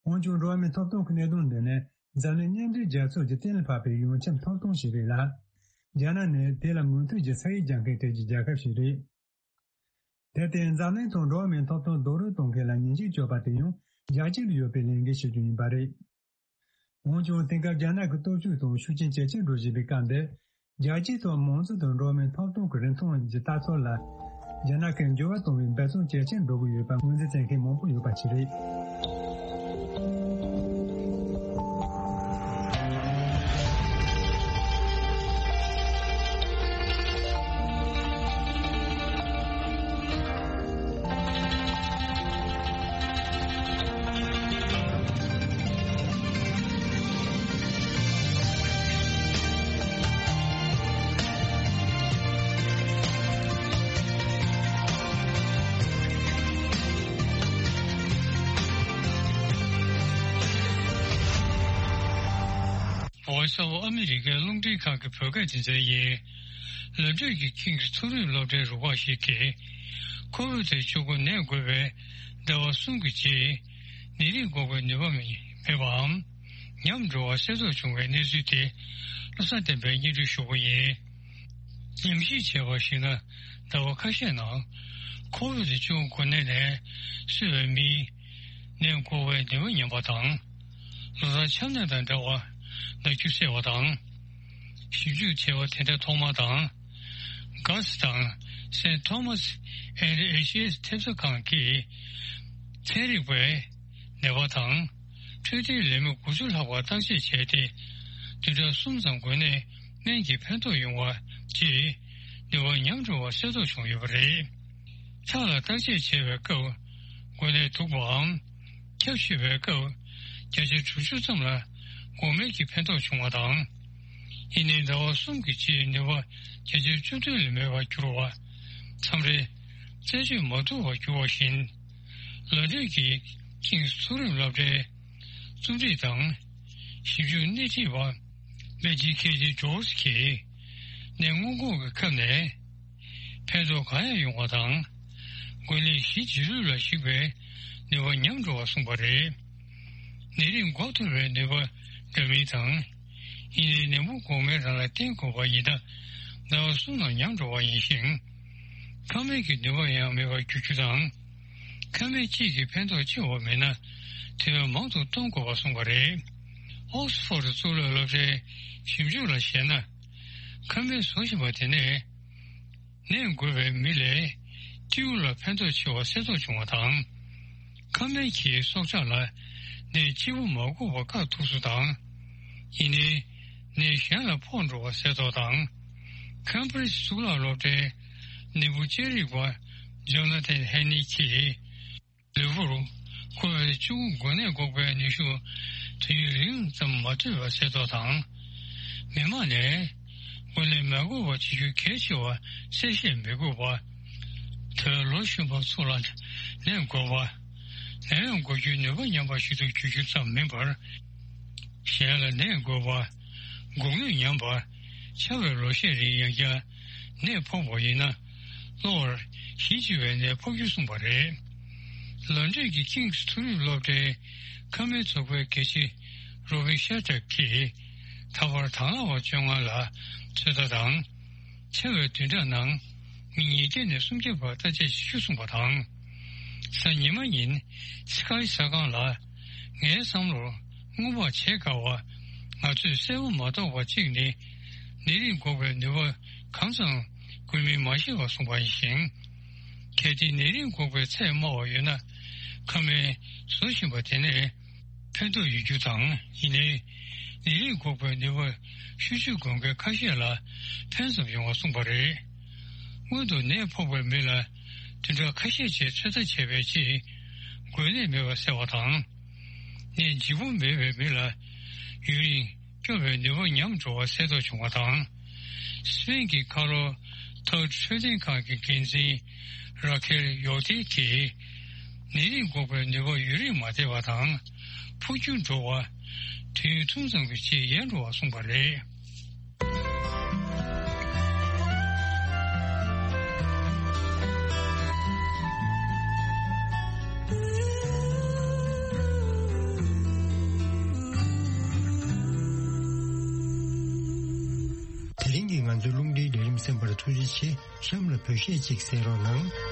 འོན་ཀྱང་འགྲོ་བ་མིའི་ཐོབ་ཐང་གི་གནད་དོན་འདི་ནི་འཛམ་གླིང་མཉམ་འབྲེལ་རྒྱལ་ཚོགས་ཀྱིས་གཏན་ལ་ཕབ་པའི་ཡོངས་ཁྱབ་ཐོབ་ཐང་ཞིག་རེད་ལ། རྒྱ་ནག་ནི་དེ་ལ་མོས་མཐུན་གྱི་ས་ཡིག་རྒྱག་མཁན་གྲས་ཀྱི་རྒྱལ་ཁབ་ཞིག་རེད། དེར་བརྟེན་འཛམ་གླིང་ཐོག་འགྲོ་བ་མིའི་ཐོབ་ཐང་རྡོག་རོལ་གཏོང་མཁན་ལ་ཉེས་ཆད་གཅོད་པ་དེ་ཡང་རྒྱལ་སྤྱི་ལ་ཡོད་པའི་ལས་འགན་ཞིག་ཏུ་ཡིན་པ་རེད། འོན་ཀྱང་དེང་སྐབས་རྒྱ་ནག་གི་སྟོབས་ཤུགས་དང་ཤུགས་རྐྱེན་ཇེ་ཆེར་འགྲོ་བཞིན་པའི་སྐབས་འདིར། རྒྱལ་སྤྱིའི་ཐོག་མང་གཙོ་དང་འགྲོ་བ་མིའི་ཐོབ་ཐང་གི་རིན་ཐང་གི་ལྟ་ཚུལ་ལ། རྒྱ་ནག་གིས་འགྱུར་བ་གཏོང་བའི་འབད་བརྩོན་ཇེ་ཆེར་འགྲོ་གི་ཡོད་པ་ངོས་འཛིན་བྱེད་མཁན་མང་པོ་ཡོད་པ་ཞིག་རེད། Voice of America རླུང་འཕྲིན་ཁང་གི་བོད་སྐད་སྡེ་ཚན་ཡིན། ལམ་འགྲུལ་གྱི་ཁྱིམ་གྱི་མཐོ་རིམ་སློབ་གྲྭའི་རུ་ཁག་ཞིག་གིས། ཁོ་བིད་བཅུ་དགུ་ནད་འགོས་པའི་ཟླ་བ་གསུམ་གྱི་རྗེས། ནད་རིགས་འགོག་པའི་ནུས་པ་མེད་པའམ། ཉམས་འགྲོ་བ་གསལ་རྟོགས་བྱུང་བའི་གནས་ཚུལ་དེ། བློ་བཟང་བསྟན་པས་སྙན་སྒྲོན་ཞུ་གི་ཡིན། ཉམས་ཞིབ་བྱས་པར་གཞིགས་ན། ཟླ་བ་ཁ་ཤས་ནང་། ཁོ་བིད་བཅུ་དགུ་ནད་ནས་གསོས་པའི་མིའི་ནད་འགོག་པའི་ནུས་པ་ཉམས་པ་དང་། ལོ་ལྟར་ཆམ་ནད་དང་འདྲ་བར་ན་རྒྱུ་སེལ་བ་དང་། ཞིབ་འཇུག་བྱས་པ་དེ་འདྲ་ཐོག་མ་དང་། གྷ་སི་དང་སེན་ཐོ་མཱ་སི་ཨེན་ཌི་ཨེཆ་ཨེས་ཐེབས་རྩ་ཁང་གིས་ཚན་རིག་པས་ནད་པ་དང་། འཕྲོད་བསྟེན་ལས་མི་དགུ་བཅུ་ལྷག་པར་བརྟག་དཔྱད་བྱས་ཏེ། བདུན་ཕྲག་གསུམ་ཙམ་འགོས་ནད་སྨན་གྱི་ཕན་ཐོགས་ཡོང་བ་བཅས་ནུས་པ་ཉམས་འགྲོ་བ་གསལ་རྟོགས་བྱུང་ཡོད་པ་རེད། ཁྲག་ལ་བརྟག་དཔྱད་བྱས་པའི་སྐབས་འགོས་ནད་དུག་པའམ། ཁྱབ་ཤེས་པའི་སྐབས་བརྒྱ་ཆ་དྲུག་ཅུ་ཙམ་ལ་འགོག་སྨན་གྱི་ཕན་ཐོགས་བྱུང་བ་དང་། ཡིན་ནའི་ཟླ་བ་གསུམ་གྱི་རྗེས་ནུས་པ་བརྒྱ་ཆ་བཅུ་བདུན་ལས་མེད་པར་གྱུར་བ། མཚམས་རེ་རྩད་གཅོད་མ་ཐུབ་པར་གྱུར་བ་བཞིན། ལམ་འགྲུལ་གྱི་ཁྱིམ་མཐོ་རིམ་སློབ་གྲྭའི་རྩོམ་སྒྲིག་དང་ཞིབ་འཇུག་སྣེ་ཁྲིད་པ་མེ་ཇི་ཁེ་ཇི་ཇོར་གྱིས་ནད་སྔོན་འགོག་གི་ཁབ་ནས་ཕན་ཐོགས་གང་ཡང་ཡོང་བ་དང་། འགོས་ནད་གཞི་འབྱེད་ལུགས་ལ་གཞིགས་པའི་ནུས་པ་ཉམས་འགྲོ་བ་གསུངས་པ་རེད། ནད་རིགས་འགོག་ཐུབ་པའི་ནུས་པ་འདྲ་མིན་དང་། ཡིན་ནའི་ནད་འབུ་འགོག་སྨན་རང་ལ་བརྟེན་དགོས་པ་ཡིན་ན། ཟླ་བ་གསུམ་ནང་ཉམས་འགྲོ་བ་ཡིན་ཞིང་། ཁབ་སྨན་གྱི་ནུས་པ་ཡང་མེད་པར་འགྱུར་རྒྱུ་དང་། ཁབ་སྨན་གཅིག་གིས་ཕན་ཐོགས་ཆེ་བ་མེད་ན། དུས་ཡུན་མང་དུ་གཏོང་དགོས་པ་གསུངས་པ་རེད། ཨོག་སི་ཕོར་གཙུག་ལག་སློབ་གྲྭའི་ཞིབ་འཇུག་ལ་བཞེས་ན། ཁང་པའི་བཟོ་བཞིན་པ་དེ་ནས། ནད་འགོས་པའི་མི་ལས་སྤྲེའུ་ལ་ཕན་ཐོགས་ཆེ་བ་གསལ་རྟོགས་བྱུང་བ་དང་། ཁ་སྨན་གྱིས་སྲོག་ཆགས་ལ་ནད་གཅིག་པུ་མ་འགོས་པ་བཀག་ཐུབ་ཚུལ་དང་། ཡིན་ནའི། ནད་གཞན་ལ་ཕོག་འགྲོ་བ་གསལ་རྟོགས་དང་། ཁེམ་བྷྲིཇ་གཙུག་ལག་སློབ་གྲྭའི་ནད་འབུ་དཔྱད་རིག་པ་ཇོ་ན་ཐན་ཧེ་ནི་གྱིས། ལུས་པོར་ཁོ་བོའི་གཅུང་འགོས་ནད་འགོག་པའི་ནུས་ཤུགས་དུས་ཡུན་རིང་ཙམ་མ་ཐོན་པ་གསལ་རྟོགས་དང་། མི་མང་ནས་འགོས་ནད་མ་འགོས་པ་བྱེད་རྒྱུ་གལ་ཆེ་བ་གསལ་བཤད་མི་དགོས་པ། དོལ་ལོ་གཞོན་པ་ཚོ་ལ་ནད་འགོས་པ། ནད་ཡམས་འགོག་རྒྱུའི་ནུས་པ་ཉམས་པ་ཞིག་ཏུ་འགྱུར་རྒྱུ་ཙམ་མིན་པར། གཞན་ལ་ནད་འགོས་པ། འགོག་ནུས་ཉམས་པ། ཆར་པའི་ལོ་ཤས་རིང་ཡང་བསྐྱར་ནད་ཕོག་པ་ཡིན་ན། གློ་བར་ཞི་བྱེད་པའི་ནད་ཕོག་རྒྱུ་གསུངས་པ་རེད། ལོན་ཌོན་གྱི་ཀིང་སི་མཐོ་རིམ་སློབ་གྲྭའི་ཁ་སྨན་ཚོགས་པའི་དགེ་བཤེས་རོ་བིན་ཤར་ཏྲག་གིས། ད་བར་དང་བླངས་པ་བཅོ་ལྔ་ལ་ཚོད་ལྟ་དང་། ཆར་པའི་བདུན་ཕྲག་ནང་མི་ཉིས་བརྒྱ་ནས་སུམ་བརྒྱ་བར་བརྟག་དཔྱད་བྱེད་རྒྱུ་གསུངས་པ་དང་། གཟའ་ཉི་མ་ཉིན་སི་ཀའི་གསར་ཁང་ལ། ངའི་བསམ་བློར་སྔོན་དཔག་བྱེད་དཀའ་བ། ང་ཚོས་གསལ་པོ་མ་རྟོགས་པ་གཅིག་ནི། ནད་རིགས་འགོག་པའི་ནུས་པ་གང་ཙམ་དགོས་མིན་མ་ཤེས་པ་གསུངས་པ་ཡིན་ཞིང་། གལ་ཏེ་ནད་རིགས་འགོག་པའི་ཚད་དམའ་བ་ཡོད་ན། ཁ་སྨན་བཟོ་བཞིན་པ་དེ་ནས་ཕན་ཐོགས་ཡོད་རྒྱུ་དང་། ཡིན་ནའི། ནད་རིགས་འགོག་པའི་ནུས་པ་ཤུགས་ཆུང་དགོས་མཁན་ཁ་ཤས་ལ་ཕན་ཙམ་ཡོང་བ་གསུངས་པ་རེད། སྔོན་དུ་ནད་ཕོག་པའི་མི་ལ་བདུན་ཕྲག་ཁ་ཤས་རྗེས་ཚོད་ལྟ་བྱས་པའི་རྗེས། འགོས་ནད་མེད་པ་གསལ་བ་དང་། ནད་ལྗིད་པོ་མེད་པའི་མི་ལ་ཡུན་རིང་སྐྱོབ་པའི་ནུས་པ་ཉམས་འགྲོ་བ་གསལ་རྟོགས་བྱུང་བ་དང་། སི་པེན་གྱི་ཁ་ལོ་ཐོག་འཕྲོད་བསྟེན་ཁང་གི་འགན་འཛིན་ར་ཁེལ་ཡོག་ཏེ་གིས། ནད་རིགས་འགོག་པའི་ནུས་པ་ཡུན་རིང་མ་བསྡད་པ་དང་། འཕོ་འགྱུར་འགྲོ་བ། དུས་ཡུན་ཐུང་ཙམ་གྱི་རྗེས་ཡལ་འགྲོ་བ་གསུངས་པ་རེད། དེ་རིང་གི་ང་ཚོའི་རླུང་འཕྲིན་ལས་རིམ་གསན་པར་ཐུགས་རྗེ་ཆེ། གཤམ་ལ་འབུལ་བཤད་ཅིག་གསན་རོགས་གནང་།